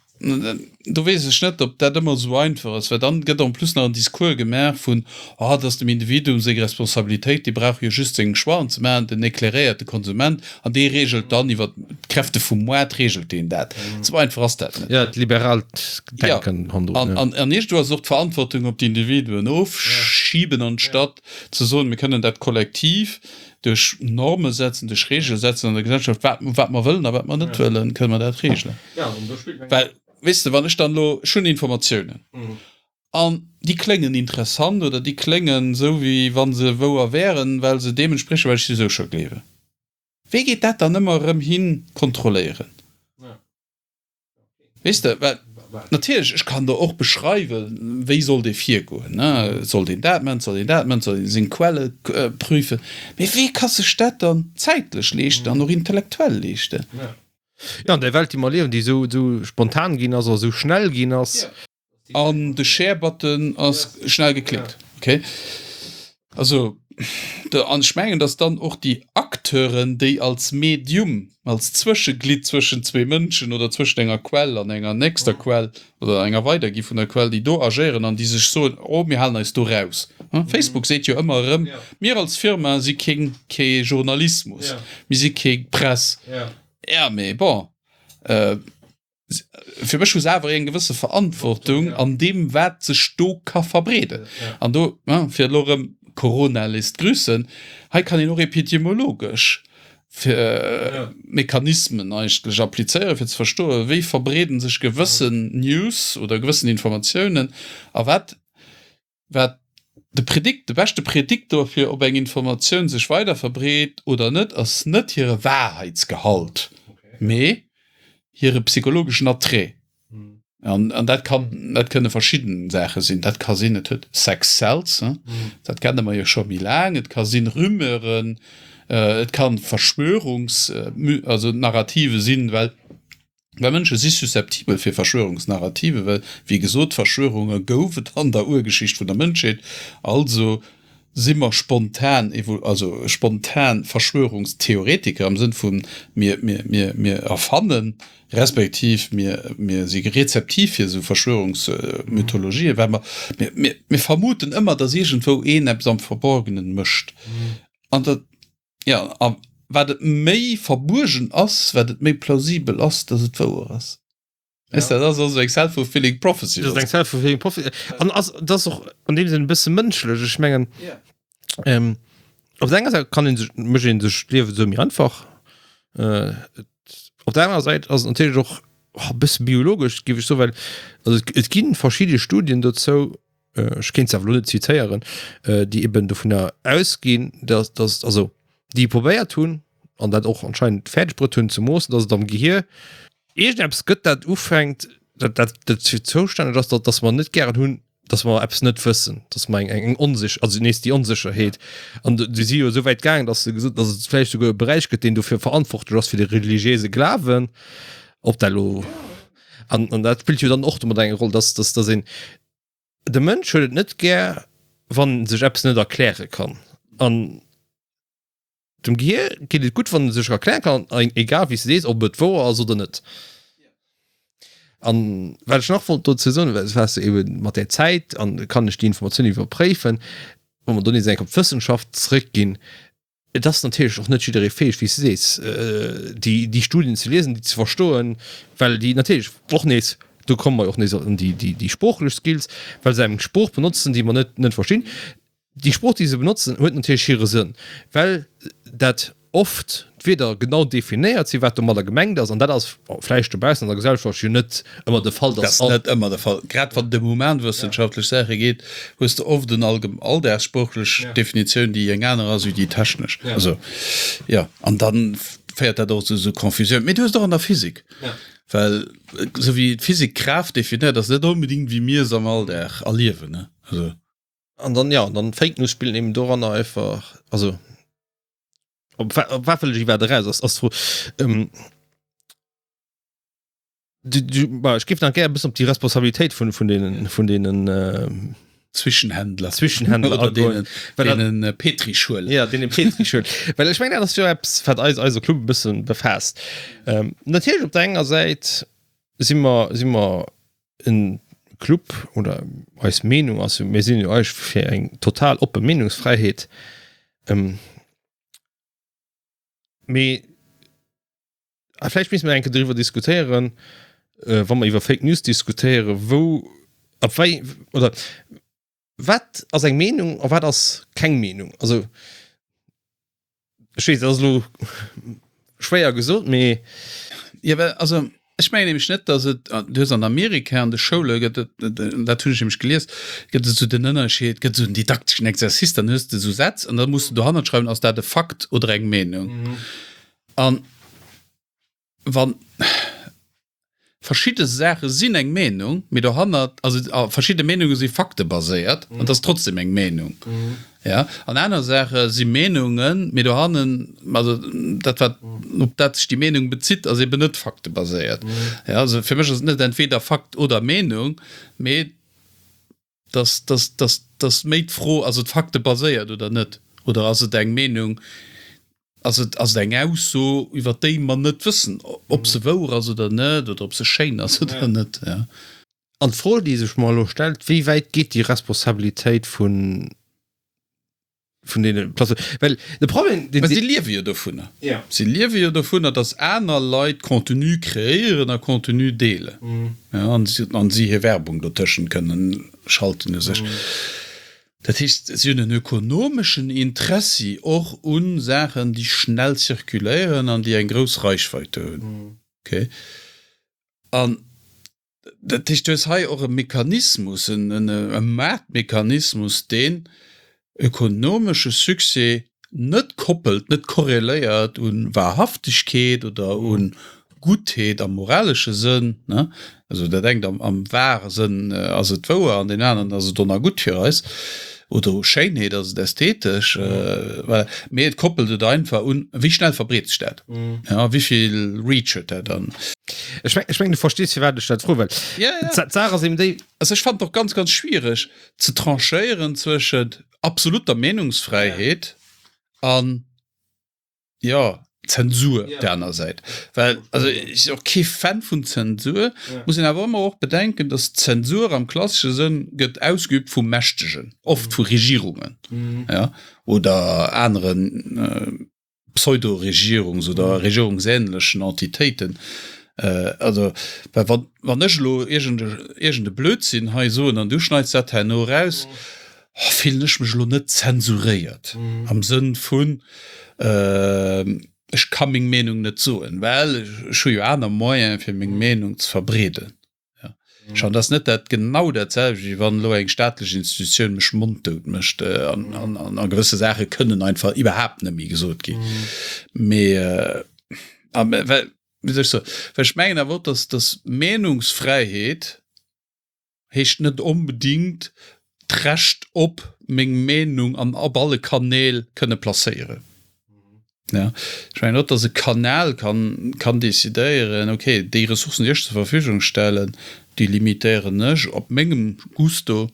do weess ech net, ob dat ëmmer esou einfach ass, well dann gëtt en plus nach en Discours gemaach vun, oh, dat ass dem Individuum seng Responsabilitéit, dee brauch jo just seng Choixen ze maachen, den éclairéierte Konsument. An dee reegelt dann iwwer d'Kräfte vum Moart, reegelt deen dat. Esou einfach ass dat net. Ja, d'liberaalt Denken hannendrun. Ja, an, an iergendwou ass och d'Verantwortung op d'Individuen ofschiben, anstatt ze soen, mir kënnen dat kollektiv duerch Norme setzen, duerch Reegele setzen an der Gesellschaft, wat, wat mer wëllen a wat mer net wëllen, kënne mer dat reegelen. Well, weess de, wann ech dann elo, ech hunn Informatiounen. An déi kléngen interessant oder déi kléngen esou, wéi wa se wouer wären, well se deem entspriechen, wat ech souwisou scho gleewen. Wee geet dat dann ëmmer erëm hin kontrolléieren? Weess de, well natierlech, ech kann der och beschreiwen, wéi sollt ee virgoen, ne, et sollt een dat maachen, et sollt een dat maachen, et sollt ee seng Quelle prüfen, mee wee ka sech dat dann zäitlech leeschten an och intellektuell leeschten? Jo, an där Welt, déi mer liewen, déi esou spontan ginn ass a esou schnell ginn ass. An de Share-Button ass schnell geklickt. Okay. Also, an ech mengen, dass dann och déi Acteuren, déi als Medium, als Zwëscheglidd zwëschen zwee Mënschen oder zwëschent enger Quell an enger nächster Quell oder enger Weidergi vun der Quell, déi do agéieren an déi sech soen, oh mir halen eis do raus. Facebook seet jo ëmmer erëm, mir als Firma si keng, kee Journalismus, mir si keng Press. Ja, mee bon. Fir mech hu se awer eng gewësse Verantwortung an deem, wat sech do ka verbreeden. An do, fir elo erëm Corona léisst grüssen, hei kann een och epidemiologesch Mechanismen eigentlech applizéieren, fir ze verstoen, wéi verbreeden sech gewëssen News oder gewëssen Informatiounen a wat Wat de Predikt, de beschte Prediktor fir ob eng Informatioun sech weider verbreet oder net, ass net hire Wahrheitsgehalt, mee hire psychologeschen Attrait. An, an dat kann, dat kënne verschidden Saache sinn. Dat ka sinn, et huet Sex sells, dat kenne mer jo scho méi laang, et ka sinn Rumeuren, et kann Verschwörungs-, also Narrative sinn, well Well Mënsche si susceptibel fir Verschwörungsnarrative, well, wéi gesot, Verschwörunge gouf et an der Urgeschicht vun der Mënschheet. Also si mer spontan, also spontan Verschwörungstheoretiker am Sënn vu mir, mir, mir, mir erfannen, respektiv mir, mir si rezeptiv fir esou Verschwörungsmythologien, well mer, mir, mir, mir vermuten ëmmer, datt iergendwou een eppes am Verborgenen mécht. An dat. Jo, a wat et méi verbuergen ass, wat et méi plausibel ass, dass et wouer ass. Weess de, dat ass also eng self-fulfilling prophecy. Dat ass eng self-fulfilling prophecy. An ass, dat ass och an deem Sënn e bësse mënschlech. Ech mengen, ähm, op der enger Säit kann een sech, mécht een sech d'Liewe sou méi einfach. Äh, op der anerer Säit ass et natierlech och e bësse biologesch, géif ech soen, well also et, et gi verschidde Studien dozou, ech kéint se awer elo net zitéieren, déi eben dovunner ausginn, dass, dass also déi probéiert hunn an dat och anscheinend fäerdeg bruet hunn ze moossen, dass et am Gehier iergendeppes gëtt, dat ufänkt, dat, dat dozou zoustänneg ass, dass, dass mer net gären hunn, dass mer eppes net wëssen, dass mer eng, eng Onsich-, also nees déi Onsécherheet. An déi si jo esou wäit gaangen, dass se gesot, dass et vläicht souguer e Beräich gëtt, deen dofir verantwortlech ass fir de religiéise Glawen, ob dat elo, an, an dat spillt jo dann och domat eng Roll, dass, dass, dass een, De Mënsch huet et net gär, wann en sech eppes net erkläre kann. An dem Gehier geet et gutt, wann e sech erkläre kann, egal wéi s de sees, ob et wouer ass oder net. An wat ech nach wollt dozou soen, well s de ebe mat där Zäit an kann ech déi Informatioun iwwerpréifen, wa mer do nees eng Kéier op d'Wëssenschaft zrëckginn, Et ass natierlech och net jidderee fäeg, wéi s de sees, déi, déi Studien ze liesen, déi ze verstoen, well déi natierlech och nees, do komme mer jo och nees an déi, déi, déi sproochlech Skills, well se eng Sprooch benotzen, déi mer net, net verstinn. Déi Sprooch, déi se benotzen, huet natierlech hire Sënn, well dat oft d'Wierder genau definéiert sinn, wat domadder gemengt ass. An dat ass vläicht dobaussen an der Gesellschaft jo net ëmmer de Fall, dass. Dat ass net ëmmer de Fall. Grad wann et ëm humanwëssenschaftlech Saache geet, hues de oft en alldagssproochlech Definitioun, déi eng aner ass wéi déi technesch. Also, jo, an da féiert dat och zu esou Confusioun. Mee du hues et och an der Physik, well esou wéi d'Physik Kraaft definéiert, ass net onbedéngt wéi mir se am Alldag erliewen, ne? Also. An dann, jo, dann Fake News spillen eben doranner einfach, also op op wat wëll ech iwwerhaapt eraus, ass ass d'Fro. Du, du, bah, ech géif nach gär e bëssen op déi Responsabilitéit vun, vun deenen, vun deenen äh, Zwischenhändler. Zwischenhändler Oder deenen, deenen äh, Petrischuelen. Ja, deenen Petrischuelen. Well ech mengen, dat ass jo eppes, wat eis, eise Club e bëssen befaasst. Ähm, natierlech op der enger Säit si mer, si mer en Club oder eis Meenung ass jo, mir sinn jo eigentlech fir eng total oppe Meenungsfräiheet. Ähm, mee A vläicht misste mer eng Kéier driwwer diskutéieren, wa mer iwwer Fake News diskutéieren, wou, ab wéi, oder wat ass eng Meenung a wat ass keng Meenung? Also, ech weess, dat ass elo schwéier gesot, mee. Jo, well, also, Ech mengen nämlech net, dass et, du hues an Amerika an de Schoule gëtt et, dat hunn ech nämlech gelies, gëtt et esou den Ënnerscheed, gëtt esou en didakteschen Exercice, dann hues de esou Sätz an da muss de dohannert schreiwen, ass dat e Fakt oder eng Meenung? An wann verschidde Saache sinn eng Meenung, mee dohannert, also verschidde Meenunge si faktebaséiert an et ass trotzdem eng Meenung. Ja, an aner Saache si Meenungen, mee dohannen, also dat wat, op dat sech déi Meenung bezitt, ass eben net faktebaséiert. Ja, also fir mech ass et net entweder Fakt oder Meenung, mee dass, dass, dass, dass méi d'Fro, ass et faktebaséiert oder net? Oder ass et eng Meenung, ass et, ass et eng Ausso, iwwer déi mer net wëssen, ob se wouer ass oder net, oder ob se schéin ass oder net? Ja. An d'Fro, déi sech mer elo stellt, Wéi wäit geet déi Responsabilitéit vun, vun deene Plateformen? Well de Problem, deen. Mä si liewe jo dovunner. Ja. Si liewe jo dovunner, datt aner Leit Contenu kreéieren a Contenu deelen. Ja, an si, an si hir Werbung dotëschent kënnen schalten u sech. Dat heescht, si hunn en ökonomeschen Interessi och u Saachen, déi schnell zirkuléieren an déi eng grouss Reichweite hunn. Okay. An Dat heescht, du hues hei och e Mechanismus, e Maartmechanismus, deen ökonomesche Succès net koppelt, net korreléiert u Wahrhaftegkeet oder u Guttheet am moralesche Sënn, ne, also dat engt am wahre Sënn ass et wouer an deen aneren ass et onergutt fir eis, oder u Schéinheet ass et ästhetesch, voilà, mee et koppelt et einfach un, wéi schnell verbreet sech dat, ja, wéi vill Reach huet dat an. Ech meng, ech meng, du verstees, firwat ech dat froen, well Ja, ja. d'Saach ass eben déi. Also ech fannen et och ganz, ganz schwiereg ze tranchéieren zwëschent absolutter Meenungsfräiheet an, jo, Zensur op der aner Säit. Well, also ech sinn och kee Fan vun Zensur, muss een awer ëmmer och bedenken, datt Zensur am klassesche Sënn gëtt ausgeübt vu Mächtegen, oft vu Regierungen, ja, oder aneren Pseudo-Regierungs oder regierungsähnlechen Entitéiten. Also, well wann, wann ech elo iergend e, iergend e Blödsinn hei soen an du schneits dat herno eraus, fillen ech mech elo net zensuréiert am Sënn vun, ech ka meng Meenung net soen, well ech hu jo aner Moyene fir meng Meenung ze verbreeden. Schonn ass net dat genau dat selwecht, wéi wann elo eng staatlech Institutioun mech monddout mécht an a gewësse Saache kënnen einfach iwwerhaapt net méi gesot ginn. Mee well, wéi soll ech soen, well ech mengen awer och, datt datt Meenungsfräiheet heescht net onbedingt d'Recht op meng Meenung an op alle Kanäl kënne placéieren. Ja, ech mengen och, dass e Kanal kann, kann decidéieren, okay, déi Ressourcen, déi ech zur Verfügung stellen, déi limitéieren ech op mengem Gusto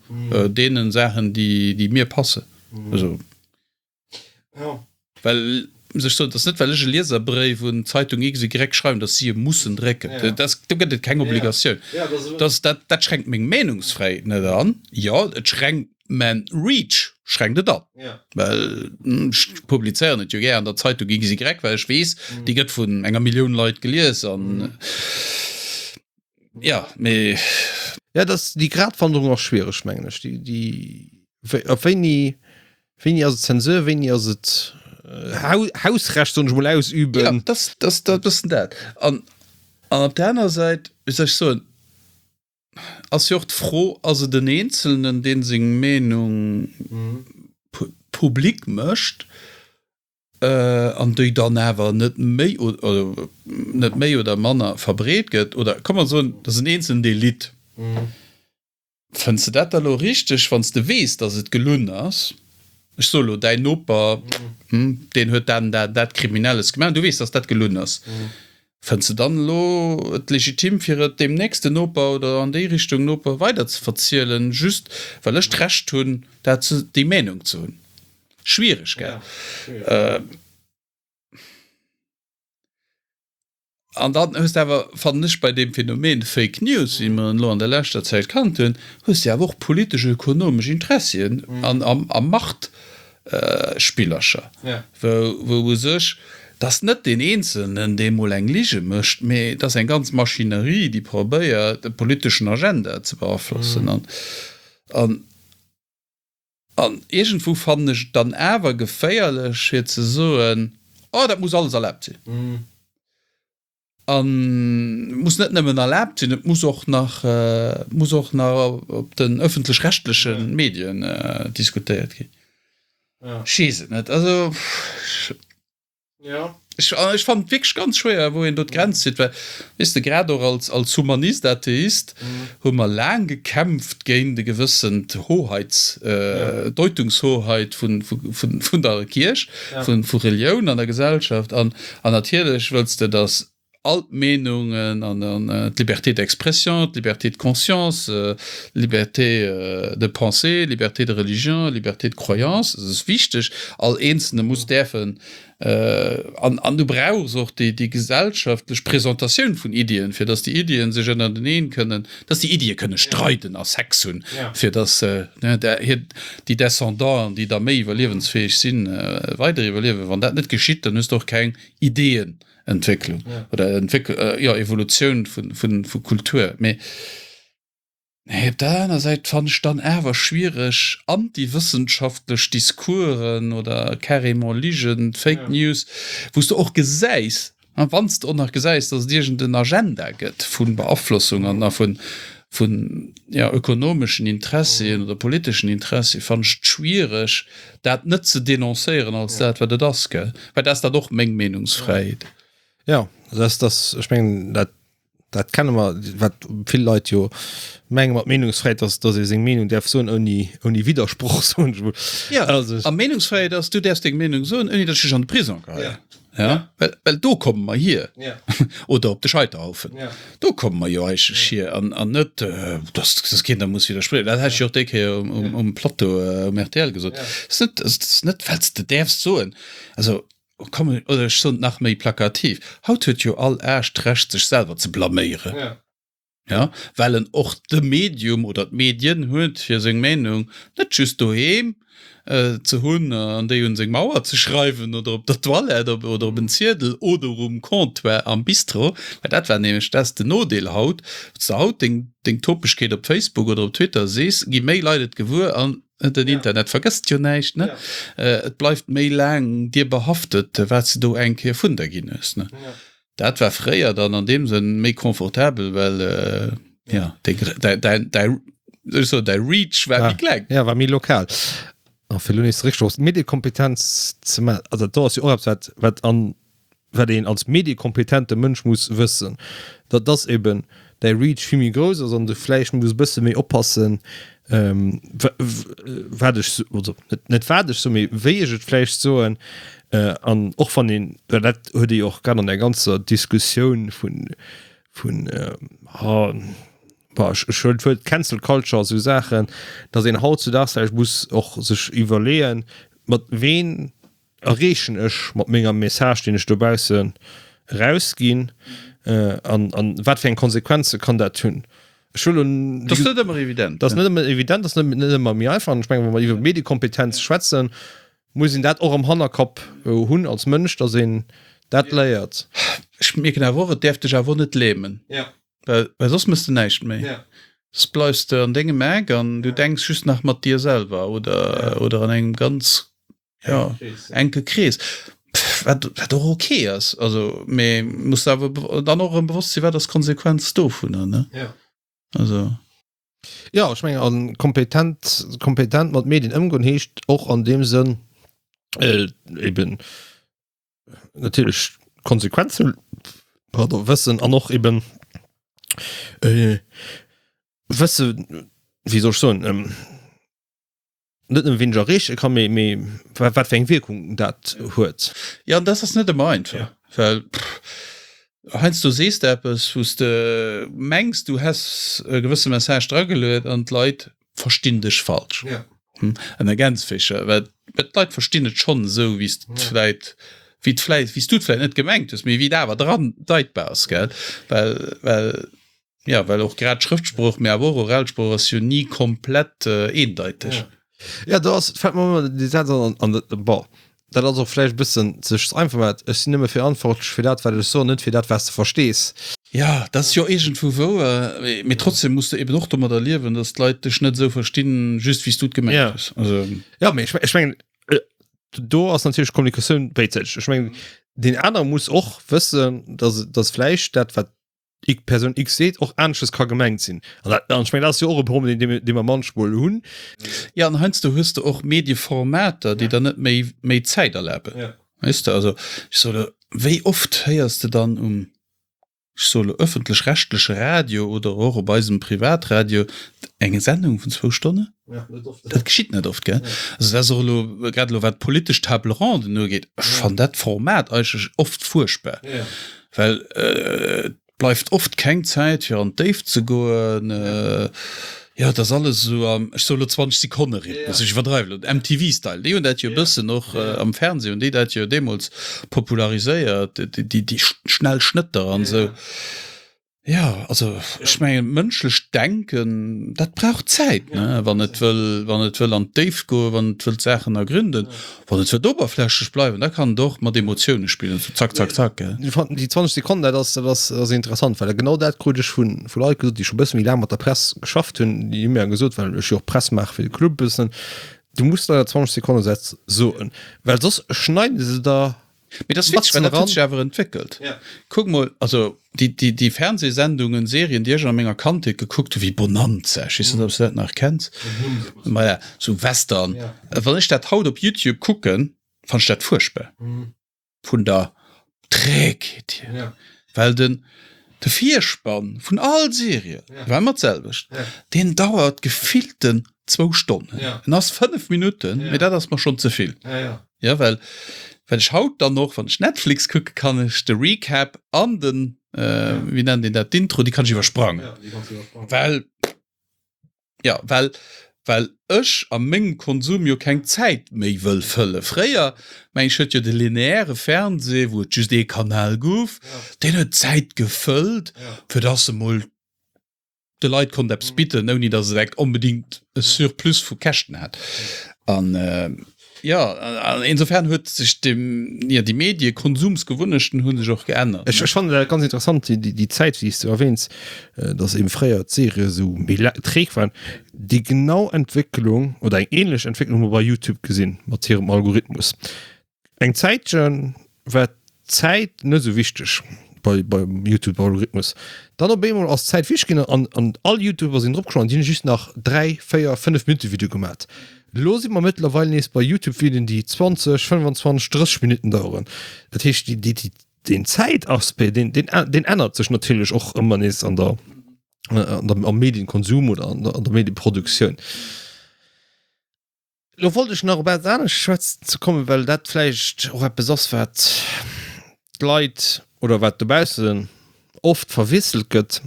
deene Saachen, déi, déi mir passen. Also, well, muss ech soen, et ass net, well ech e Lieserbréif un d'Zeitung XY schreiwen, dass si e mussen drécken. Dat, do gëtt et keng Obligatioun. Dat, dat, dat schränkt meng Meenungsfräiheet net an. Jo, et schränkt Mä Reach schränkt et an. Well ech publizéieren et jo gär an der Zeitung XY, well ech weess, déi gëtt vun enger Millioun Leit gelies an ja, mee. Ja, dass déi Gratwanderung ass schwiereg, mengen ech. Déi, déi, op wéini, wéini ass et Zensur, wéini ass et Hausrecht, soen ech mol, ausüben. Ja, dat, dat, dat e bëssen dat. An, an op der aner Säit, wéi soll ech soen, Ass jo och d'Fro, ass et en Eenzelnen, dee seng Meenung public mécht an déi dann awer net méi oder net méi oder manner verbreet gëtt? Oder komm mer soen, et ass en Eenzelnen, dee litt. Fënns de dat da lo richteg, wann s de weess, datt et gelunn ass? Ech soe lo, däin Noper, deen huet dat an dat an dat Kriminelles gemaach, an du weess, datt dat gelunn ass. Fënns de dann elo et legitim fir et deem nächsten Noper oder an déi Richtung Noper weider ze verzielen, just well ech d'Recht hunn dat ze, déi Meenung ze hunn? Schwiereg, gell? An dann hues de awer, fannen ech, bei deem Phänomen Fake News, wéi mer en elo an der leschter Zäit kannt hunn, hues de awer och politesch-ökonomesch Interessien an a Macht Spillercher, wou u sech, 't ass net deen Eenzelnen, dee mol eng Lige mécht, mee et ass eng ganz Maschinerie, déi probéiert, e politeschen Agenda ze beaflossen. An, an iergendwou fannen ech et dann awer geféierlech, fir ze soen, Oh, dat muss alles erlaabt sinn. An muss net nëmmen erlaabt sinn, et muss och nach, muss och nach op den ëffentlech-rechtleche Medien diskutéiert ginn. Ech weess et net. Also ech, ech fannen et wierklech ganz schwéier, wou een do d'Grenz zitt, well, weess de, grad och als, als Humanist, Atheist hu mer laang gekämpft géint e gewëssent Hoheits, Deutungshoheit vun, vun, vun der Kierch, vun, vu Relioun an der Gesellschaft. An, an natierlech wëlls de, datt all d'Meenungen an d'Liberté d'expression, d'Liberté de conscience, d'Liberté de pensée, d'Liberté de religion, d'Liberté de croyance, dat ass wichteg, all Eenzelne muss däerfen, an an du brauchs och déi déi gesellschaftlech Presentatioun vun Iddien, fir datt déi Iddien sech ënnerteneen kënnen, datt déi Iddie kënne streiden a Sex hunn, fir datt hir déi Descendanten, déi da méi iwwerliewensfäeg sinn, weider iwwerliewen. Wann dat net geschitt, dann hues de och keng Ideeën. Entwécklung ja. oder Entwécklung, äh, ja, Evolutioun vun, vun, vu Kultur. Mee nee, op der aner Säit fannen ech dann awer schwiereg antiwëssenschaftlech Discoursen oder carrément Ligen, Fake ja. News, wou s de och gesäis, wann s de och nach gesäis, dass et iergend en Agenda gëtt vu Beaflossung an a vun, vun ja, ökonomeschen Interessien oder politeschen Interessie, fannen ech et schwiereg, dat net ze denoncéieren als dat, wat et ass, gell? Well dat ass dat och meng Meenungsfräiheet. Ja, dat ass, ech mengen, dat, dat kenne mer, wat vill Leit jo menge mat Meenungsfräiheet, dass, dass ee seng Meenung däerf soen ouni, ouni Widdersproch, soen ech emol. Ja, also, a Meenungsfräiheet ass, du däerfs deng Meenung soen, ouni datt ech dech an de Prisong geheien. Ja. Ja, well, well do komme mer hier. Ja. Oder op de Scheiterhaufen. Ja. Do komme mer jo eigentlech hier. An, an net, äh, dass, dass keen da muss widerspriechen. Dat hat ech jo och déi Kéier um, um, um Plateau äh, um R T L gesot. Ja. Das ist net, das ist net, well s de däerfs soen. Also, komm, oder ech soen et nach méi plakativ, Haut huet jo all Aarsch d'Recht, sech selwer ze blaméieren. Ja. Ja, well en och de Medium oder d'Medien huet, fir seng Meenung net just doheem ze hunn an déi un seng Mauer ze schreiwen oder op der Toilette oder op en Ziedel oder um Comptoir am Bistro. Well dat war nämlech, dat ass den Nodeel haut, wann s de haut deng, deng Topegkeet op Facebook oder op Twitter sees, gi méi Leit et gewuer an den Internet vergësst jo näischt, ne? Et bleift méi laang dir behaftet, wat s de do eng Kéier vun der ginn hues, ne? Dat war fréier dann an deem Sënn méi confortabel, well ja däi däi Reach war méi kleng. Ja, war méi lokal. A fir elo nees zeréck op d'Mediekompetenz ze maachen, also do ass jo och eppes, wat wat an wat een als mediekompetente Mënsch muss wëssen, dat ass eben däi Reach vill méi grouss ass an du vläicht muss e bësse méi oppassen, wat ech, also net wat ech soen, mee wéi ech et vläicht soen. An och wann een, well dat huet ee jo och grad an der ganzer Diskussioun vun, vun, bon, ech huelen d'Wuert Cancel Culture a sou Saachen, datt een hautzudaags vläicht muss och sech iwwerleeën, mat ween erreechen ech mat menger Message, deen ech dobaussen erausginn, an, an wat fir eng Konsequenze kann dat hunn? Ech wëll un. Dat ass net ëmmer evident. Dat ass net ëmmer evident, dat ass net, net ëmmer méi einfach. An ech mengen, wa mer iwwer Mediekompetenz schwätzen, muss een dat och am Hannerkapp hunn als Mënsch, datt een dat léiert. Ech mierken awer och, et däerf dech awer och net lämen. Ja. Well, well soss mëss de näischt méi. Ja. Soss bleifs de an dengem Eck an du denks just nach mat dir selwer oder, oder an engem ganz ja, enke Krees. Wat, wat och okay ass. Also, mee muss awer dann och erëm bewosst sinn, wat ass d'Konsequenz dovunner, ne? Ja. Also. Ja, ech mengen, an kompetent, kompetent mat Medien ëmgoen heescht och an deem Sënn, äh, eben natierlech Konsequenzen, pardon, wëssen an och eben äh, wësse, wéi soll ech soen, ähm, net nëmme ween ech erreeche kann, mee, mee wat fir eng Wierkung dat huet. Ja, an dat ass net ëmmer einfach, ja. Well heiansdo sees de eppes, wou s de mengs, du häss e gewësse Message drageluet an d'Leit verstinn dech falsch. Ja. Hm? Ënner Gänsfécher, well d'Leit verstinn et schonn esou, wéi s de et vläit, wéi et vläit, wéi s du et vläit net gemengt hues, mee wéi et awer dran deitbar ass, gell? Well, well Jo, well och grad Schrëftsprooch, mee awer och oral Sprooch ass jo ni komplett eendeiteg. Ja, do ass, fält mer ëmmer dee Saz an, an dat, bon, dat ass och vläicht e bëssen sech ze einfach gemaach, ech sinn nëmme verantwortlech fir dat, wat ech soen, net fir dat, wat s de verstees. Jo, dat ass jo iergendwou wouer, mee trotzdem muss de eben och domadder liewen, datt d'Leit dech net esou verstinn, just wéi s du et gemengt hues. Also. Jo, mee ech mengen, do ass natierlech Kommunikatioun béidsäiteg. Ech mengen, Deen anere muss och wëssen, dass, dass vläicht dat, wat ik Persoun X seet, och aneschters ka gemengt sinn. An dat, an ech mengen, dat ass jo och e Problem, deen, dee mer manchmol hunn. Ja, an heiansdo hues de och Medieformater, déi der net méi, méi Zäit erlaben. Ja. Weess de, also ech soe lo, wéi oft héiers de dann um, ech soe lo, ëffentlech-rechtleche Radio oder och op eisem Privatradio eng Sendung vun zwou Stonnen? Ja, net oft. Dat geschitt net oft, gell? Ja. Also dat ass och elo, grad elo wat d'politesch Table ronden ugeet, ech Ja. fannen dat Format eigentlech oft fuerchtbar, Ja. well et bleift oft keng Zäit fir an d'Déift ze goen. Jo, et ass alles esou am, ech soe elo zwanzeg-Sekonne-Rhythmus, ech iwwerdreiwen elo, M T V-Style, déi hunn dat jo e bëssen och am Fernseh hunn déi dat jo deemools populariséiert, déi déi schnell Schnëtter an esou. Jo, also ech mengen, mënschlecht Denken, dat brauch Zäit, ne, wann et wëll, wann et wëll an d'Déift goen, wann et wëllt Saachen ergründen. Wann et wëllt oberflächlech bleiwen, da kann et och mat Emotioune spillen, sou zack, zack, zack, gell. Ech fannen déi zwanzeg Sekonnen, dat ass, dat ass, ass interessant, well genau dat krut ech vu vu Leit gesot, déi scho e bësse méi laang mat der Press geschafft hunn. Déi hu mir gesot, well ech jo och Press maache fir de Club e bëssen, du muss der zwanzeg Sekonne Sätz soen, well soss schneide se der Mee dat ass witzeg, well dat huet sech awer entwéckelt. Ja. Kuck mol, also déi, déi, déi Fernsehsendungen, Serien, déi ech a menger Kandheet gekuckt hu wéi Bonanza, ech weess net, ob s de dat nach kenns, maja, sou Western. Ja. Wann ech dat haut op YouTube kucken, fann ech dat fuerchtbar. Vun der Trägheet hier. Ja. Well den, de Virspann vun all Serie Ja. war ëmmer d'selwecht. Ja. Deen dauert gefillten zwou Stonnen. Ja. En ass fënnef Minutten, Ja. mee dat ass mer schonn ze vill. Ja, ja. Ja, well, well ech haut dann och, wann ech Netflix kucke, kann ech de Recap an den, äh, wéi nennt een dat, d'Intro, déi kann ech iwwersprangen. Ja, déi kanns du iwwersprangen. Well, ja, well, well ech a mengem Konsum jo keng Zäit méi wëll fëllen. Fréier, meng ech, huet jo de lineäre Fernseh, wou et just ee Kanal gouf, Ja. deen huet d'Zäit gefëllt, Ja. fir dass e mol de Leit konnt eppes bidden, ouni datt et eng onbedingt e Surplus vu Käschten hat. An jo, an insofern huet sech dem, jo, déi Mediekonsumsgewunnechten hu sech och geännert. Ech, ech fannen dat ganz interessant, déi, déi Zäit, wéi s du erwähns, datt eben fréier d'Serie esou méi träg waren. Déi genau Entwécklung oder eng ähnlech Entwécklung hu mer bei YouTube gesinn, mat hirem Algorithmus. Eng Zäitche war d'Zäit net esou wichteg bei beim YouTube Algorithmus. Dann op eemol ass d'Zäit wichteg ginn an an all YouTuber sinn drop gesprongen an déi hunn just nach dräi, véier, fënnef Minutte Video gemat. Elo si mer mëttlerweil nees bei YouTube Videoen déi zwanzeg, fënnwanzwanzeg, drësseg Minutten daueren. Dat heescht déi déi deen Zäitaspect deen deen deen ännert sech natierlech och ëmmer nees an der an der am Medienkonsum oder an der an der Medieproduktioun. Lo wollt ech nach op eppes anescht schwätzen ze kommen, well dat vläicht och eppes ass, wat d'Leit oder wat dobaussen oft verwiesselt gëtt,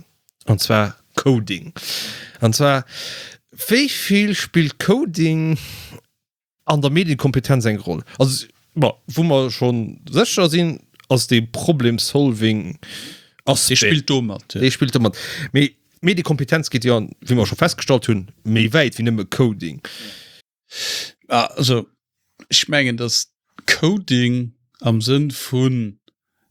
an zwar Coding. An zwar, wéi vill spillt Coding an der Medienkompetenz eng Roll? Also, bon, wou mer scho sécher sinn, ass dee Problem-Solving-Aspect. Dee spillt do mat, jo. Dee spillt do mat. Mee Mediekompetenz geet jo, wéi mer scho festgestallt hunn, méi wäit wéi nëmme Coding. Also, ech mengen, dass Coding am Sënn vu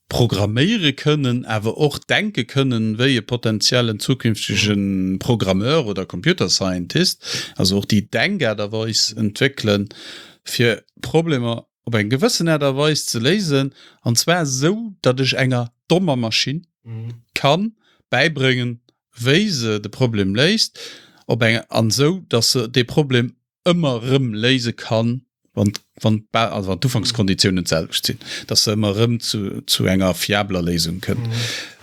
programméiere kënnen, awer och denke kënnen wéi e potenziellen zukünftege Programmeur oder Computer Scientist, also och déi Denkaart a Weis entwéckelen, fir Problemer op eng gewëssen Aart a Weis ze léisen, an zwar esou, datt ech enger dommer Maschinn ka bäibréngen, wéi se de Problem léist, op eng an esou, datt se dee Problem ëmmer erëm léise kann, wann, wann, also wann d'Ufankskonditiounen d'selwecht sinn, dass se ëmmer erëm zu, zu enger fiabler Léisung kënnt. Mm.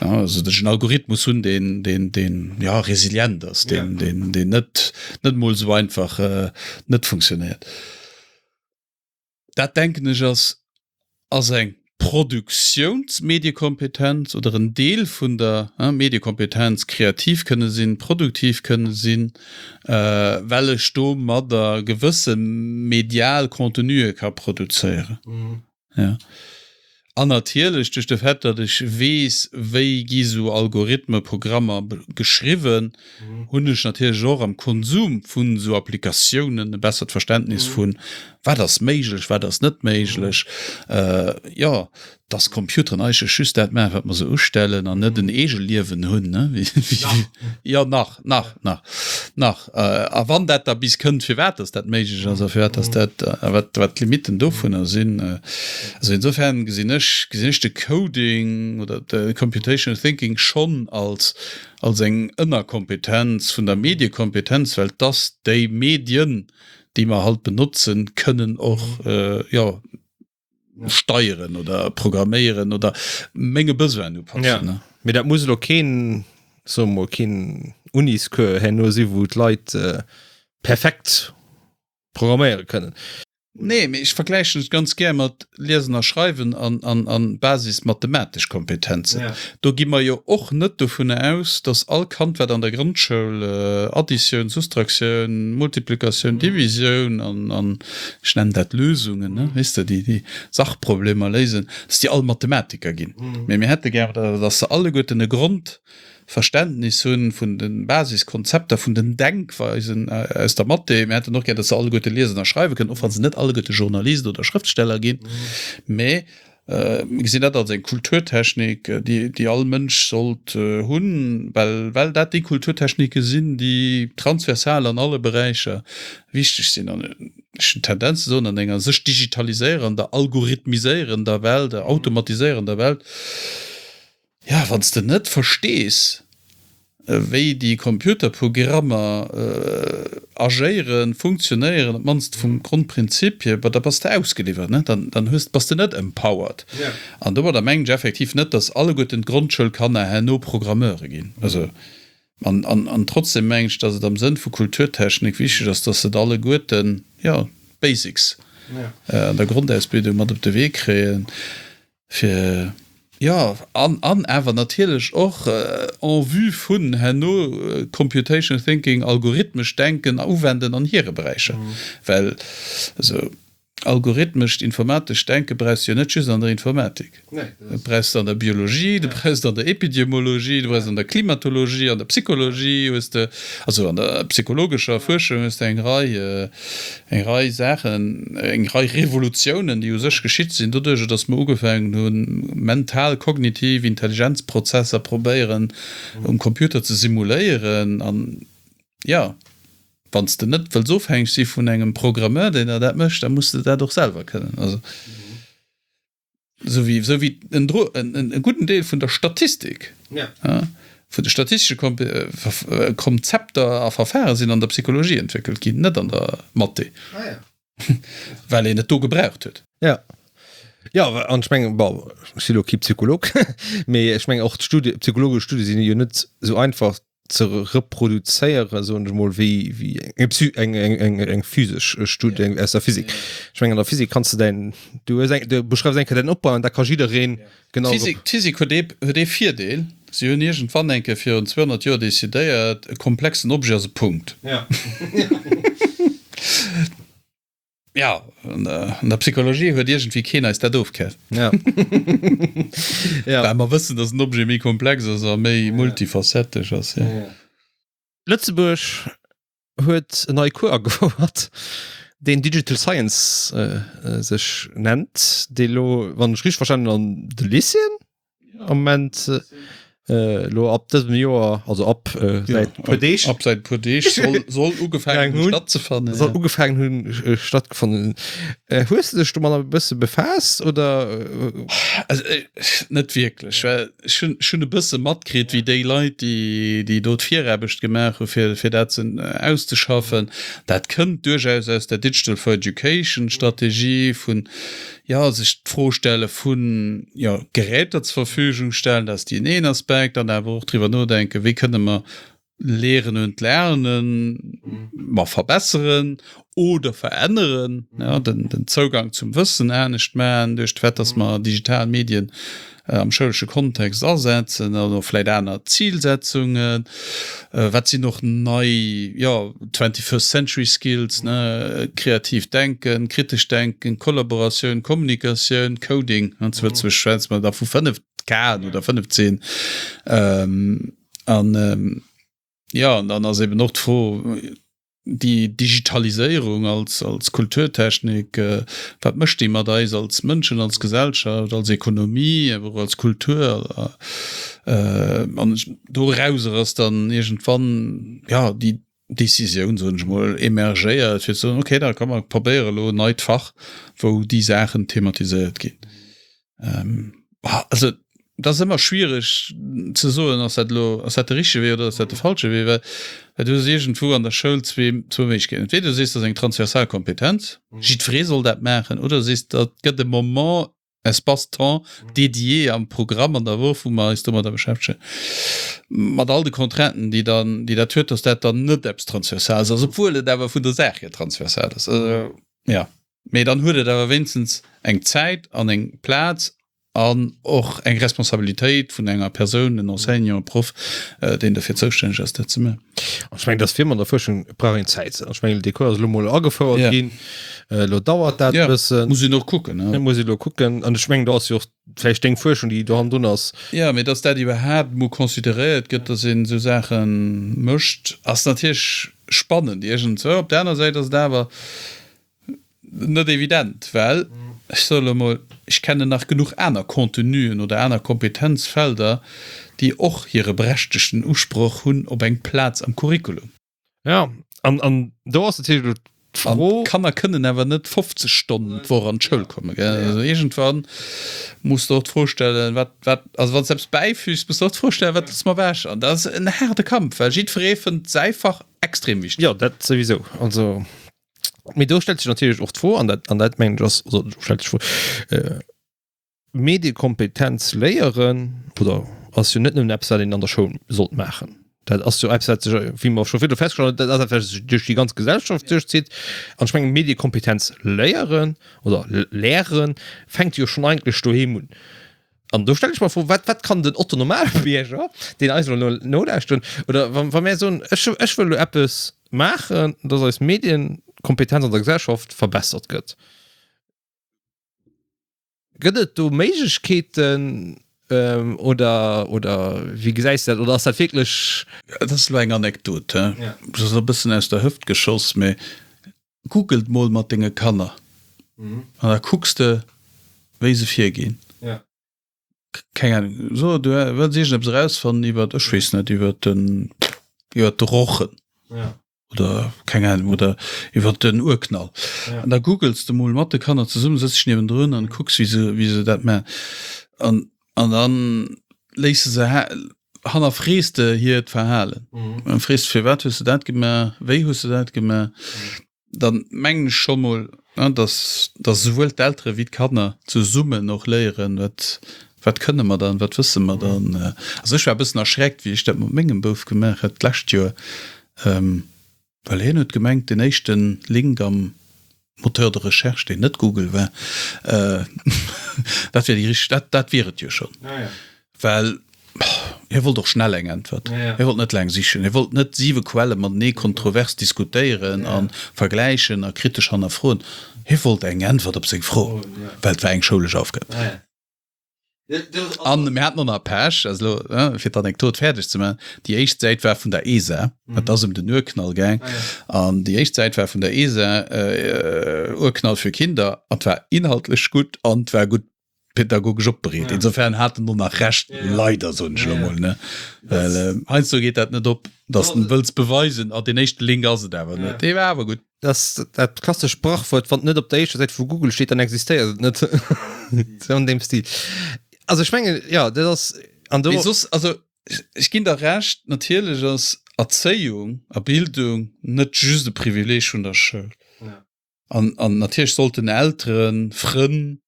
Ja, also dass ech en Algorithmus hunn, deen, deen, deen ja, resilient ass, deen, ja. deen, deen net, net mol esou einfach äh, net funktionéiert. Dat denken ech ass, ass eng Produktiounsmediekompetenz oder en Deel vun der Mediekompetenz, kreativ kënne sinn, produktiv kënne sinn, well ech domadder gewësse medial Contenuë ka produzéieren. Jo. An natierlech duerch de Fait, datt ech weess, wéi gi sou Algorithme, Programmer geschriwwen, hunn ech natierlech och am Konsum vun esou Applikatiounen e bessert Verständnis vu Wat ass méiglech, wat ass net méiglech? Jo, dass Computeren eigentlech just dat maachen, wat mer se ustellen an net en Eegeliewen hunn, ne? Jo, nach, nach, nach, nach. A wann dat da bis kënnt, firwat dass dat méiglech ass a firwat dass dat, a wat, wat d'Limitten dovunner sinn. Also insofern gesinn ech, gesinn ech de Coding oder de Computational Thinking schonn als, als eng Ënnerkompetenz vun der Mediekompetenz, well dass déi Medien, déi mer halt benotzen, kënnen och jo steieren oder programméieren oder menge Besoinen upassen. Ja. Mee dat muss elo keen, soe mol, keen Uniscours herno si wou d'Leit äh, perfekt programméiere kënnen. Nee, mee ech vergläichen et ganz gär mat Liesen a Schreiwen an, an, an basismathematesch Kompetenzen. Ja. Do gi mer jo och net dovunner aus, dass all Kand, wat an der Grondschoul Additioun, Soustraktioun, Multiplikatioun, Divisioun an, an ech nennen dat Lösungen, ne, weess de, déi, déi Sachproblemer léisen, dass déi all Mathematiker ginn. Mee mir hätte gär, dass se alleguerten e Grond, Verständnis hunn vun de Basiskonzepter, vun den Denkweisen aus der Mathé. Mir hätten och gär, datt se alleguerte liesen a schreiwe kënnen, och wa se net alleguerte Journalist oder Schrëftsteller ginn. Mä mir gesinn dat als eng Kulturtechnik, déi, déi all Mënsch sollt hunn, well, well dat déi Kulturtechnike sinn, déi transversal an alle Beräicher wichteg sinn. An ech hunn d'Tendenz ze soen, an enger sech digitaliséierender, algorithmiséierender Welt, automatiséierender Welt, Jo, wann s de net verstees, wéi déi Computerprogrammer agéieren, funktionéieren, op d'mannst vum Grondprinzip hier, da bass de ausgeliwwert, ne? Dann, dann hues, bass de net empowered. An domadder mengen ech effektiv net, dass alleguerten d'Grondschoulkanner herno Programmeure ginn. Also, an, an, an trotzdem mengen ech, dass et am Sënn vu Kulturtechnik wichteg ass, dass se et alleguerten, jo, d'Basics an der Grondausbildung mat op de Wee kréien. Fir, jo, an, an awer natierlech och en vue vun herno Computational Thinking, algorithmescht Denken uwenden an hire Beräicher. Well esou algorithmescht, informatescht Denke brauchs de jo net just an der Informatik. Dat brauchs de an der Biologie, dat brauchs de an der Epidemiologie, dat brauchs de an der Klimatologie, an der Psychologie hues de, also an der psychologescher Fuerschung hues de eng Rei, Eng Rei Saachen, eng Rei Revolutiounen, déi u sech geschitt sinn doduercher, datt mer ugefaangen hunn, mental, kognitiv Intelligenzprozesser probéieren um Computer ze simuléieren. An jo, wann s de net wëlls ofhängeg si vun engem Programmeur, deen der dat mécht, da muss de dat och selwer kënnen. Also. Esou wéi, esou wéi en, en, en gudden Deel vun der Statistik, ja. Ja, vun de statistesche Konzepter a Verfahre sinn an der Psychologie entwéckelt ginn, net an der Mathé. Ah, ja. Well een et do gebraucht huet. Ja. Ja, an ech mengen, bon, ech si lo kee Psycholog, mee ech mengen och d'Studie, psychologesch Studie sinn jo net esou einfach ze reproduzéieren, soen ech mol, wéi, wéi eng, Psy eng, eng, eng, eng physesch Studie eng aus der Physik. Ech mengen, an der Physik kanns de däin, du hues eng, du beschreifs eng Kéier däin Opbau an da ka jiddereen genau. D'Physik, d'Physik huet ee, huet ee Virdeel, Si hunn iergendwann eng Kéier virun zweehonnert Joer decidéiert, e komplexen Objet ass e Punkt. Ja. Ja, an der, an der Psychologie huet iergendwéi keen eis dat ofkaf. Ja. ja. Well mer wëssen, dass en Objet méi komplex ass a méi multifacettesch ass. Ja. Ja. Lëtzebuerg huet en neie Cours agefouert, deen Digital Science äh, äh, sech nennt, dee lo, wann ech richteg verstanen hunn, an de Lycéeën am Moment äh, lo ab dësem Joer, also ab äh, säit ja, puer Deeg, ab säit puer Deeg soll, soll ugefaangen hunn stattzefannen. Soll ja. ugefaangen hunn äh, stattgefunden. Äh, hues du dech domat e bësse befaasst oder? Äh, also, äh, net wierklech, well ech hunn, ech hunn e bësse matkritt, wéi déi Leit, déi, déi do d'Viraarbecht gemaach hu fir, fir dat ze auszeschaffen. Dat kënnt duerchaus aus der Digital for Education Strategie vun jo, sech d'Fro stelle vun, jo, Geräter zur Verfügung stellen, dat ass deen een Aspekt, an awer och driwwer nodenken, wéi kënne mer Lehren und Lernen ma verbesseren oder veränneren, ja, den, den Zougang zum Wëssen anescht maachen, duerch de Fait, dass mer digital Medien am schoulesche Kontext asetzen an och vläit aner Zilsetzungen. Wat sinn och nei, jo, twenty-first century skills, ne, kreatiivt Denken, kritescht Denken, Kollaboratioun, Kommunikatioun, Coding, an zu Lëtzebuerg schwätze mer da vu fënnef K'en oder fënnef Cen. An, jo, an dann ass eben och d'Fro, déi Digitaliséierung als, als Kulturtechnik, wat mécht déi mat eis als Mënschen, als Gesellschaft, als Ekonomie, awer och als Kultur? An dorauser ass dann iergendwann, jo, déi Decisioun, soen ech mol, emergéiert, fir ze soen, okay, da komm mer probéiere elo en neit Fach, wou déi Saachen thematiséiert ginn. Also et ass ëmmer schwiereg ze soen, ass dat elo, ass dat de richtege Wee oder ass dat de falsche Wee, well well du hues iergendwou an der Schoul zwee, zwou Méiglechkeeten. Entweder du sees, dat ass eng transversal Kompetenz, jiddweree soll dat maachen, oder du sees, dat gëtt e Moment, Espace-temps dédié am Programm an der Woch, wou mer eis domadder beschäftegen, mat all de Contrainten, déi dann, déi dat huet, dass dat dann net eppes Transversales ass, obwuel et awer vun der Saach hier transversal ass. Also, ja. Mee dann huet et awer wéinstens eng Zäit an eng Plaz an och eng Responsabilitéit vun enger Persoun, en Enseignant, e Proff, deen dofir zoustänneg ass, dat ze maachen. An ech mengen, dass fir mat der Fuerschung brauch een Zäit. An ech mengen, dee Cours ass elo mol agefouert Ja. ginn. Elo dauert dat e Ja, bëssen. muss een och kucken, ne? Muss ee elo kucken. An ech mengen, do ass jo och vläicht deng Fuerschung, déi do hannendrun ass. Jo, mee dass dat iwwerhaapt emol consideréiert gëtt, dass een esou Saache mécht, ass natierlech spannend iergendzwou. Op der aner Säit ass et awer net evident, well, ech soe lo emol, ech kennen nach genuch aner Contenuen oder aner Kompetenzfelder, déi och hire berechtegten Usproch hunn op eng Plaz am Curriculum. Ja, an, an do ass natierlech elo An d'Fro. d'Kanner kënnen awer net fofzeg Stonnen d'Woch an d'Schoul kommen, gell. Also iergendwann muss de och d'Fro stellen, wat, wat, also wann s de eppes bäifügs, muss de och d'Fro stellen, wat loosse mer ewech? An dat ass en haarde Kampf, well jiddweree fënnt säi Fach extrem wichteg. Jo, dat souwisou. Also. Mee do stellt sech natierlech och d'Fro, an dat, an dat mengen ech ass, also do stellt sech d'Fro, äh, Mediekompetenz léieren oder ass jo net nëmmen eppes, wat een an der Schoul sollt maachen. Dat ass jo eppes, wat sech, wéi mer scho virdru festgestallt hunn, dat ass eppes, wat sech duerch déi ganz Gesellschaft duerchzitt. An ech mengen, Mediekompetenz léieren oder lehren fänkt jo schonn eigentlech doheem un. An do stelle ech mer d'Fro, wat, wat kann den Otto Normalbierger, deen eis elo nolauschteren, oder wa, wa mär soen, ech, ech wëll elo eppes maachen, dass eis Medienkompetenz an der Gesellschaft verbessert gëtt, gëtt et do Méiglechkeeten oder, oder wéi gesäis de dat? Oder ass dat wierklech. Dat ass elo eng Anekdot, he, dat ass elo e bëssen aus der Hëft geschoss, mä Googelt mol mat denge Kanner an da kucks de wéi se virginn. Keng Ahnung, so du wëlls iergendeppes erausfannen iwwert, ech weess net, iwwert den, iwwert de Rochen oder keng Ahnung, oder iwwert den Urknall. An da googels de mol mat de Kanner zesummen, sëtz dech niewendrun an kucks wéi se, wéi se dat maachen. An, an dann léiss de se, hannerfrees de hiert Verhalen. An frees firwat hues de dat gemaach, wéi hues de dat gemaach? Dann mengen ech scho mol, dass dass esouwuel d'Eltere wéi d'Kanner zesummen och léieren, wat wat kënne mer dann, wat wësse mer dann. Also ech war e bëssen erschreckt, wéi ech dat mat mengem Bouf gemaach hat d'lescht Joer. Well hien huet gemengt, den éischte Link am Moteur de recherche, deen net Google war, dat wier déi richteg, dat, dat wier et jo schonn. Well hie wollt och schnell eng Äntwert. Hie wollt net laang sichen. Hie wollt net siwe Quelle matenee kontrovers diskutéieren a vergläichen a kritesch hannerfroen. Hie wollt eng Äntwert op seng Fro, well et war eng schoulesch Aufgab. An mir haten och nach Pech, also elo, fir d'Anekdot fäerdeg ze maachen, déi éischt Säit war vun der ESA, et ass ëm den Urknall gaang, an déi éischt Säit war vun der ESA, Urknall für Kinder, an et war inhaltlech gutt an et war gutt pädagogesch opbereet. Insofern hat en och nach Recht, leider, soen ech elo mol, ne, well heiansdo geet dat net op, dass de wëlls beweisen, ah, deen éischte Link ass et awer net, dee war awer gutt. Das dat klassescht Sprachwuert, wann et net op der éischter Säit vu Google steet, dann existéiert et net. Sou an deem Stil. Also ech mengen, jo, dat ass an do. Mee soss, also ech ginn der Recht, natierlech ass Erzéiung a Bildung net just e Privileeg vun der Schoul. An, an natierlech sollten Elteren, Frënn,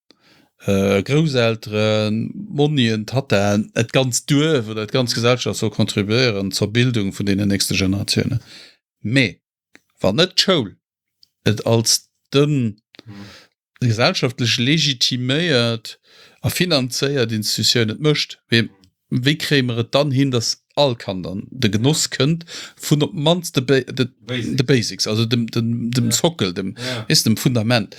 Grousselteren, Monnien, Tattaen, et ganzt Duerf oder d'ganz Gesellschaft soll contribuéieren zur Bildung vun deenen nächste Generatiounen. Mee wann net d'Schoul et als de gesellschaftlech legitiméiert a finanzéiert Institutioun et mécht, wéi wéi kréie mer et dann hin, datt all Kand an de Genoss kënnt vun op d'mannst de de Basics, also dem dem dem Sockel, dem weess dem Fundament.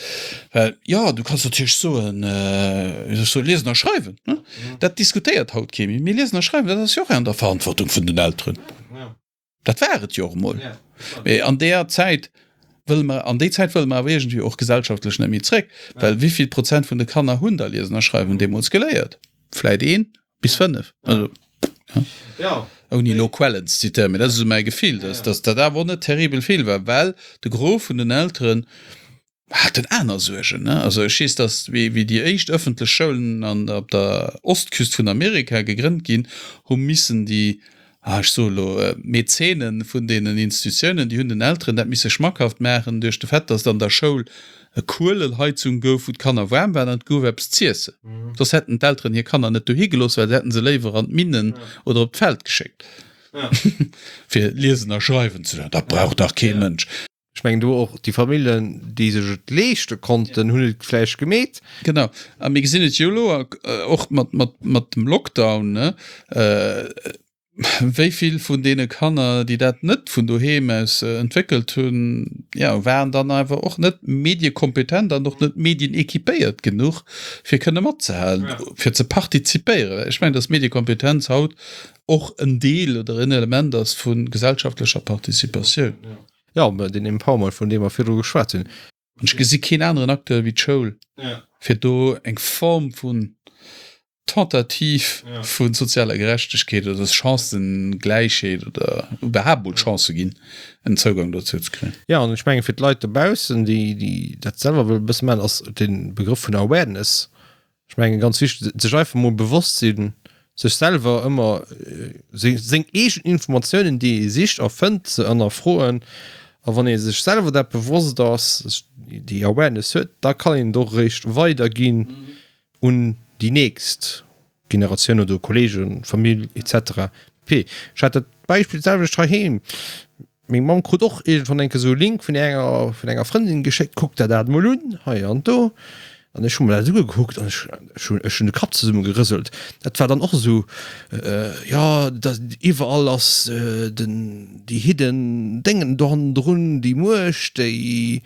Well jo, du kanns natierlech soen, wéi soll ech soen, liesen a schreiwen, ne, dat diskutéiert haut kee méi, mee liesen a schreiwen, dat ass jo och an der Verantwortung vun den Elteren. Dat war et jo och emol. Mee an deeër Zäit wëlle mer, an déi Zäit wëlle mer awer iergendwéi och gesellschaftlech net méi zréck. Well wéi vill Prozent vun de Kanner hunn da Liesen a Schreiwen deemools geléiert? Vläit een bis fënnef. Also, ja. Ouni elo Quellen ze zitéieren, mee dat ass esou mäi Gefill, dass, dass dat awer och net terribel vill war, well de Gros vun den Elteren haten aner Suergen, ne? Also ech weess, dass wéi, wéi déi éischt ëffentlech Schoulen an op der Ostküst vun Amerika gegrënnt ginn, hu missen déi, ah ech soe elo, Mäzene vun deenen Institutiounen, déi hunn den Elteren dat misse schmackhaft maachen duerch de Fait, dass et an der Schoul e Kuelelheizung gouf, wou d'Kanner waarm waren an et gouf eppes z'iessen. Soss hätten d'Elteren hir Kanner net dohi gelooss, well se hätten se léiwer an d'Minnen oder op d'Feld geschéckt, fir liesen a schreiwen ze léieren. Dat brauch dach kee Mënsch. Ech mengen do och déi Familljen, déi sech et leeschte konnten, hunn et vläicht gemeet. Genau. A mir gesinn et jo elo och mat, mat, mat dem Lockdown, ne, wéi vill vun deene Kanner, déi dat net vun doheem aus entwéckelt hunn, jo, waren dann awer och net mediekompetent an och net medienequipéiert genuch, fir kënne matzehalen, fir ze partizipéieren. Ech mengen, dass Mediekompetenz haut och en Deel oder en Element ass vu gesellschaftlecher Participatioun. Jo, mä deen Empowerment, vun deem mer virdru geschwat hunn. An ech gesi keen aneren Acteur wéi d'Schoul, fir do eng Form vun Tentative vu sozialer Gerechtegkeet oder Chancëgläichheet oder iwwerhaapt mol Chancë ginn, en Zougang dozou ze kréien. Jo, an ech menge fir d'Leit dobaussen, déi, déi dat selwer wëlle e bësse maachen, ass de Begrëff vun Awareness Ech mengen ganz wichteg, sech einfach mol bewosst sinn, sech selwer ëmmer seng eegen Informatiounen, déi ee sicht a fënnt, ze ënnerfroen. A wann ee sech selwer dat bewosst ass, déi Awareness huet, da kann een et och eréischt weiderginn un déi nächst Generatioun oder Kollegen, Famill et cetera pp. Ech hat dat Beispill d'selwecht heiheem. Meng Mamm krut och iergendwann eng Kéier esou e Link vun enger vun enger Frëndin geschéckt, kuck der dat mol un, hei an do. An ech hu mer dat ugekuckt an ech ech hunn ech hunn de Kapp zesummegerëselt. Dat war dann och esou, jo, da iwwerall ass den déi hidden Déngen do hannendrun, déi Muecht, déi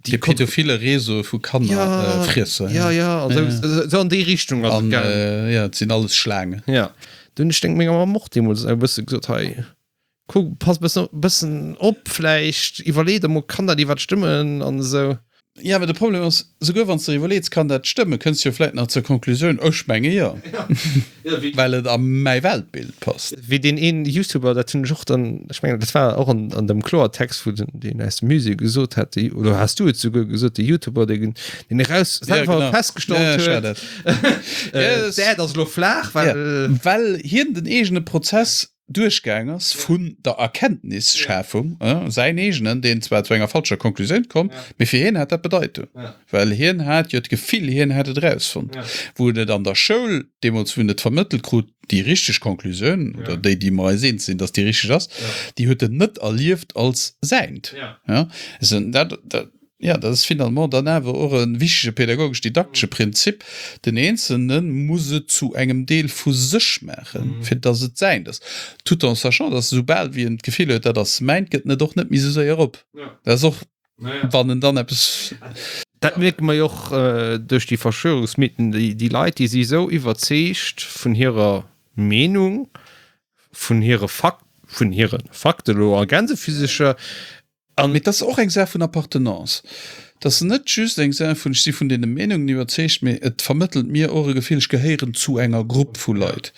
déi pädophile Réseau vu Kannerfriesser. Ja, ja, ja, esou esou an déi Richtung ass et gaangen. Jo, et sinn alles Schlaangen. Ja, do hunn ech menger Mamm och deemools e bësse gesot, hei, Kuck, pass bëssen, bëssen op, vläicht iwwerlee der mol, kann dat iwwert stëmmen an esou. Jo, mä de Problem ass, souguer wann s de iwwerleets, kann dat stëmmen, kënns de jo vläicht nach zur Konklusioun, ech menge jo, well et a mäi Weltbild passt. Wéi deen een Youtuber, dat hunn ech och dann, ech mengen dat war och an, an dem Kloertext, wou den, deen aus dem Musée gesot hat, dee, oder has du et souguer gesot, de Youtuber, dee, deen eraus selwer festgestallt huet, d'Äerd ass elo flaach, well. Well hien den eegene Prozess duerchgaang ass vun der Erkenntnisschafung, säin eegenen, deen zwar zu enger falscher Konklusioun komm, mee fir hien hat dat Bedeitung, well hien hat jo d'Gefill, hien hätt et erausfonnt, wou en et an der Schoul deemools, wou en et vermëttelt krut, déi richteg Konklusioun, oder déi, déi mer eis eens sinn, datt déi richteg ass, déi huet en net erlieft als säint. Dat, dat. Jo, dat ass finalement dann awer och e wichtege pädagogesch-didaktesche Prinzip, Den Eenzelne muss et zu engem Deel vu sech maachen, fir dass et säint ass. Tout en sachant, dass esoubal wéi en d'Gefill huet, dat ass mäint, gëtt en et och net méi esou séier op. Dat ass och, wann en dann eppes. Dat mierke mer jo och duerch déi Verschwörungsmythen, déi Leit, déi si esou iwwerzeegt vun hirer Meenung, vun hire Fak-, vun hire Fakte elo a Gänsefüsecher, An. Mee et ass och eng Saach vun Appartenance. Et ass net just eng Saach vun, ech si vun deene Meenungen iwwerzeegt, mee et vermëttelt mir och e Gefill, ech gehéieren zu enger Grupp vu Leit.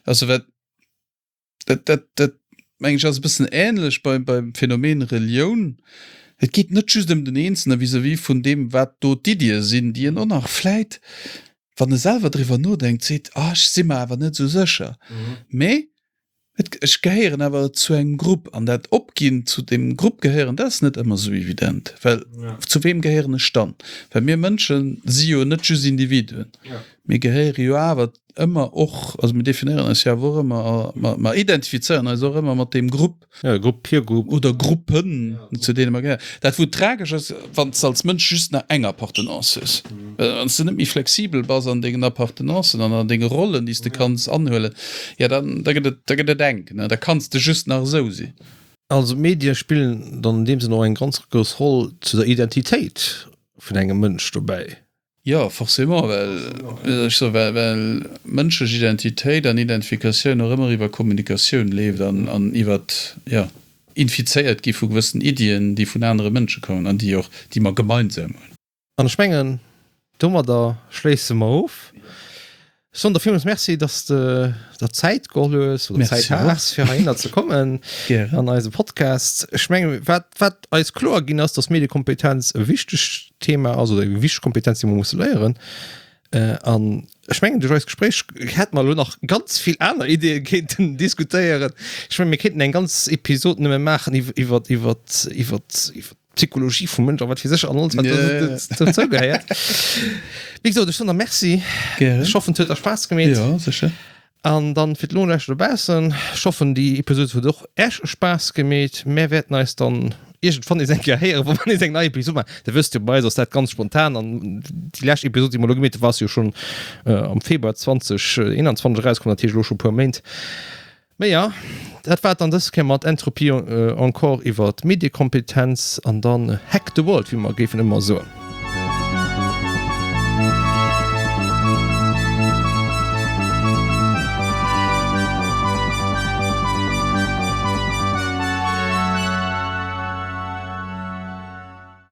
Also wat, dat, dat, dat mengen ech ass e bëssen ähnlech beim, beim Phänomen Relioun. Et geet net just ëm den Eenzelne vis-à-vis vun deem, wat do d'Iddie sinn, déi en och nach vläit, wann e selwer driwwer nodenkt, seet, ah, ech si mer awer net esou sécher. Mee Et, ech gehéieren awer zu engem Grupp an dat Opginn zu deem Grupp gehéieren, dat ass net ëmmer esou evident, well zu weem gehéieren ech dann? Well mir Mënsche si jo net just Individuen, mir gehéiere jo awer ëmmer och, also mir definéieren eis jo awer och ëmmer a mer, mer identifizéieren eis och ëmmer mat deem Grupp. Ja, Grupp, Peer Group. Oder Gruppen, zu deene mer gehéieren. Dat wou tragesch ass, wann s de als Mënsch just nach eng Appartenance hues, wann s de net méi flexibel bass an dengen Appartenancen an an denge Rollen, déi s de kanns anhuelen, jo dann da gëtt et, da gëtt et enk, ne, da kanns de just nach esou sinn. Also d'Medie spillen dann an deem Sënn och eng ganz grouss Roll zu der Identitéit vun engem Mënsch dobäi. Jo, forcément, well, wéi soll ech soen, well, well mënschlech Identitéit an Identifikatioun och ëmmer iwwer Kommunikatioun leeft an, an iwwer, jo, infizéiert gi vu gewëssen Iddien, déi vun anere Mënsche kommen an déi och, déi mer gemeinsam hunn. An ech mengen, domadder schléisse mer of. Ech soen der villmools Merci, dass de der Zäit geholl hues oder Zäit has, fir heihinner ze kommen an eise Podcast. Ech mengen, wat, wat eis kloer ginn ass, dass Mediekompetenz e wichtegt Thema ass oder eng wichteg Kompetenz, déi mer musse léieren. An ech mengen, duerch eist Gespréich hätte mer elo nach ganz vill aner Ideeë kéinten diskutéieren. Ech mengen, mir kéinten eng ganz Episod nëmme maachen iwwer, iwwer, iwwer, iwwer Psychologie vum Mënsch a wat fir sech an alles wat dozou gehéiert. Wéi gesot, ech soen der Merci. Gären. Ech hoffen, et huet der Spaass gemeet. Jo, sécher. An dann fir d'Nolauschterer dobaussen, ech hoffen, déi Episod huet och Äech Spaass gemeet. Mär wäerten eis dann iergendwann nees eng Kéier héieren, wa mer nees eng nei Episod maachen. Dir wësst jo, bei eis ass dat ganz spontan an déi lescht Episod, déi mer elo gemeet hunn, war jo schonn am Februar zwanzeg eenanzwanzeg erauskomm, dat heescht elo scho e puer Méint. Mee jo, dat war et dann dës Kéier mat Entropie encore iwwer d'Mediekompetenz an dann Hack the World, wéi mer géifen ëmmer soen.